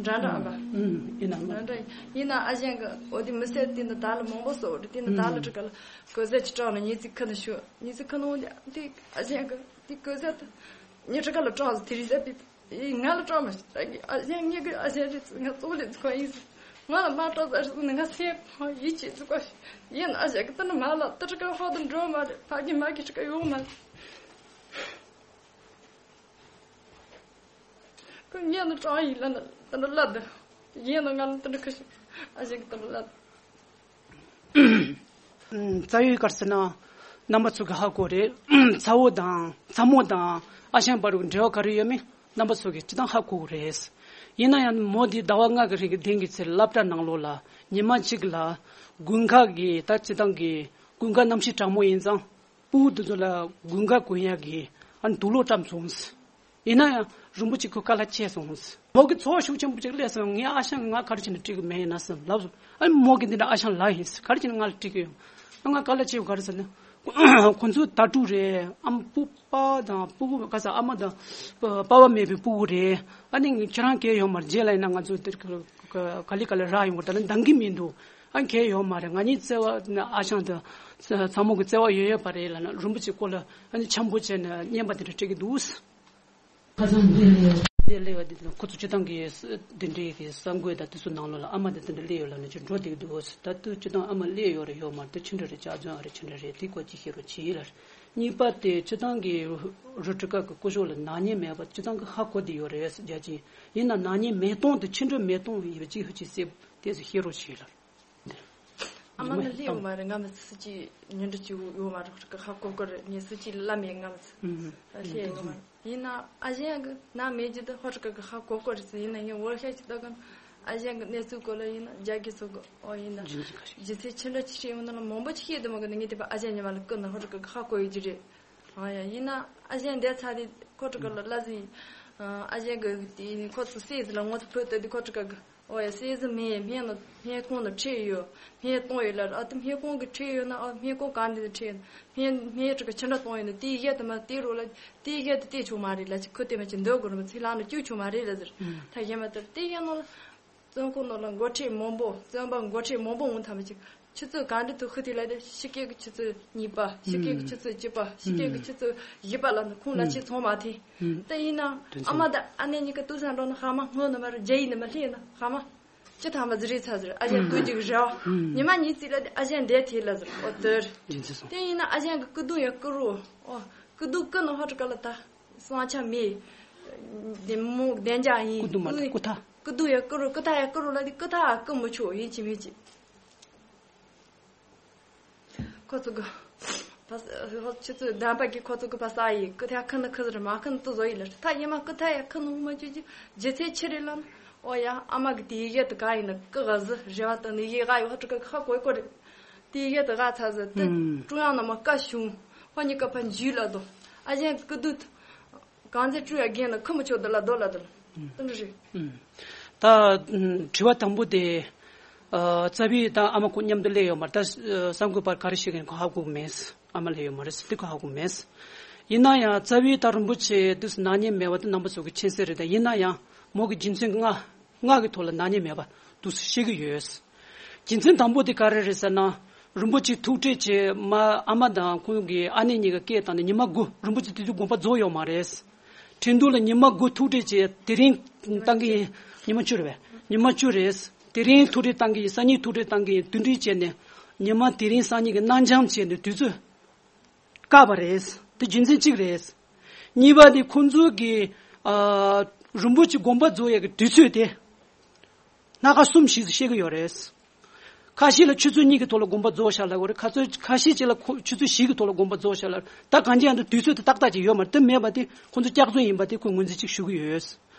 འདྲ་འདྲ་ཨ་ཨ་ཨུམ་ཡིན་ན་འདྲ་འདྲ་ཡིན་ན་ཨ་ཞང་གི་འོ་དེ་མི་སེར་དེ་འདི་ད་ལ་མང་པོ་སོ་རེད། དེ་འདི་ད་ལ་ཁྲི་ཀ་ལ་གོ་ཟས་ཅིག་སྤྲང་ན་ཉི་ཚིག་ཁ་ན་ཤོད། ཉི་ཚིག་ཁ་ན་འོ་དེ་ཨ་ཞང་གི་དེ་གོ་ཟས་དེ་ཉི་ཁྲི་ཀ་ལ་སྤྲང་ཟེར། དེ་རིང་ཟས་པི་ཡིན། ང་ལ་སྤྲང་མ་ཤེས་ད་གི་ཨ་ཞང་ངེད་ཀྱི་ཨ་ཞང་རེད། ང་གཙོ་བོ་ལས་ཚུགས་ཡིན་ཟེར། ང་ལ་མ་སྤྲང་ཟེར་ཟེར་ནས་ང་སེམས་ཁོང་ཡིད་ཆེས་ཚུགས་པ་ཞིག་ཡིན། ཨ་ཞང་གི་ད་ནི་མ་ལ་ད་ཁྲི་ཀ་ཧོ་དང་འགྲོ་མ་རེད། ཕ་གི་མ་གི་ཁྲི་ཀ་ཡོང་མ་རེད། ཁོ་ངས་ནི་སྤྲང་ཡིན་ལ་ནི་ད་ནི་བླ་ད་ཡིན་ནི་ང་ལ་ད་ནི་ཁ་ཤས་ཨ་ཞང་གི་ད་ནི་བླ་ད། རྩ་བའི་སྐར་ཟེར་ན་རྣམ་པ་ཚོ་གི་ཧ་གོ་རེད། ཚ་བོ་དང་ཚ་མོ་དང་ཨ་ཞང་བར་དུ་འབྲེལ་བ་ག་རེ་ཡོད་མེད་རྣམ་པ་ཚོ་གི་སྤྱི་བཏང་ཧ་གོ་གི་རེད། ཡིན་ན་ཡང་མོ་འདི་ཟླ་བ་ལྔ་གི་རིང་གི་དེང་གི་ཚེ་སློབ་གྲྭ་ནང་ལོགས་ལ་ཉི་མ་གཅིག་ལ་དགུན་ཁ་གི་ད་སྤྱི་བཏང་གི་དགུན་ཁ་གནམ་གཤིས་གྲང་མོ་ཡིན་ཙང་སྤུ་གུ་འདི་ཚོ་ལ་དགུན་ཁ་གོན་ཡག་གི་ཨ་ནི་དུག་ལོག་བཀྲམ་སོང་། ཡིན་ན་ཡང་རིན་པོ་ཆེ་ཁོ་དཀའ་ལས་ཆེ་སོང་། མོ་གི་ཚོར་བ་ཤུགས་ཆེན་པོ་ཅིག་སླེབས་སོང་། ངའི་ཨ་ཞང་གིས་ང་ག་རེ་བྱས་ནས་སྤྲད་གི་མེད་ཡིན་ན་བསམ་ལབ་སོང་། ཨ་ནི་མོ་གིས་འདི་འདྲ་ཨ་ཞང་ལབ་ཡིན། ག་རེ་བྱས་ནས་ང་ལ་སྤྲད་གི་ཡོད། ཨ་ང་དཀའ་ལས་ཆེ་བ་ག་རེ་ཟེར་ན། ཁོ་ཚོ་དྭ་ཕྲུག་རེད། ཨ་མ་སྤུ་པ་དང་སྤུ་གུ་ག་ས་ཨ་མ་དང་པ་པ་མེད་པའི་སྤུ་གུ་རེད། ཨ་ནི་ཁྱེད་རང་གལ་ཡོད་མ་རེད། རྗེས་ལ་ཡིན་ན་ང་ཚོ་འདིར་ག་ལེ་ག་ལེ་རག་ཡོང་གི་རེད། ད་ནི་འདང་གི་མི་འདུག་ཨ་གལ་ཡོད་མ་རེད། ང་གཉིས་བརྩེ་བ་ཨ་ཞང་དང་ཚ་མོ་གི་བརྩེ་བ་ཡོད་ཡོད་པ་རེད་ལབ་ན་རིན་པོ་ཆེ་ཁོ་ལ་ཨ་ནི་འཆམ་པོ་བྱས་ནས་རྔན་པ་དེ་འདྲ་སྤྲད་ཀྱི་འདུག་ཁ་སང་འདི་ལས་འདི་སླེབས་པ་འདི་ཁོ་ཚོ་སྤྱི་བཏང་གི་འདི་འདྲའི་གི་གསར་འགོད་དང་དེ་ཚོ་ནང་ལོགས་ལ་ཨ་མ་འདི་འདི་འདྲ་སླེབས་ཡོད་ལབ་ནས་ཅིག་འགྲོ་བསྡད་ཀྱི་འདུག་ད་དུང་སྤྱི་བཏང་ཨ་མ་སླེབས་ཡོད་རེད་ཡོད་མ་རེད། དེ་ཅི་འདྲ་རེད། ཅག་ཚོན་ཨ་རེད་ཅི་འདྲ་རེད། དེ་སྐོར་ཅིག་བཤད་རོགས་བྱེད་ལ། གཉིས་པ་དེ་སྤྱི་བཏང་གི་རུ་ཁྲི་ཀ་གི་སྐུ་ཞབས་ལ་ནག་ཉེས་མེད་པ་སྤྱི་བཏང་གི་ཧ་གོ་བསྡད་ཡོད་རེད་རྒྱ་ཆེན། ཡིན་ན་ནག་ཉེས་མེད་སྟངས་དེ་ཅི་འདྲ་མེད་སྟངས་ཡོད་ཅིག་ཧུ་ཅིག་སེབ་དེ་ཚོ་བཤད་རོགས་བྱེད་ལ། ཨ་མ་ནི་སླེབས་ཡོད་མ་རེད། ང་མི་སུ་གཅིག་ཉིན་འགྲུལ་གཅིག་ཡོད་མ་རེད། ཧོ་ཁྲི་ཀ་ཧ་གོ་གི་རེད། ངས་སུ་གཅིག་ལ་མེད། ང་མི་སུ་སླེབས་ཡོད་མ་རེད། ཡིན་ན་ཨ་ཞང་གི་ནང་མེད་རྒྱུ་དེ་ཧོ་ཁྲི་ཀ་གི་ཧ་གོ་གི་རེད་ཟེར། ཡིན་ན་ངས་འོ་ཤ་ཅིག་ལྟ་གི་ཨ་ཞང་གི་གནས་ཚུལ་སྐོར་ལ་ཡིན་ན་རྒྱ་སྐད་ཚོ་གི་ཨོ་ཡིན་ན་རྒྱུ་མཚན་ཆེ་འདྲ་ཆེ་ཆེ་ཡོང་ན་ལ་མང་པོ་ཅིག་ཤེས་དུ་མ་གི་ནི་ངས་དེ་པ་ཨ་ཞང་ཉི་མ་ལ་བསྐུར་ན་ཧོ་ཁྲི་ཀ་གི་ཧ་གོ་ཡོད་རྒྱུ་རེད། ཨ་ཡ་ཡིན་ན་ཨ་ཞང་འདས་ཚར་དེ་ཁོ་ཁྲི་ཀ་ལ་ལ་ཟིན། ཨ་ཞང་གི་དེ་ཁོ་ཚོ་སྲས་ཟིན་ལ་ངོ་ཚོ་བོད་དེ་དེ་ཁོ་ཁྲི་ཀ་གི་ཨོ་ཡ་སྲས་ཟིན་མེད། སྨན་ནི་སྨན་ཁང་ནང་ཁྲིད་ཡོད། སྨན་གཏོང་ཡོད་ལ། ཨ་དེ་སྨན་ཁང་གི་ཁྲིད་ཡོད་ན་ཨ་སྨན་ཁང་གང་དེ་ཁྲིད་ཡོད། སྨན་སྨན་ཁྲི་ཀ་ཕྱི་འདྲ་གཏོང་ཡོད་ན་དེའི་གཞས་དེ་མ་དེ་རོ་ལ་དེའི་གཞས་དེ་བལྟས་ཆོག་མ་རེད་ལ། ཅིག་ཁུ་དེ་མ་ཅིག་འདོད་དགོས་རེད་མ་ཚིག་ལ་ནི་བཅུག་ཆོག་མ་རེད་ལ་ཟེར། ད་གཞས་མ་དེ་དེ་གཞས་ནང་ལ། བཙོན་ཁང་ནང་ལ་འགོ་ཁྲིད་མང་པོ་བཙོན་པ་འགོ་ཁྲིད་མང་པོ་འོང་ཐ་མ་ཅིག་ཆུ་ཚོད་གང་འདྲ་དུ་ཤི་དུས་ལ་དེ་ཕྱི་རྒྱལ་གྱི་ཆུ་ཚོད་གཉིས་པ། ཕྱི་རྒྱལ་གྱི་ཆུ་ཚོད་བཅུ་པ། ཕྱི་རྒྱལ་གྱི་ཆུ་ཚོད་བཞི་པ་ལ་ནི་ཁོང་ལ་ཆེ་ཚང་མ་ཐེ། ད་ཡིན་ན་ཨ་མ་དང་ཨ་ནེ་གཉིས་ཀ་ཏུ་སང་འགྲོ་ན་ཧ་མ་སྔོན་ནི་མ་རུ་རྒྱ་ཡིན་ནི་མ་ལྷེ་ན་ཧ་མ་ཅི་ཐ་མ་ཟི་རེ་ཚ་ཟིར། ཨ་ཅག་ཏུ་འཇིག་ར་ཉི་མ་གཉིས་ཙི་ལ་དེ་ཨ་ཅག་འདས་ཐེ་ལ་ཟིར། ཨོ་དེར་དེ་ཡིན་ན་ཨ་ཅག་གི་ཀུ་དུ་ཡ་ཀུ་རུ་ཨོ་ཀུ་དུ་ཀུ་ནི་ཧོ་ཀྲི་ཀ་ལ་ད་སང་ཆ་མེད། དེ་མོ་བདེ་འཇགས་ཡིན། ཀུ་དུ་མ་ད་ཀུ་ཐ། ཀུ་དུ་ཡ་ཀུ་རུ་ཀུ་ཐ་ཡ་ཀུ་རུ་ལ་དེ་ཀུ་ཐ་ཡ་ཀུ་མི་ཆོག་ཡིན་གཅིག་མིན་གཅིག་ཁོ་ཚོ་གི་ཕ་ས་ཁོ་ཆུ་ཚོད་བདམས་པ་གི་ཁོ་ཚོ་གི་ཕ་ས་ཡི་ཀུ་ཐ་ཁ་ན་ཁ་ཟིར་མ་ཁ་ན་ཏུ་བཟོ་ཡི་ལ་ཐ་ཡི་མ་ཀུ་ཐ་ཡ་ཁ་ན་མ་ཅུ་ཅི་ཇི་ཚེ་ཆི་རེ་ལ་ན་ཨོ་ཡ་ཨ་མ་གི་དེ་ཡི་ཡེ་ཏུ་ག་ཡི་ན་ཀུ་ག་ཟི་རེ་བ་ཏུ་ནི་ཡི་ག་ཡོ་ཧ་ཀྲུ་ཀ་ཁ་གོ་གོ་རེ་དེ་ཡི་ཡེ་ཏུ་ག་ཚ་ཟི་ཏུ་ཀྲུང་དབྱང་ན་མ་ཀ་ཤུང་ཧོ་ཉི་ཀ་ཕ་འཇུ་ལ་དོ་ཨ་ཅན་ཀུ་དུ་གང་ཚེ་ཀྲུ་ཡ་རྒན་ན་ཁ་མ་ཆོ་དུ་ལ་དོ་ལ་དུ་ལ་ཏུ་ནི་རེ། ད་དྲི་བ་དང་པོ་དེ། རྩ་བའི་ད་ཨ་མ་ཁོ་མཉམ་དུ་སླེབས་ཡོད་མ་རེད། ད་གསར་འགོད་པར་ག་རེ་བཤད་མཁན་ཁོ་ཧ་གོ་མེད། ཨ་མ་སླེབས་ཡོད་མ་རེད་ཟེར་དེ་ཁོ་ཧ་གོ་མེད། ཡིན་ན་ཡང་རྩ་བའི་ད་རིན་པོ་ཆེ་དུས་སུ་ནག་ཉེས་མེད་པ་དེ་རྣམ་པ་ཚོ་གི་མཁྱེན་གསལ་རེད། ད་ཡིན་ན་ཡང་མོ་གི་རྒྱུ་མཚན་ལྔ་ལྔ་གི་ཐོག་ལ་ནག་ཉེས་མེད་པ་དུས་སུ་བཤད་གི་ཡོད། རྒྱུ་མཚན་དང་པོ་དེ་ག་རེ་རེད་ཟེར་ན། རིན་པོ་ཆེ་ཐུག་འཕྲད་བྱས་མ་ཨ་མ་དང་ཁོང་གི་ཨ་ནེ་གཉིས་ཀ་སྐད་བཏང་ནས་ཉི་མ་དགུ་རིན་པོ་ཆེ་དེ་དུས་དགོངས་པ་རྫོགས་ཡོད་མ་རེད། ཁྲིན་ཏུའུ་ལ་ཉི་མ་དགུ་ཐུག་འཕྲད་བྱས་དེ་རིང་བཏང་གི་ཡིན། ཉི་མ་བཅུ་རེད་པས། ཉི་མ་བཅུ་རེད། དེ་རིང་ཐུག་འཕྲད་བཏང་གི་ཡིན། སང་ཉིན་ཐུག་འཕྲད་བཏང་གི་ཡིན། དེ་འདྲ་བྱས་ནས་ཉི་མ་དེ་རིང་སང་ཉིན་གྱི་གནང་འཆམ་བྱས་ནས་དུས་ཚོད་བཀག་པ་རེད། དེ་རྒྱུ་མཚན་གཅིག་རེད། གཉིས་པ་དེ་ཁོང་ཚོ་གི་ཨ་རིན་པོ་ཆེ་དགོངས་པ་རྫོགས་ཡག་གི་དུས་ཚོད་དེ། སྣ་ཁ་གསུམ་ཞིག་ཏུ་བཤད་ཀྱི་ཡོད་རེད། ཁ་ཤས་ལ་ཆུ་ཚོད་གཉིས་ཀྱི་ཐོག་ལ་དགོངས་པ་རྫོགས་བཞག་ལབ་ཀྱི་ཡོད་རེད། ཁ་ཚོད་ཁ་ཤས་ཅིག་ལ་ཁོ་ཆུ་ཚོད་བཞི་གི་ཐོག་ལ་དགོངས་པ་རྫོགས་བཞག་ལབ། ད་གང་ཅི་ཡང་དུ་དུས་ཚོད་དེ་ཏག་ཏག་ཅིག་ཡོད་མ་རེད། དེ་མེད་པ་དེ་ཁོང་ཚོ་སྐྱག་རྫུན་ཡིན་པ་དེ་ཁོས་ངོས་འཛིན་ཅིག་ཞུ་གི་ཡོད།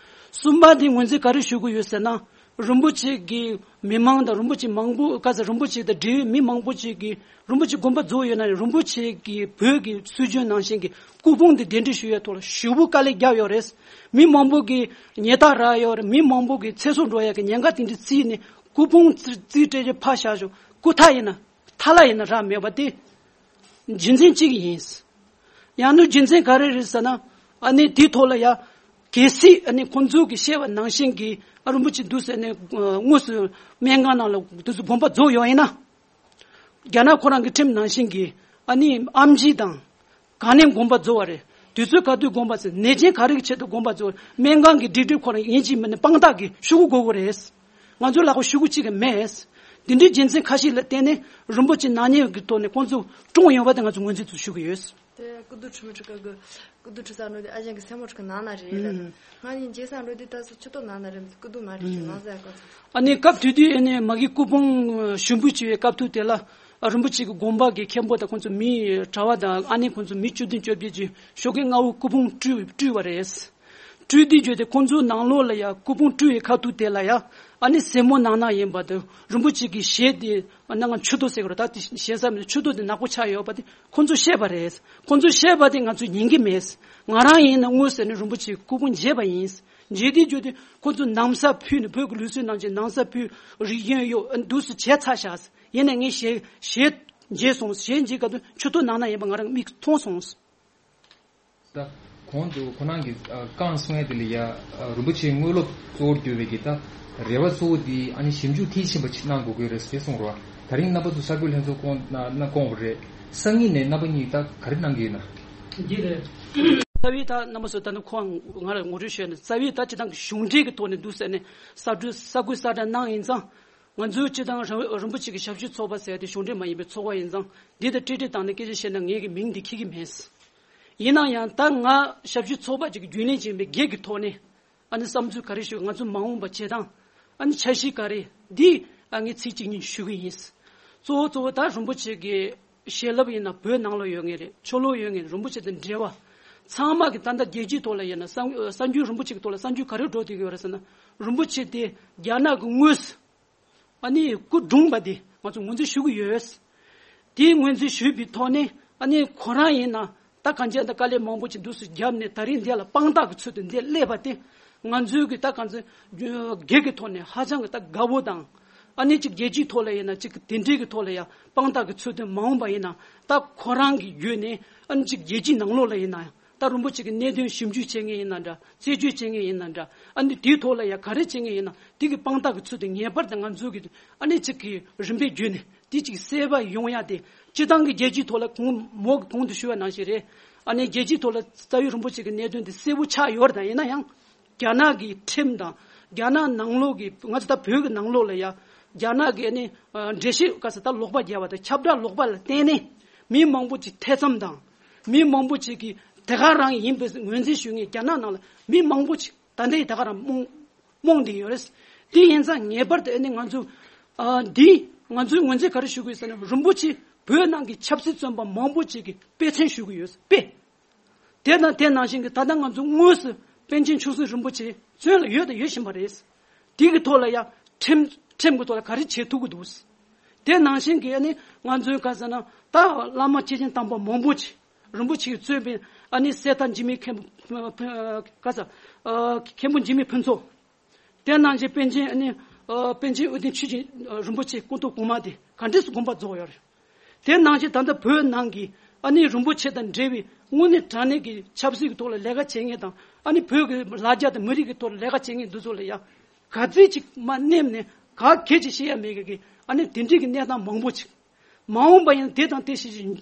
གསུམ་པ་དེ་ངོས་འཛིན་ག་རེ་ཞུ་གི་ཡོད་ཟེར་ན། རིན་པོ་ཆེ་གི་མི་མང་དང་རིན་པོ་ཆེ་མང་པོ་ག་ས་རིན་པོ་ཆེ་དང་འབྲེལ་བའི་མི་མང་པོ་ཅིག་གིས་རིན་པོ་ཆེ་དགོངས་པ་རྫོགས་ཡོད་ན་ཡང་རིན་པོ་ཆེ་གི་བོད་ཀྱི་སྲོལ་རྒྱུན་ནང་བཞིན་གྱི་སྐུ་ཕུང་དེ་གདན་འདྲེན་ཞུ་ཡའི་ཐོག་ལ་ཞེ་པོ་དཀའ་ལས་བརྒྱབ་ཡོད་རེད། མི་མང་པོ་གི་ཉལ་ཐ་རག་ཡོད་རེད། མི་མང་པོ་གི་ཚེ་སྲོག་འགྲོ་ཡ་གི་ཉེན་ཁ་དེ་འདྲ་བརྩིས་ནས་སྐུ་ཕུང་རྩིས་རྩིས་སྤྲད་རྒྱུ་ཕར་བཞག་ཞོག་སྐུ་ཐ་ཡིན་ན་ཐ་ལ་ཡིན་ན་རག་མེད་པ་དེ་རྒྱུ་མཚན་གཅིག་ཡིན། ཡང་ན་རྒྱུ་མཚན་ག་རེ་རེད་ཟེར་ན། ཨ་ནི་དེའི་ཐོག་ལ་ཡ་གལ་སྲིད་ཨ་ནི་ཁོང་ཚོ་གིས་བཤད་པ་ནང་བཞིན་གྱི་ཨ་རིན་པོ་ཆེ་འདུག་ཟེར་ནས་དངོས་སུ་སྨན་ཁང་ནང་ལ་འདུག་སེ་དགོངས་པ་རྫོགས་ཡོད་ཡིན་ན། རྒྱ་ནག་ཁོ་རང་གི་ཁྲིམས་ནང་བཞིན་གྱི་ཨ་ནི་ཨེམ་ཆི་དང་ག་ནས་དགོངས་པ་རྫོགས་པ་རེད། དུས་ཚོད་ག་དུས་དགོངས་པ་ཟེར། ནད་ཅན་ག་རེ་གི་ཆེད་དུ་དགོངས་པ་རྫོགས། སྨན་ཁང་གི་སྒྲིག་ཁྲིམས་ཁོ་རང་ཡིན་གཅིག་མིན་ནས་དཔང་རྟགས་ཀྱི་ཤོག་གུ་དགོས་ཀྱི་རེད། ང་ཚོའི་ལག་པ་ཤོག་གུ་གཅིག་ཀྱང་མེད། འདི་འདྲའི་རྒྱུ་མཚན་ཁ་ཤས་ལ་བརྟེན་ནས་རིན་པོ་ཆེ་ནག་ཉེས་ཀྱི་ཐོག་ནས་ཁོང་ཚོ་བཀྲོངས་ཡོང་བ་དེ་ང་ཚོ་ངོས་འཛིན་དུ་ཞུ་གི་ཡོད། དེ་སྐུ་མདུན་ཁྲི་མི་ཁྲི་ཀ་གི་སྐུ་མདུན་ཁྲི་ས་འགྲོ་དེ་ཨ་ཅང་གི་སེམས་པ་ཁྲི་ཀ་ནང་ན་རེད་ལ། ཨུམ། ང་ནི་རྗེས་ས་འགྲོ་དེ་ད་སུ་ཆུ་ཏོ་ནང་ན་རེད། སྐུ་མདུན་མ་རེད་ཞུ་ང་ཟེར་གོ། ཨ་ནི་སྐབས་དེ་དུས་ཨ་ནི་མ་གི་སྐུ་ཕུང་ཞུ་འབུལ་བྱེད་པའི་སྐབས་ཐོག་དེ་ལ་ཨ་རིན་པོ་ཆེ་གི་དགོན་པ་གི་མཁན་པོ་དང་ཁོང་ཚོ་མི་གྲྭ་བ་དང་ཨ་ནི་ཁོང་ཚོ་མི་བཅུ་བདུན་བཅོ་བརྒྱད་ཀྱིས་ཞོགས་ཀས་སྔ་པོ་སྐུ་ཕུང་སྤྲུལ་སྤྲུལ་བ་རེད། སྤྲུལ་དུས་བརྗོད་དེ་ཁོང་ཚོའི་ནང་ལོགས་ལ་ཡ་སྐུ་ཕུང་སྤྲུལ་བའི་ཁ་ཐུག་དེ་ལ་ཡ་ཨ་ནི་སེར་མོ་ནང་ན་ཡིན་པ་དང་རིན་པོ་ཆེ་གི་ཞལ་དེ་ཨ་ནང་ཆུ་ཏོ་ཟེར་གི་རེད། ད་དེ་ཞལ་ས་མི་ཆུ་ཏོ་དེ་ནག་པོ་ཆགས་ཡོད་པ་དེ་ཁོང་ཚོས་བཤད་པ་རེད། ཁོང་ཚོས་བཤད་པ་དེ་ང་ཚོས་ཉན་གི་མེད། ང་རང་ཡིན་ན་དངོས་ཟེར་ནས་རིན་པོ་ཆེ་སྐུ་ཕུང་མཇལ་བ་ཡིན། མཇལ་དུས་བརྗོད་དེ་ཁོང་ཚོས་ན་བཟའ་ཕུད་ནས་བོད་ཀྱི་ལུགས་སྲོལ་ནང་བཞིན་ན་བཟའ་ཕུད་རིགས་ཡོད་ཡོད་འདུག་སེ་བྱས་ཚར་ཤག་ཡིན་ནའི་ངས་ཞལ་ཞལ་མཇལ་སོང་། ཞལ་མཇལ་སྐབས་དུ་ཆུ་ཏོ་ནང་ན་ཡིན་པ་ང་རང་མིག་མཐོང་སོང་། ད་གོང་དུ་ཁོ་རང་གིས་ཨ་བཀའ་གསུང་ཡ་དེ་ལ་ཡ་ཨ་རིན་པོ་ཆེའི་དངོས་སློབ་གཙོ་བོར་གྱུར་བའི་གི་ད་རེ་བ་གཙོ་བོ་དེ་ཨ་ནི་ཞིབ་འཇུག་མཐིལ་ཕྱིན་པ་ཅིག་གནང་དགོས་ཀྱི་རེད་ཟེར་གསུངས་རོགས། ད་རིང་རྣམ་པ་ཚོ་གསར་འགོད་ལྷན་ཚོགས་སྐོང་གནང་གནང་སྐོང་བ་རེད། སང་ཉིན་ནས་རྣམ་པ་གཉིས་ད་ག་རེ་གནང་གི་ཡོད་ན། འདི་རེད། རྩ་བའི་ད་རྣམ་པ་ཚོ་ད་ནི་ཁོང་ང་ལ་ངོ་སྤྲོད་ཞུས་ནས་རྩ་བའི་ད་སྤྱི་བཏང་གི་གཞུང་འབྲེལ་གྱི་ཐོག་ནས་འདུག་ཟེར་ནས་གསར་འགོད་གསར་འགོད་གསལ་བསྒྲགས་གནང་ཡིན་ཙང་། ང་ཚོའི་སྤྱི་བཏང་རིན་རིན་པོ་ཆེ་གི་ཞབས་ཞུ་ཚོགས་པ་ཟེར་ཏེ་གཞུང་འབྲེལ་མ་ཡིན་པའི་ཚོགས་པ་ཡིན་ཙང་འདི་དང་ཏྲི་ཏྲི་བཏང་ནས་སྐད་ཆ་བཤད་ན་ངས་ཀྱི་མིང་འདི་འཁྱེར་གྱི་མེད། ཡིན་ན་ཡང་ད་ང་ཞབས་ཞུ་ཚོགས་པ་ཅིག་གི་རྒྱུན་ལས་ཡིན་པའི་སྒེར་གྱི་ཐོག་ནས་ཨ་ནི་བསམ་ཚུལ་ག་རེ་ཞུ། ང་ཚོ་མ་འོངས་པ་བྱེད་སྟངས་ཨ་ནི་འཆར་གཞི་ག་རེ་འདི་ཨ་ངས་ཚིག་གཅིག་གཉིས་ཞུ་གི་ཡིན། གཙོ་བོ་གཙོ་བོ་ད་རིན་པོ་ཆེ་གི་བྱིན་རླབས་ཡིན་ན་བོད་ནང་ལོགས་ཡོད་ངེས་རེད། ཕྱི་ལོགས་ཡོད་ངེས་རེད། རིན་པོ་ཆེ་དང་འབྲེལ་བ་ཚང་མ་གི་ད་ལྟ་རྒྱལ་སྤྱིའི་ཐོག་ལ་ཡིན་ན་གསར་གསར་འགྱུར་རིན་པོ་ཆེ་གི་ཐོག་ལ་གསར་འགྱུར་ག་རེ་འགྲོ་བསྡད་ཀྱི་ཡོད་རེད་ཟེར་ན། རིན་པོ་ཆེ་དེ་རྒྱ་ནག་གི་དངོས་སུ་ཨ་ནི་སྐུ་གྲོངས་པ་དེ་ང་ཚོ་ངོས་འཛིན་ཞུ་གི་ཡོད། དེའི་ངོས་འཛིན་ཞུས་པའི་ཐོག་ནས་ཨ་ནི་ཁོ་རང་ཡིན་ན་ད་གང་ཅི་ད་དཀའ་ལས་མང་པོ་ཅིག་འདུག་སེ་བརྒྱབ་ནས་ད་རིང་འདི་ལ་དཔང་རྟགས་ཀྱི་ཚུལ་དུ་འདི་སླེབས་པ་དེ་ང་ཚོའི་གི་ད་གང་ཅི་སྒེར་གྱི་ཐོག་ནས་ཧ་ཅང་གི་ད་དགའ་བོ་དང་། ཨ་ནི་ཅིག་རྒྱལ་སྤྱིའི་ཐོག་ལ་ཡིན་ན་ཅིག་དེ་འདྲའི་གི་ཐོག་ལ་ཡང་དཔང་རྟགས་ཀྱི་ཚུལ་དུ་མ་འོངས་པ་ཡིན་ན་ད་ཁོ་རང་གི་བརྒྱུད་ནས་ཨ་ནི་ཅིག་རྒྱལ་སྤྱིའི་ནང་ལོགས་ལ་ཡིན་ན་ཡང་། ད་རིན་པོ་ཆེ་གི་གནད་དོན་ཞིབ་འཇུག་བྱེད་མཁན་ཡིན་ན་འདྲ། རྩད་གཅོད་བྱེད་མཁན་ཡིན་ན་འདྲ། ཨ་ནི་དེའི་ཐོག་ལ་ཡང་ག་རེ་བྱེད་མཁན་ཡིན་ན་དེ་གི་དཔང་རྟགས་ཀྱི་ཚུལ་དུ་ངེས་པར་དུ་ང་ཚོ་གི་ཨ་ནི་གཅིག་གི་རིམ་པས་བརྒྱུད་ནས་དེ་གཅིག་གསལ་བ་ཡོང་ཡ་དེ་སྤྱི་བཏང་གི་རྒྱལ་སྤྱིའི་ཐོག་ལ་གོང་མོ་གི་གོང་དུ་ཞུ་བ་ནང་བཞིན་རེད། ཨ་ནི་རྒྱལ་སྤྱིའི་ཐོག་ལ་རྩ་བའི་རིན་པོ་ཆེ་གི་གནད་དོན་དེ་གསལ་པོ་ཆགས་ཡོད་རེད། ད་ཡིན་ན་ཡང་རྒྱ་ནག་གི་ཁྲིམས་དང་རྒྱ་ནག་ནང་ལོགས་ཀྱི་ང་ཚོ་ད་བོད་ཀྱི་ནང་ལོགས་ལ་ཡ་རྒྱ་ནག་གི་ཨ་ནི་འགྲེལ་བཤད་ག་ས་ད་ལོག་པ་རྒྱབ་པ་དང་ཁྱབ་བསྒྲགས་ལོག་པ་ལ་བརྟེན་ནས་མི་མང་པོ་ཅིག་ཐེ་ཚོམ་དང་། མི་མང་པོ་ཅིག་གིས་དེ་ག་རང་ཡིན་པའི་ངོས་འཛིན་ཞུ་མཁན་རྒྱ་ནག་ནང་ལ་མི་མང་པོ་ཅིག་ད་ལྟའི་དེ་ག་རང་རྨོངས་རྨོངས་བསྡད་ཡོད་རེད། དེ་ཡིན་ཙང་ངེས་པར་དུ་ཨ་ནི་ང་ཚོ་ཨ་འདི་ང་ཚོའི་ངོས་འཛིན་ག་རེ་ཞུ་དགོས་ཟེར་ན་རིན་པོ་ཆེ་བོད་ནང་གི་ཆབ་སྲིད་བཙོན་པ་མང་པོ་ཅིག་གི་དཔེ་མཚོན་ཞུ་གི་ཡོད། དཔེ། དེ་དང་དེ་ནང་བཞིན་གྱི་ད་ལྟ་ང་ཚོ་དངོས་སུ་པཎ་ཆེན་ཆོས་སྲིད་རིན་པོ་ཆེ་བཙོན་ལ་ཡོད་དང་ཡོད་བཞིན་པ་རེད། དེ་གི་ཐོག་ལ་ཡང་ཁྲིམས་ཁྲིམས་ཀྱི་ཐོག་ལ་ག་རེ་བྱེད་ཐུབ་ཀྱི་འདུག་དེ་ནང་བཞིན་གྱི་ཨ་ནི་ང་ཚོའི་ག་ཟེར་ན་ད་བླ་མ་སྐྱེས་ཆེན་དམ་པ་མང་པོ་ཅིག་རིན་པོ་ཆེས་གཙོས་པའི་ཨ་ནི་གསེར་རྟ་འཇིགས་མེད་མཁན་པོ་ག་ཟེར་མཁན་པོ་འཇིགས་མེད་ཕུན་ཚོགས། དེ་ནང་བཞིན་པཎ་ཆེན་ཨ་ནི་ཨ་པཎ་ཆེན་དབུ་ལྡན་ཆོས་ཀྱི་ཨ་རིན་པོ་ཆེ་སྐུ་ཐོག་གོང་མ་དེ་ག་འདྲས་སུ་དགོངས་པ་རྫོགས་ཡོད་རེད། དེ་ནང་བཞིན་ད་ལྟ་བོད་ནང་གི་ཨ་ནི་རིན་པོ་ཆེ་དང་འབྲེལ་བའི་དངོས་གནས་དྲང་གནས་ཀྱི་ཆབ་སྲིད་ཀྱི་ཐོག་ལ་ལས་ཀ་བྱེད་མཁན་དང་ཨ་ནི་བོད་ཀྱི་ལ་རྒྱ་དང་མི་རིགས་ཀྱི་ཐོག་ལ་ལས་ཀ་བྱེད་མཁན་འདི་ཚོ་ལ་ཡང་ག་ཚོད་ཅིག་མ་སྣེམ་ནས་ག་གེ་ཅིག་བཤད་ཡ་མེད་མཁན་གྱི་ཨ་ནི་དེ་འདྲའི་གི་གནས་སྟངས་མང་པོ་ཅིག་མ་འོངས་པ་ཡང་དེ་དང་དེ་བཞིན་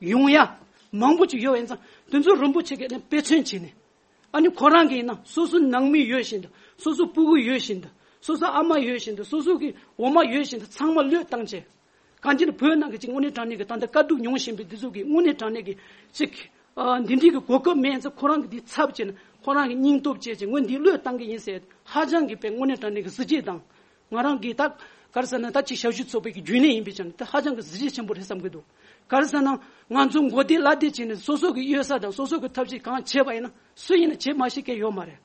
ཡོང་ཡ་མང་པོ་ཅིག་ཡོད་པ་ཡིན་ཙང་དེ་ཚོ་རིན་པོ་ཆེ་གིས་ཨ་ནི་དཔེ་མཚོན་བྱས་ནས། ཨ་ནི་ཁོ་རང་གིས་ཡིན་ན་སོ་སོ་ནང་མི་ཡོད་བཞིན་དུ་སོ་སོ་སྤུ་གུ་ཡོད་བཞིན་དུ་སོ་སོ་ཨ་མ་ཡོད་བཞིན་དུ་སོ་སོ་གི་འོ་མ་ཡོད་བཞིན་དུ་ཚང་མ་བློས་བཏང་བྱས། གང་ཅི་ནི་བོད་ནང་གི་ཅིག་དངོས་གནས་དྲང་གནས་ཀྱི་ད་ལྟ་དཀའ་སྡུག་མྱོང་བཞིན་པའི་འདི་ཚོ་གི་དངོས་གནས་དྲང་གནས་ཀྱི་ཅིག་ཨ་འདི་འདྲའི་གི་གོ་སྐབས་མེད་ཚེ་ཁོ་རང་གི་འདི་ཚབ་བྱས་ནས་ཁོ་རང་གི་སྙིང་སྟོབས་བྱས་བྱས་ངོས་འདི་བློས་བཏང་གི་ཡིན་ཟེར་ཧ་ཅང་གི་དཔེ་དངོས་གནས་དྲང་གནས་ཀྱི་གཟི་བརྗིད་དང་། ང་རང་གིས་ད་ག་རེ་ཟེར་ན་ད་ཅིག་ཞབས་ཞུ་ཚོགས་པའི་གི་རྒྱུན་ལས་ཡིན་པའི་ཆ་ནས་ད་ཧ་ཅང་གི་གཟི་བརྗིད་ཆེན་པོ་རེད་བསམ་གི་འདུག་ག་རེ་ཟེར་ན་ང་ཚོ་མགོ་བདེ་བླ་བདེ་བྱས་ནས་སོ་སོ་གི་གཡོལ་ས་དང་སོ་སོ་གི་ཐབས་ཤེས་གང་བྱས་པ་ཡིན་ན་སུ་ཡིན་ན་བྱེད་མ་ཤེས་མཁན་ཡོད་མ་རེད།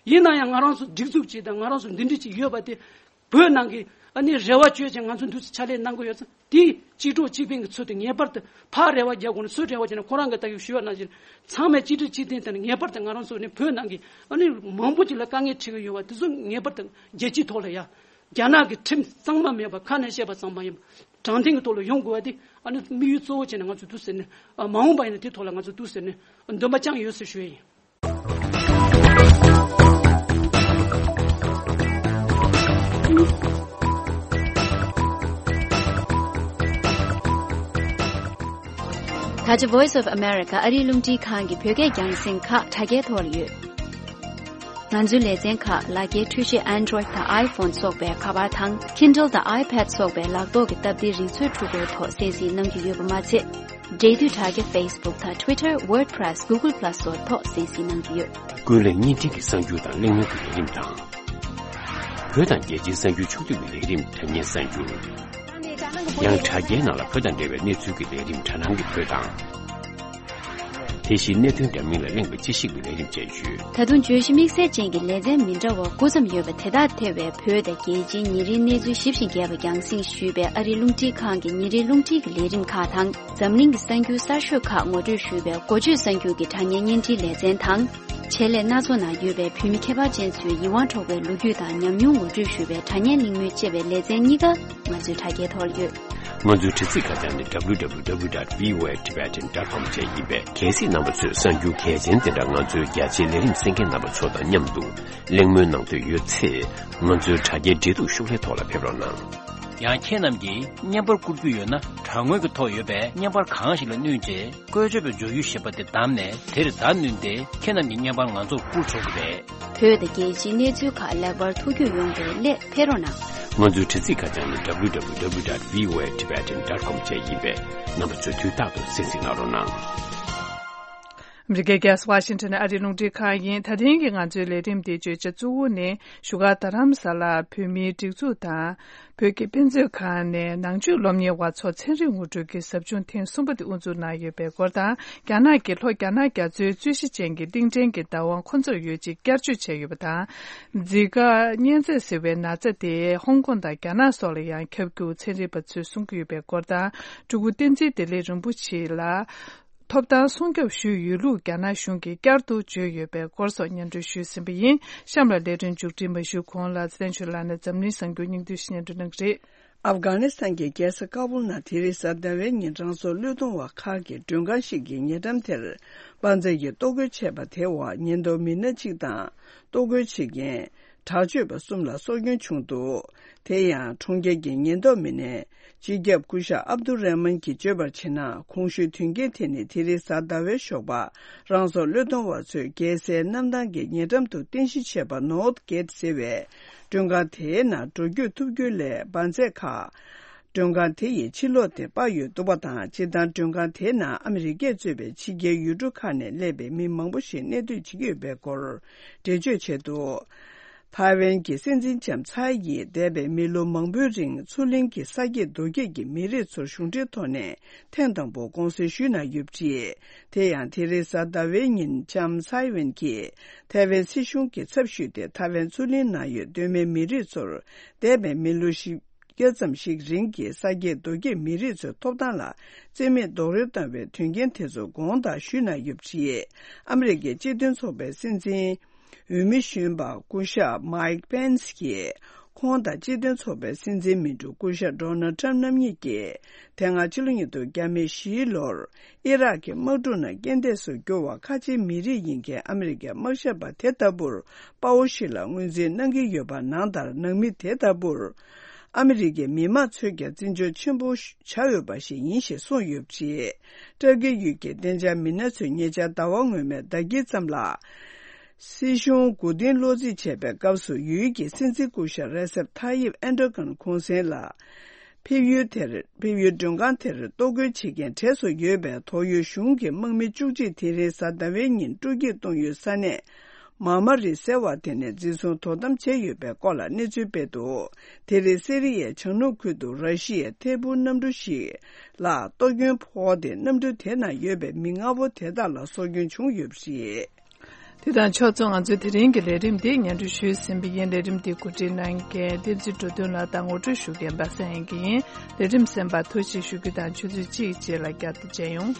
ཡིན་ན་ཡང་ང་རང་ཚོ་སྒྲིག་འཛུགས་ཅིག་དང་ང་རང་ཚོ་འདི་འདྲ་ཅིག་ཡོད་པ་དེ་བོད་ནང་གི་ཨ་ནི་རེ་བ་བཅོལ་ཅིང་ང་ཚོ་འདུག་སེ་ཕྱག་ལས་གནང་གི་ཡོད་ཙང་དེ་གཅིག་གྲོགས་གཅིག་ཕན་གྱི་ཚུལ་དུ་ངེས་པར་དུ་ཕར་རེ་བ་རྒྱག་དགོས་ན་ཚུར་རེ་བ་བརྒྱབ་ན་ཁོ་རང་གི་ད་གི་ཞུ་བ་ནང་བཞིན་ཚང་མས་གཅིག་སྒྲིལ་གཅིག་མཐུན་དང་ངེས་པར་དུ་ང་རང་ཚོ་ནི་བོད་ནང་གི་ཨ་ནི་མང་པོ་ཅིག་ལ་དཀའ་ངལ་འཕྲད་ཀྱི་ཡོད་པ་དེ་ཚོ་ངེས་པར་དུ་རྒྱལ་སྤྱིའི་ཐོག་ལ་ཡ་རྒྱ་ནག་གི་ཁྲིམས་གཙང་མ་མེད་པ་ཁ་ནས་བཤད་པ་གཙང་མ་ཡིན་པ། དྲང་བདེན་གྱི་ཐོག་ལ་ཡོང་དགོས་པ་དེ་ཨ་ནི་དམིགས་ཡུལ་གཙོ་བོ་བྱས་ནས་ང་ཚོས་འདུག་ཟེར་ནས། མ་འོངས་པ་ཡིན་ན་དེ་ཐོག་ལ་ང་ཚོས་འདུག་ཟེར་ནས་འདུན་པ་བཅངས་ཡོད་ཟེར་ཞུ་ཡ་ཡིན། ད་ཆ་Voice of America ཨ་རིའི་རླུང་འཕྲིན་ཁང་གི་བོད་སྐད་རྒྱང་སྲིང་ཁག་དྲ་རྒྱའི་ཐོག་ལ་ཡོད། ང་ཚོའི་ལེ་ཚན་ཁག་ལག་འཁྱེར་འཕྲུལ་ཆས་Android་དང་iPhone་སོགས་པའི་ཁ་པར་དང་Kindle་དང་iPad་སོགས་པའི་ལག་ཐོག་གི་སྟབས་བདེའི་རིག་མཛོད་འཕྲུལ་འཁོར་ཐོག་གསན་གཟིགས་གནང་རྒྱུ་ཡོད་པ་མ་ཚད། འབྲེལ་མཐུད་དྲ་རྒྱ་Facebook་དང་Twitter, WordPress, Google Plus་སོགས་ཐོག་གསན་གཟིགས་གནང་རྒྱུ་ཡོད། ཀུན་གླེང་བརྙན་འཕྲིན་གྱི་གསར་འགྱུར་དང་གླེང་མོལ་གྱི་ལས་རིམ་དང་། བོད་དང་རྒྱལ་སྤྱིའི་གསར་འགྱུར་ཕྱོགས་བསྡུས་ཀྱི་ལས་རིམ་དྲ་བརྙན་གསར་འགྱུར། ཡང་དྲ་རྒྱའི་ནང་ལ་བོད་དང་འབྲེལ་བའི་གནས་ཚུལ་གྱི་ལས་རིམ་དྲ་སྣང་གི་བོད་དང་། དེ་བཞིན་གནད་དོན་འདྲ་མིན་ལ་གླེང་བའི་དཔྱད་ཞིབ་ཀྱི་ལས་རིམ་བཅས་ཡོད། ད་དུང་བརྗོད་གཞི་དམིགས་བསལ་ཅན་གྱི་ལེ་ཚན་མི་འདྲ་བ་དགུ་ཙམ་ཡོད་པ་དེ་དག་ཐེ་བའི་བོད་དང་རྒྱལ་སྤྱིའི་ཉིན་རེའི་གནས་ཚུལ་ཞིབ་ཅིང་རྒྱས་པ་རྒྱང་སྲིང་ཞུས་པའི་ཨ་རིའི་རླུང་འཕྲིན་ཁང་གི་ཉིན་རེའི་རླུང་འཕྲིན་གྱི་ལས་རིམ་ཁག་དང་། འཛམ་གླིང་གི་གསར་འགྱུར་གསར་ཤོས་ཁག་ངོ་སྤྲོད་ཞུས་པའི་འགོ་བརྗོད་གསར་འགྱུར་གྱི་དྲ་བརྙན་བརྙན་འཕྲིན་ལེ་ཚན་དང་། ཆེད་ལས་སྣ་ཚོགས་ནང་ཡོད་པའི་བོད་མི་ཁྱད་པར་ཅན་ཚོའི་ཡིད་དབང་འཕྲོག་པའི་ལོ་རྒྱུས་དང་ཉམས་མྱོང་ངོ་སྤྲོད་ཞུ་བའི་དྲ་བརྙན་གླེང་མོལ་ཅེས་པའི་ལེ་ཚན་གཉིས་ཀ་ང་ཚོའི་དྲ་རྒྱའི་ཐོག་ལ་ཡོད། ང་ཚོའི་དྲ་ཚིགས་ཁ་བྱང་ནི་www.voatibetan.com་བཅས་ཡིན་པས། གལ་སྲིད་རྣམ་པ་ཚོས་གསར་འགྱུར་གལ་ཆེན་དེ་འདྲ་ང་ཚོའི་རྒྱ་ཆེའི་ལས་རིམ་གསན་མཁན་རྣམ་པ་ཚོ་དང་མཉམ་དུ་གླེང་མོལ་གནང་འདོད་ཡོད་ཚེ། ང་ཚོའི་དྲ་རྒྱའི་འབྲེལ་གཏུག་ཤོག་ལྷེ་ཐོག་ལ་ཕེབས་རོགས་གནང་། ཡང་ཁྱེད་རྣམས་ཀྱིས་བརྙན་པར་བསྐུར་རྒྱུ་ཡོད་ན། དྲ་ངོས་ཀྱི་ཐོག་ཡོད་པའི་བརྙན་པར་གང་ཞིག་ལ་བསྣུན་རྗེས། བཀོལ་སྤྱོད་པའི་མགྱོགས་ཡུལ་ཞེས་པ་དེ་བདམས་ནས། དེར་བརྡ་བསྣུན་ཏེ། ཁྱེད་རྣམས་ཀྱི་བརྙན་པར་ང་ཚོར་བསྐུར་ཆོག་གི་རེད། བོད་དང་རྒྱལ་སྤྱིའི་གནས་ཚུལ་ཁག་ལེགས་པར་ཐུགས་རྒྱུས་ཡོང་བའི་སླད་ཕེབས་རོགས་གནང་། ང་ཚོའི་དྲ་ཚིགས་ཁ་བྱང་ནི་www.voatibetan.com་བཅས་ཡིན་པས། རྣམ་པ་ཚོས་དུས་རྟག་ཏུ་གསན་གཟིགས་གནང་རོགས་གནང་། ཨ་མི་རི་ཀའི་རྒྱལ་ས་ཝ་ཤིང་ཊོན་ནས་ཨ་རིའི་རླུང་འཕྲིན་ཁང་ཡིན། ད་ཐེངས་ཀྱི་ང་ཚོའི་ལས་རིམ་འདིའི་བརྗོད་བྱ་གཙོ་བོ་ནི། བཞུགས་སྒར་རྡ་རམ་ས་ལར་བོད་མིའི་སྒྲིག་འཛུགས་དང་། བོད་ཀྱི་དཔེ་མཛོད་ཁང་ནས་ནང་ཆོས་སློབ་གཉེར་བ་ཚོར་ཚན་རིག་ངོ་སྤྲོད་ཀྱི་ཟབ་སྦྱོང་ཐེངས་གསུམ་པ་དེ་དབུ་འཛུགས་གནང་ཡོད་པའི་སྐོར་དང་། རྒྱ་ནག་གིས་ལྷོ་རྒྱ་ནག་རྒྱ་མཚོའི་རྩོད་གཞི་ཅན་གྱི་གླིང་ཕྲན་གྱི་བདག་དབང་ཁོ་ཚོར་ཡོད་ཅེས་བསྐྱར་བཅོས་བྱས་ཡོད་པ་དང་། ཛི་ཀ་གཉན་ཚད་ཟེར་བའི་ན་ཚ་དེ་ཧོང་ཀོང་དང་རྒྱ་ནག་སོགས་ལ་ཡང་ཁྱབ་རྒྱུ་ཚན་རིག་པ་ཚོས་གསུང་གི་ཡོད་པའི་སྐོར་དང་། སྤྲུལ་སྐུ་བསྟན་འཛིན་བདེ་ལེགས་རིན་པོ་ཆེ་ལ། ཐོབ་ཐང་སྲུང་སྐྱོབ་ཞུས་ཡོད་ལུགས་རྒྱ་ནག་གཞུང་གིས་བསྐྱར་དུ་བརྗོད་ཡོད་པའི་སྐོར་སོགས་སྙན་སྒྲོན་ཞུས་ཟིན་པ་ཡིན། གཤམ་ལ་ལས་དོན་མཇུག་སྒྲིལ་མ་ཞུས་གོང་ལ་ཚེ་བརྟན་ཆོས་ལགས་ནས་འཛམ་གླིང་གསར་འགྱུར་སྙིང་བསྡུས་ཤིག་སྙན་སྒྲོན་གནང་གི་རེད། ཨབ་གྷ་ནི་སི་ཐན་གྱི་རྒྱལ་ས་ཀ་བུལ་ནང་དེ་རིང་གཟའ་ཟླ་བའི་ཉིན་རང་སོར་བློས་གཏོང་བ་ཁག་གི་མགྲོན་ཁང་ཞིག་གི་ཉེ་འགྲམ་དེར་དཔའ་མཛངས་ཀྱིས་གཏོར་རྒོལ་བྱས་པ་དེའི་འོག་ཉེན་རྟོག་མི་སྣ་གཅིག་དང་གཏོར་རྒོལ་བྱེད་མཁན་དྲག་སྤྱོད་པ་གསུམ་ལ་སྲོག་སྐྱོན་བྱུང་འདུག་དེ་ཡང་གྲོང་ཁྱེར་གྱི་ཉེན་རྟོག་མི་སྣས་སྤྱི་ཁྱབ་སྐུ་ཞབས་ཨབ་དུ་རེ་མན་གྱིས་བརྗོད་པར་བྱས་ན། གོང་ཞུས་དོན་རྐྱེན་དེ་ནི་དེ་རིང་གཟའ་ཟླ་བའི་ཞོགས་པ་རང་སྲོག་བློས་གཏོང་བ་ཚོས་རྒྱལ་སའི་གནམ་ཐང་གི་ཉེ་འགྲམ་དུ་རྟེན་གཞི་བྱས་པ་ནོར་ཐ་གེ་ཊི་ཟེར་བའི་མགྲོན་ཁང་དེའི་ནང་འགྲོ་སྐྱོད་ཐུབ་རྒྱུ་ལས་འབར་རྫས་ཁག་མགྲོན་ཁང་དེ་ཡི་ཕྱི་ལོགས་དེ་སྤར་ཡོད་འདུག་པ་དང་། སྤྱིར་བཏང་མགྲོན་ཁང་དེའི་ནང་ཨ་མི་རི་ཀས་གཙོས་པའི་ཕྱི་རྒྱལ་ཡུལ་གྲུ་ཁག་ནས་སླེབས་པའི་མི་མང་པོ་ཞིག་གནས་སྡོད་བྱེད་ཀྱི་ཡོད་པའི་སྐོར་འགྲེལ་བརྗོད་བྱས་འདུག་ཐའེ་ཝན་གྱི་སྲིད་འཛིན་ལྕམ་ཚའེ་ཡིས་འདས་པའི་མི་ལོ་མང་པོའི་རིང་མཚོ་གླིང་གི་ས་སྐྱེས་རྡོ་སྐྱེས་ཀྱི་མི་རིགས་ཚོར་གཞུང་འབྲེལ་ཐོག་ནས་ཐེངས་དང་པོ་དགོངས་སེལ་ཞུས་གནང་ཡོད་པ་རེད། དེ་ཡང་དེ་རིང་གཟའ་ཟླ་བའི་ཉིན་ལྕམ་ཚའེ་ཝན་གྱིས་ཐའེ་ཝན་སྲིད་གཞུང་གི་ཚབ་ཞུས་ཏེ་ཐའེ་ཝན་མཚོ་གླིང་ནང་ཡོད་གདོད་མའི་མི་རིགས་ཚོར་འདས་པའི་མི་ལོ་བཞི་བརྒྱ་ཙམ་ཞིག་རིང་གི་ས་སྐྱེས་རྡོ་སྐྱེས་མི་རིགས་ཚོའི་ཐོབ་ཐང་ལ་བརྩི་མེད་རྡོག་རོལ་བཏང་བའི་དོན་རྐྱེན་དེ་ཚོ་དགོངས་དག་ཞུས་གནང་ཡོད་པ་རེད། ཨ་མི་རི་ཀའི་སྤྱི་མཐུན་ཚོགས་པའི་སྲིད་འཛིན་འོས་མི་གཞོན་པ་སྐུ་ཞབས་མའིག་པེན་སི་གྱིས་ཁོང་དང་སྤྱི་མཐུན་ཚོགས་པའི་སྲིད་འཛིན་མི་འགྲོ་སྐུ་ཞབས་ཌོ་ནལ་ཊམ་རྣམ་གཉིས་ཀྱིས་དེ་སྔ་ཕྱི་ལོ་ཉིས་སྟོང་བརྒྱ་མེད་བཞིའི་ལོར་ཨི་རག་གི་དམག་འཁྲུག་ནང་རྐྱེན་འདས་སུ་གྱུར་བ་ཁ་ཆེའི་མི་རིགས་ཡིན་མཁན་ཨ་མི་རི་ཀའི་དམག་ཞབས་པ་དེ་ལྟ་བུར་དཔའ་བོ་ཞིག་ལ་ངོས་འཛིན་གནང་གི་ཡོད་པ་ནང་ལྟར། ནང་མི་དེ་ལྟ་བུར་ཨ་མི་རི་ཀའི་མི་མང་ཚོས་ཀྱང་བརྩི་འཇོག་ཆེན་པོ་བྱ་འོས་པ་ཞིག་ཡིན་ཞེས་གསུངས་ཡོད་པ་རེད། ཏུར་ཀི་ཡུལ་གྱི་བདེ་འཇགས་མི་སྣ་ཚོས་ཉེ་ཆར་ཟླ་བ་སྔོན་མའི་ཟླ་དཀྱིལ་ཙམ་ལ། སྲིད་གཞུང་མགོ་རྟིང་སློག་རྩིས་བྱས་པའི་སྐབས་སུ་ཡུལ་གྱི་སྲིད་འཛིན་སྐུ་ཞབས་རེ་སེབ་ཐ་ཡིབ་ཨེན་ཏྲོ་གྷན་གུང་སེང་ལ། ཕེབས་ཡུལ་དེར་ཕེབས་ཡུལ་མགྲོན་ཁང་དེར་གཏོར་རྒོལ་བྱེད་མཁན་གྲས་སུ་ཡོད་པའི་ཏོག་དབྱིབས་གཞུང་གི་དམག་མི་བཅུ་གཅིག་དེ་རིང་གཟའ་ཟླ་བའི་ཉིན་སྤྲོ་སྐྱིད་གཏོང་ཡུལ་ས་གནས་མར་མ་རི་ཟེར་བ་དེ་ནས་འཛིན་བཟུང་དོ་དམ་བྱས་ཡོད་པའི་སྐོར་ལ་གནས་ཚུལ་སྤེལ་འདུག་དེ་རིང་སི་རི་ཡའི་བྱང་ནུབ་ཁུལ་དུ་ར་ཤི་ཡའི་ཐད་འཕུར་གནམ་གྲུ་ཞིག་ལ་གཏོར་སྐྱོན་ཕོག་སྟེ་གནམ་གྲུ་དེ་ནང་ཡོད་པའི་མི་ལྔ་པོ་དེ་དག་ལ་སྲོག་སྐྱོན་བྱུང་ཡོད་པ་རེད། དེ་དང་ཕྱོགས་མཚུངས་ང་ཚོའི་དེ་རིང་གི་ལས་རིམ་འདི་སྙན་སྒྲོན་ཞུས་ཟིན་པ་ཡིན། ལས་རིམ་འདི་གོ་སྒྲིག་གནང་མཁན་བསྟན་འཛིན་འགྲོ་དོན་ལགས་དང་ངོ་སྤྲོད་ཞུ་མཁན་པ་སངས་དབྱངས་སྐྱིད་ཡིན། ལས་རིམ་གསན་པར་ཐུགས་རྗེ་ཆེ་ཞུ་རྒྱུ་དང་ཆུ་ཚོད་གཅིག་རྗེས་ལ་བསྐྱར་དུ་མཇལ་ཡོང་།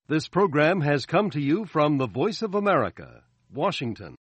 This program has come to you from the Voice of America, Washington.